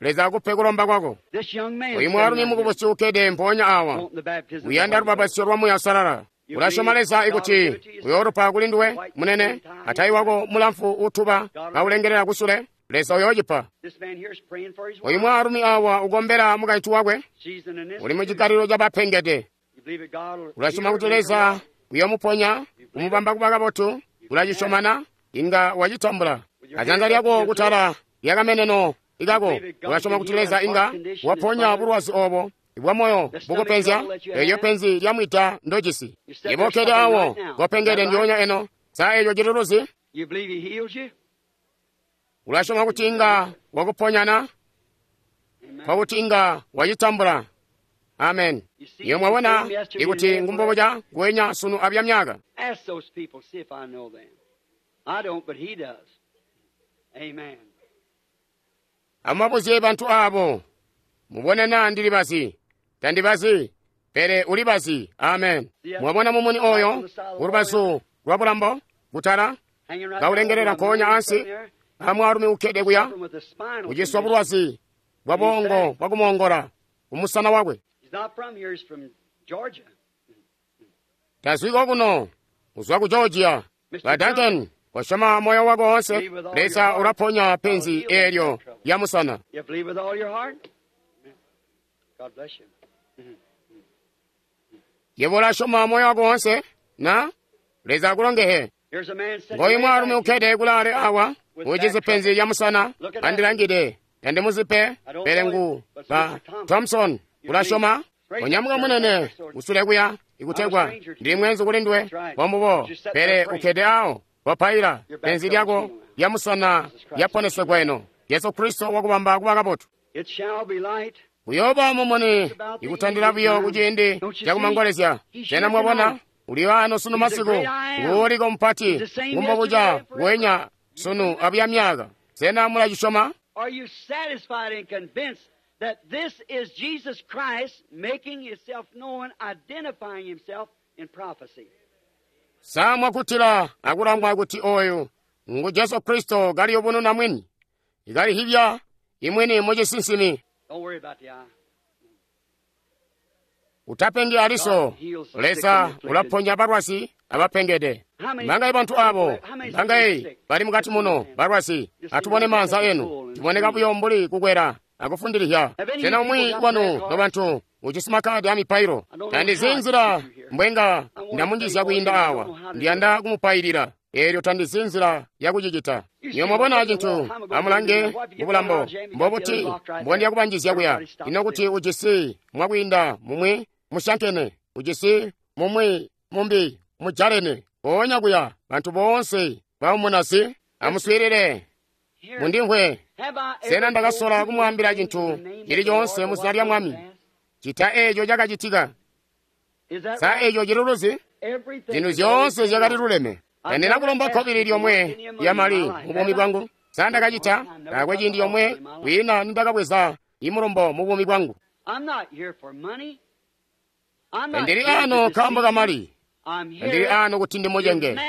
Leza akupe kulomba kwako. This young man Oyu mwaalumi sitting right here, mukubusi ukkede mpoonya awa, wanting the baptism of the uyanda Holy Ghost. lubabatisyo lwa Muuya Uusalala. Ulasyoma Leza ikuti uyoolupa kuli nduwe, munene, atayi wako mulamfu utuba kaulengelela kusule, Leza uyoocipa. This man here is praying for his Oyu wife. mwaalumi awa ukombela mukaintu wakwe, She's in an uli mu institute. chikalilo cha bapengede. You believe that God will Ulasyoma heal kuti her and make her Leza well? uyomuponya, kumubamba kuba kabotu, ulacisyomana, inga wacitambula. Ajanza lyako kutala lyakameneno ikako, ulasyoma kuti Leza inga waponya bulwazi obo bwa moyo bukupenzya, eeyo penzi lyamwita ndojisi. Yebo okkede awo, kopengede ndyoonya eno, sa eeco cili You believe he heals you? Ulasyoma kuti inga wakuponyana, Amen. kwakuti inga wacitambula. Amen. Iyo mwabona ikuti ngumboboca nguwenya sunu abya myaka. Ask those people, see if I know them. I don't, but he does. Amen. Amubabuzye bantu abo, mubone naa ndili bazi, tandibazi, pele uli bazi. Amen. Mwabona mumuni oyo kulubazu lwa bulambo kutala Hanging right kaulengelela down over nkoonya the ansi man there, amwaalumi ukkede kuya suffering with a spinal kuciswa condition. bulwazi bwa bongo bwakumoongola kumusana wakwe. He's not from here, he's from Georgia. Tazwiko kuno uzwa ku Georgia. Ba Duncan, kosyoma moyo wako wonse, Leza ulaponya penzi eelyo lya musana. You believe with all your heart? Amen. God bless you. Yebo ulasyoma moyo wako wonse, na Leza akulongehe. Here's a man sitting Ngoyu way mwaalumi back here. ukkede kulaale awa, ucijisi penzi lya musana, andilangide, tandimuzipe, pele ngu ba Thompson, ulasyoma? Onyamuka munene, usule kuya, ikutegwa, ndili mwenzu kuli nduwe, bombubo, pele ukkede awo, wapaila, penzi lyako lya musana lyaponesegwa eno. Yesu Kristo wakubamba kuba kabotu. It shall be light. Uyooba mumuni ikutandila buyo kuciindi cakumangolezya. Sena mwabona uli ano sunu masiku nguuliko mupati ngumbobuca nguwenya sunu abuya myaka. Sena mulacisyoma? Are you satisfied and convinced that this is Jesus Christ making himself known, identifying himself in prophecy? Sa mwakuttila akulangwa kuti oyu ngu Jesu Kristo kaliyubununa mwini, ikalihibya imwini mucisinsimi. Don't worry about the eye. Utapengi aliso, Leza ulaponya balwazi abapengede. Mangayi bantu abo, mangayi bali mukati muno balwazi, atubone maanza enu, tiboneka buyo mbuli kukwera akufundilihya. Sena umwi wanu nobantu ujisi makadi a mipailo, tandizi nzila mbwenga ndamunjizya kwiinda awa, ndiyanda kumupailila. Eelyo tandizi nzila yakucicita. Niyo mwabona cintu, amulange mubulambo, mbobuti mbondiya kubanjizya kuya. Ino kuti ujisi mwakwiinda mumwi musyankene, ujisi mumwi mumbi mujalene, mpoonya kuya bantu boonse bamumunasi. Amuswiilile, Here, mundimvwe. have I ever Sena ndakasola told you kumwaambila anything cintu in the name of cili the Lord coonse or mu zina what lya will Mwami, pass? cita eeco cakacitika. Is that Sa right? eeco cililuzi? Everything Zinthu is zyoonse always zyakali right. luleme. Tandina kulomba khobiri lyomwe lya mali mu buumi bwangu. Sa ndakacita taakwe ciindi yomwe kwina nindakabweza imulombo mu buumi bwangu. I'm not here for money. I'm not Ndili here to ano nkaambo deceive ka you. mali. Ndili ano kuti ndimucenge.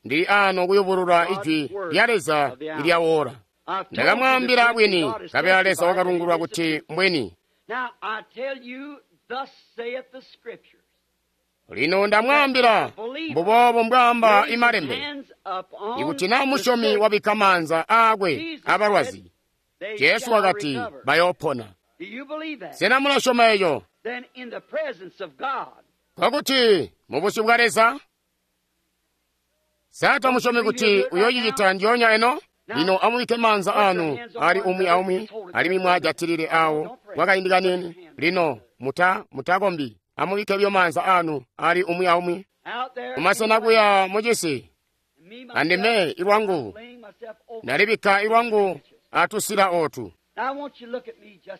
Ndili ano kuyubulula Ijwi lya Leza ilya oora. Ndakamwaambila bwini, nkabela Leza wakalungulula kuti mbwini. Lino ndamwaambila, mbuboobo mbwaamba imalembe, ikuti na musyomi wabikka maanza aakwe abalwazi, Jesu wakati bayoopona. Sena mulasyoma eco? Nkokuti mubusyu bwa Leza, sa tamusyomi kuti uyoocicita ndyoonya eno? Lino amubikke maanza anu ali umwi aumwi, alimwi mwajatilile awo kwakaindi kaniini. Lino muta mutakombi, amubikke buyo maanza anu ali umwi aumwi. Kumasena kuya mucisi, andime ilwangu nalibikka ilwangu atusila otu.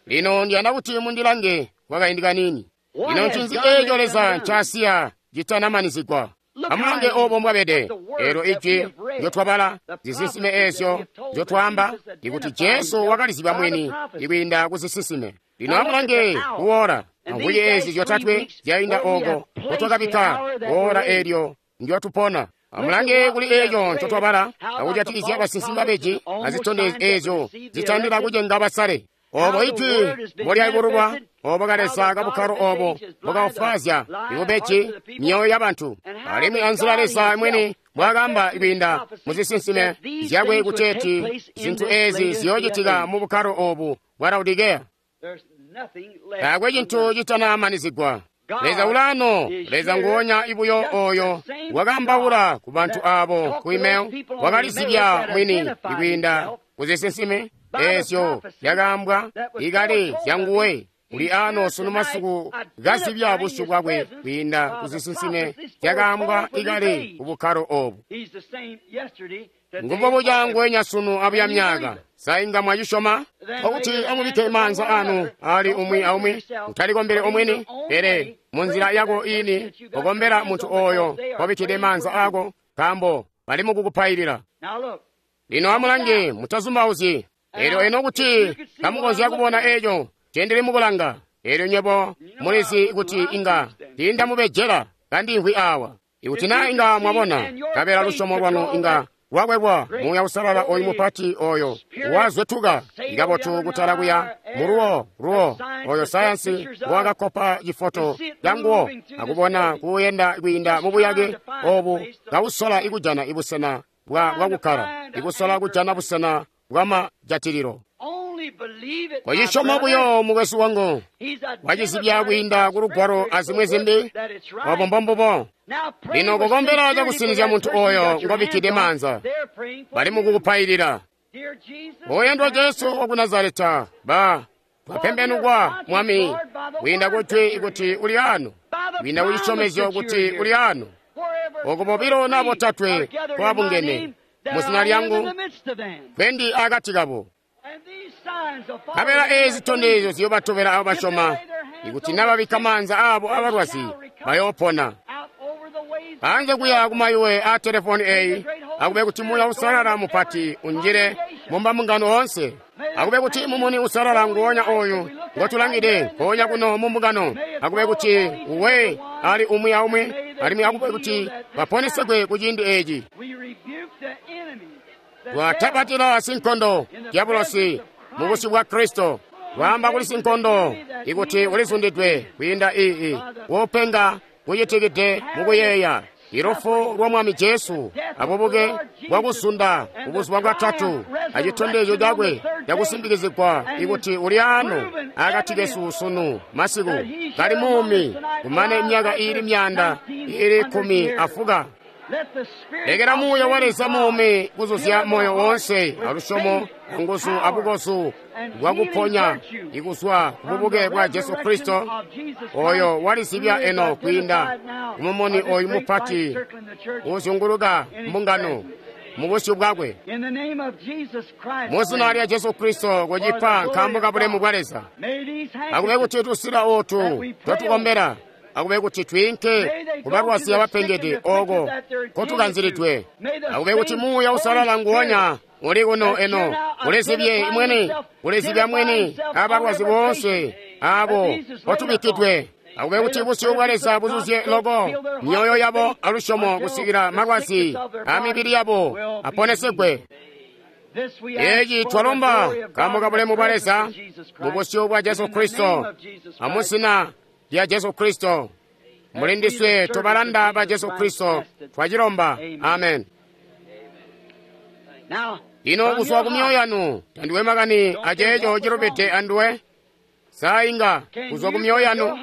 Lino ndiyanda kuti mundilange kwakaindi kaniini. Lino ncinzi eeco Leza ncaasiya citanamanizigwa? Amulange obo mbwabede. Eelyo ijwi ndyotwabala, zisinsime eezyo nzyotwaamba, ikuti Jesu wakalizibya mwini ikwiinda kuzisinsime. Lino amulange kuwoola amvwiki eezi zyotatwe zyainda oko nkotwakabikka woola eelyo ndyotupona. Amulange kuli eeco ncotwabala akujatikizya basinsimi babeji azitondezyo eezyo zitandila kucenga basale. Obo ijwi mbolyayubululwa, obo kaleza kabukkalo obo mbokawufwaazya ibubeji myoyo yabantu, alimwi anzila Leza mwini mbwaakaamba kwiinda muzisinsime zyakwe kuteeti zintu eezi ziyoocitika mu bukkalo obu bwa Laodikeya. Taakwe cintu citanamanizigwa. Leza ulano, Leza nguonya ibuyo oyo wakaambaula ku bantu abo ku email, wakalizibya mwini ikwiinda kuzisinsime eezyo zyakaambwa ikale zyanguwe. Uli ano sunu masiku kazibya busyu bwakwe kwiinda kuzisinsime zyakaambwa ikale ku bukkalo obu. Ngumbo buca nguwenya sunu abuya myaka. Sa inga mwacisyoma? Nkokuti amubikke maanza anu ali umwi aumwi, utalikombele omwini, pele munzila yako ini kokombela muntu oyo kobikkide maanza ako, nkaambo bali mukukupailila. Lino amulange, mutazumbauzyi. Eelyo eno kuti kamukonzya kubona eeco ncendili mukulanga, eelyo nywebo mulizi kuti inga tiindamubejela kandimvwi awa. Ikuti naa inga mwabona, nkabela lusyomo lwanu inga lwakwebwa Muuya Uusalala oyu mupati oyo wazwetuka ikabotu kutala kuya muluwo luwo oyo sayansi wakakkopa cifoto canguwo akubona kuuyenda kwiinda mubuyake obu kausola ikujana ibusena bwa kukkala, ikusola kujana busena bwamajatililo. Kocisyoma buyo mukwesu wangu, wacizibya kwiinda ku lugwalo azimwi zimbi. Obo mbombubo. Lino kukombela cakusinizya muntu oyo ngobikkide maanza, bali mukukupailila. Oyandwa Jesu waku Nazareta, ba twapembenukwa Mwami kwiinda kujwi kuti uli ano, kwiinda kucisyomezyo kuti uli ano. Oko bobilo na botatwe kwabungene muzina lyangu, kwendi akati kabo. Nkabela eezi zitondezyo ziyobatobela abo basyoma, ikuti nababikka maanza abo abalwazi bayoopona. Anze kuya kumayuwe a telefoni eyi, akube kuti Muuya Uusalala mupati unjile mumbambungano oonse. Akube kuti mumuni usalala nguonya oyu ngotulangide nkoonya kuno mumbungano, akube kuti uwe ali umwi aumwi, alimwi akube kuti baponesegwe kuciindi eeci. Twatabatila sinkondo diabulosi mubusyu bwa Kristo. Twaamba kuli sinkondo ikuti ulizundidwe kwiinda ii wopenga kucitikide mukuyeeya ilufu lwa Mwami Jesu abubuke bwakuzunda kubuzuba bwatatu acitondezyo cakwe cakusimbikizigwa ikuti uli ano akati kesu sunu masiku kali muumi kumane imyaka iili myanda iili kkumi afuka. Lekela Muuya wa Leza muumi kuzuzya moyo woonse alusyomo anguzu abukozu bwakuponya ikuzwa kububuke bwa Jesu Kristo oyo walizibya eno kwiinda kumumuni oyu mupati uzyunguluka mbungano mubusyu bwakwe. Muzina lya Jesu Kristo kucipa nkaambo kabulemu bwa Leza. Akube kuti tusila otu totukombela, akube kuti twiinke kubalwazi abapengede oko kotukanzilidwe. Akube kuti Muuya Uusalala nguonya uli kuno eno ulizibye mwene, ulizibya mwene abalwazi boonse abo kotubikkidwe. Akube kuti busyu bwa Leza buzuzye loko myoyo yabo alusyomo kusikila malwazi a mibili yabo aponesegwe. Eeci twalomba nkaambo ka bulemu bwa Leza mu busyu bwa Jesu Kristo amuzina lya Jesu Kristo. Mulindiswe tobalanda ba Jesu Kristo twacilomba. Amen. Ino kuzwa ku myoyo yanu tandiwe makani aceeco cilubide anduwe. Sainga kuzwa ku myoyo yanu,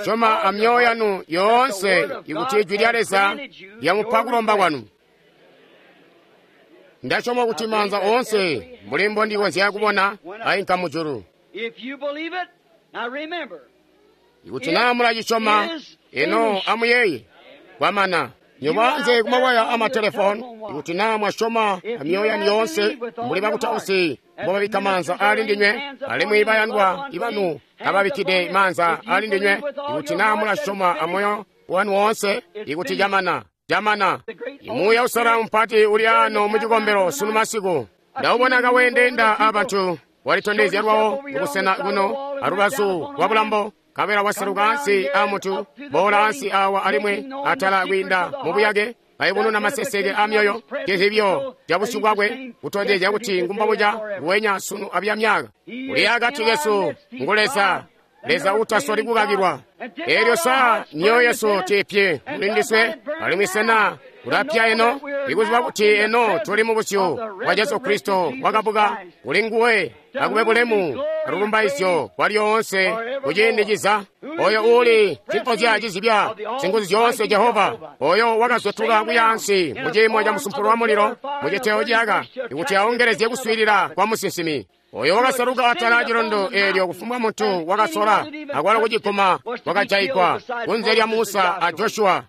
syoma a myoyo yanu yoonse ikuti ijwi lya Leza lyamupa kulomba kwanu. Ndasyoma kuti maanza oonse mbuli mbondikonzya kubona ainka mujulu. Ikuti naa mulacisyoma, eno amuyeeye kwamana. Nyobaanze kumawaya amatelefoni, ikuti naa mwasyoma amyoyo yanu yoonse mbuli bakutausi mbobabikka maanza ali ndinywe, alimwi bayandwa ibanu kababikkide maanza ali ndinywe, ikuti naa mulasyoma amoyo wanu woonse, ikuti camana camana. Muuya Uusalala mupati uli ano mucikombelo sunu masiku. Ndawubona kaweendenda abantu, walitondezya lwawo kubusena kuno alubazu lwa bulambo, kabela waseluka ansi a mutu, boola ansi awa alimwi atala kwiinda mubuyake, kayubununa maseseke a myoyo, cizibyo ca busyu bwakwe, kutondezya kuti ngumbabuca nguwenya sunu abya myaka. Uli akati kesu ngu Leza, Leza utasoli kukakilwa. Eelyo sa myoyo yesu tiipye mulindiswe, alimwi sena kulapya eno, ikuziba kuti eno tuli mu busyu bwa Jesu Kristo wakabuka, kuli nguwe akube bulemu alulumbaizyo kwa lyoonse kuciindi ciza. Oyo uuli cimpozya cizibya singuzu zyoonse Jehova, oyo wakazwetuka kuya ansi mu ciimo ca musumpulo wa mulilo mu citeo ciyaka, ikuti aongelezye kuswiilila kwa musinsimi. Oyo wakasaluka atala acilondo eelyo kufumbwa muntu wakasola akwalo kuciguma wakajayigwa kunze lya Musa a Joshua.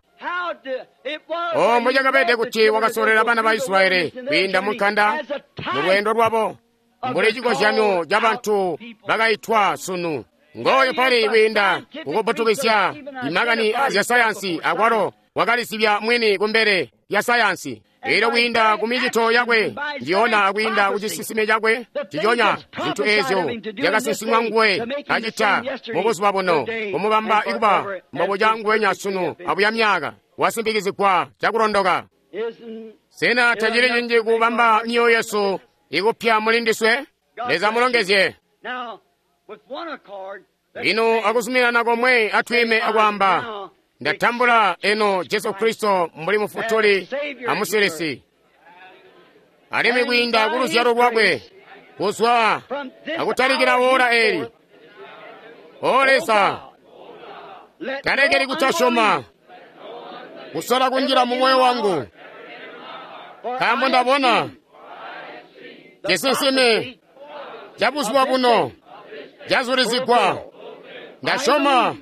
O mbocakabede kuti wakasolera bana ba Israyeli kwiinda mu nkanda mu lweendo lwabo, mbuli cikozyanyo ca bantu bakaitwa sunu. Ngooyo pali kwiinda kukubbutukisya imakani azya sayansi, akwalo wakalisibya mwini kumbele ya sayansi. Elyo kwiinda ku micito yakwe ndiyona akwiinda ku cisinsime cakwe ciconya zintu eezyo zyakasinsimwa nguwe acita mu buzuba buno, kumubamba ikuba mbobuca nguwenya sunu abuya myaka, wasimpikizigwa cakulondoka. Sena tacili cinji kubamba myoyo yesu ikupya mulindiswe? Leza mulongezye. Lino akuzuminana komwe atwiime akwaamba, ndatambula eno Jesu Kristo mbuli mufutuli amusilisi, alimwi kwiinda ku luzyalo lwakwe kuzwa akutalikila woola eli. O Leza, talekeli kutasyoma kusola kunjila mu moyo wangu, nkaambo ndabona cisinsime ca buzuba buno cazulizigwa. Ndasyoma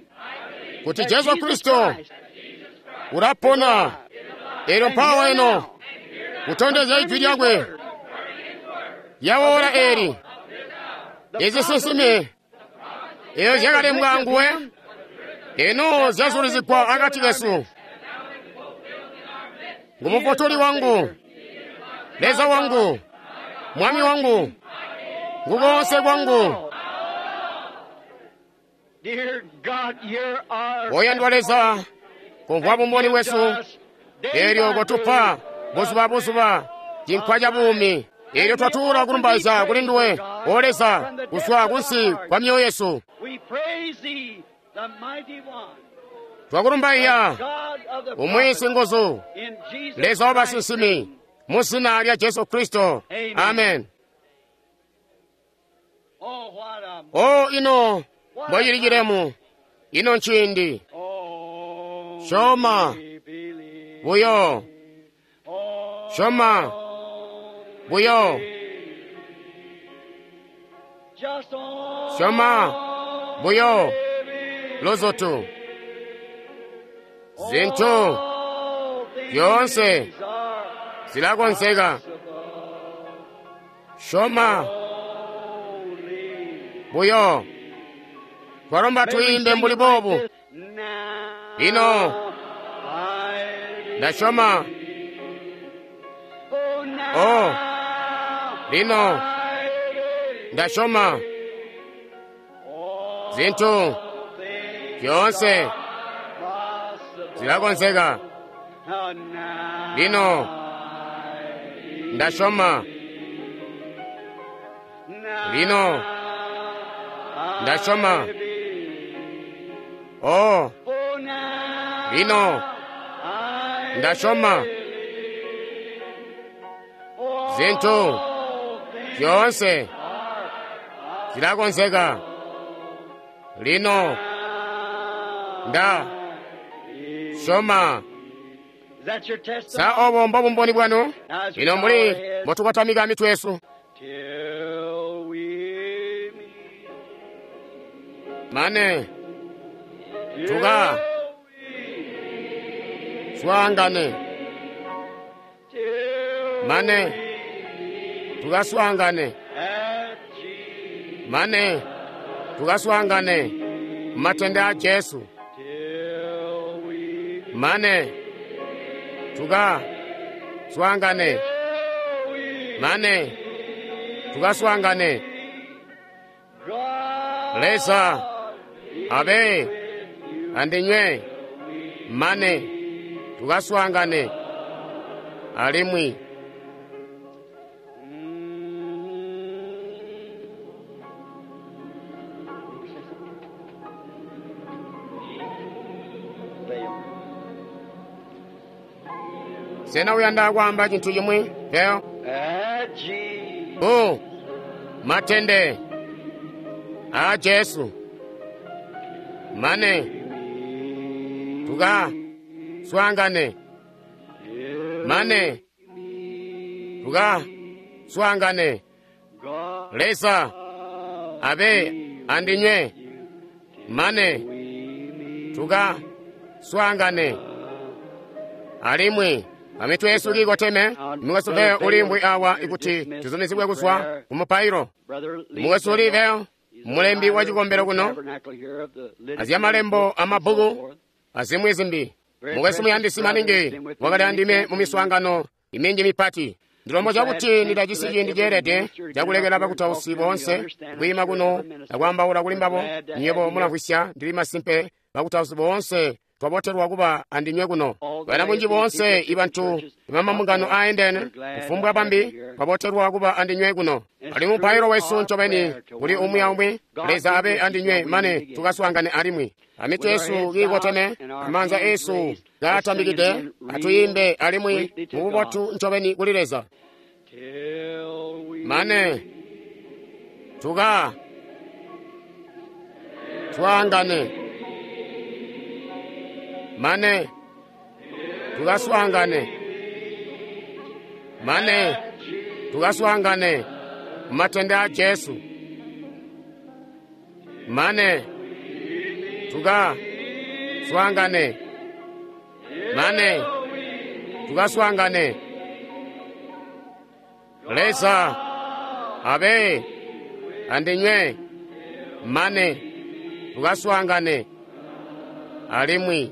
kuti Jesu Kristo ulapona, elyo mpawa eno kutondezya ijwi lyakwe lya oora eli. Izisinsime eyo zyakalembwa nguwe eno zyazulizigwa akati kesu. Ngumufutuli wangu, Leza wangu, Mwami wangu, ngukoonse kwangu. Oyandwa Leza, kumvwa bumboni bwesu, elyo kotupa buzuba buzuba cinkwa ca buumi. Elyo twatuula kulumbaizya kuli nduwe, O Leza, kuzwa kunsi kwa myoyo yesu. Twakulumbaizya umwi singuzu, Leza wa basinsimi, mu zina lya Jesu Kristo. Amen. O ino mbocili cilemu, ino nciindi. Syoma buyo, syoma buyo, syoma buyo luzutu. Zintu zyoonse zilakonzeka. Syoma buyo. Twalomba twiimbe mbuli boobu. Lino ndasyoma. Oh, lino ndasyoma. Zintu Zyoonse possible. zilakonzeka. Oh, now Lino, ndasyoma. Now Lino, I ndasyoma. believe. Oh, Oh, now Lino, I ndasyoma. believe. Oh, Zintu all things zyoonse are zilakonzeka. Lino, nda syoma. Is that your testimony? Sa obo mbobumboni bwanu? As we Lino bow mbuli our heads mbotukotamika mitwe yesu. till we meet. Mane, Tuka. Till we swaangane. till Mane, we tukaswaangane. at Jesus. Mane, tukaswaangane. Matende a Jesu. Till we Mane, tuka swaangane. till we Mane, tukaswaangane. God Leza, be abe, with you. andinywe. Mane, tukaswaangane. Alimwi, sena uyanda kwaamba cintu cimwi? Leo? At Jesus. Oh, matende a Jesu. Mane, tuka swaangane. Mane, tuka swaangane. God Leza, abe, andinywe. Mane, tuka swaangane. Alimwi, amitwe yesu kiikoteme, mukwesu Leo ulimbwi awa ikuti tuzumizibwe kuzwa kumupailo. Mukwesu Leo, mulembi wa cikombelo kuno, azya malembo amabbuku azimwi zimbi. Mukwesu muyandisi maningi wakali andime mu miswaangano iminji mipati. Ndilombo cakuti ndidajisi ciindi ceelede cakulekela bakutausi boonse kwiima kuno akwaambaula kuli mbabo. Nywebo mulamvwisya, ndili masimpe bakutausi boonse twabotelwa kuba andinywe kuno. Bana bunji boonse ibantu ibamambungano aendene kufumbwa bambi twabotelwa kuba andinywe kuno. Ali mupailo wesu ncobeni kuli umwi aumwi. Leza abe andinywe mane tukaswaangane alimwi. Amitwe yesu kiikoteme, amaanza esu kaatambikide, atuyimbe alimwi mububotu ncobeni kuli Leza. Till we Mane, tuka swaangane. Mane, tukaswaangane. Mane, tukaswaangane matende a Jesu. Mane, tuka swaangane. Mane, tukaswaangane. Leza, abe, andinywe. Mane, tukaswaangane. Alimwi.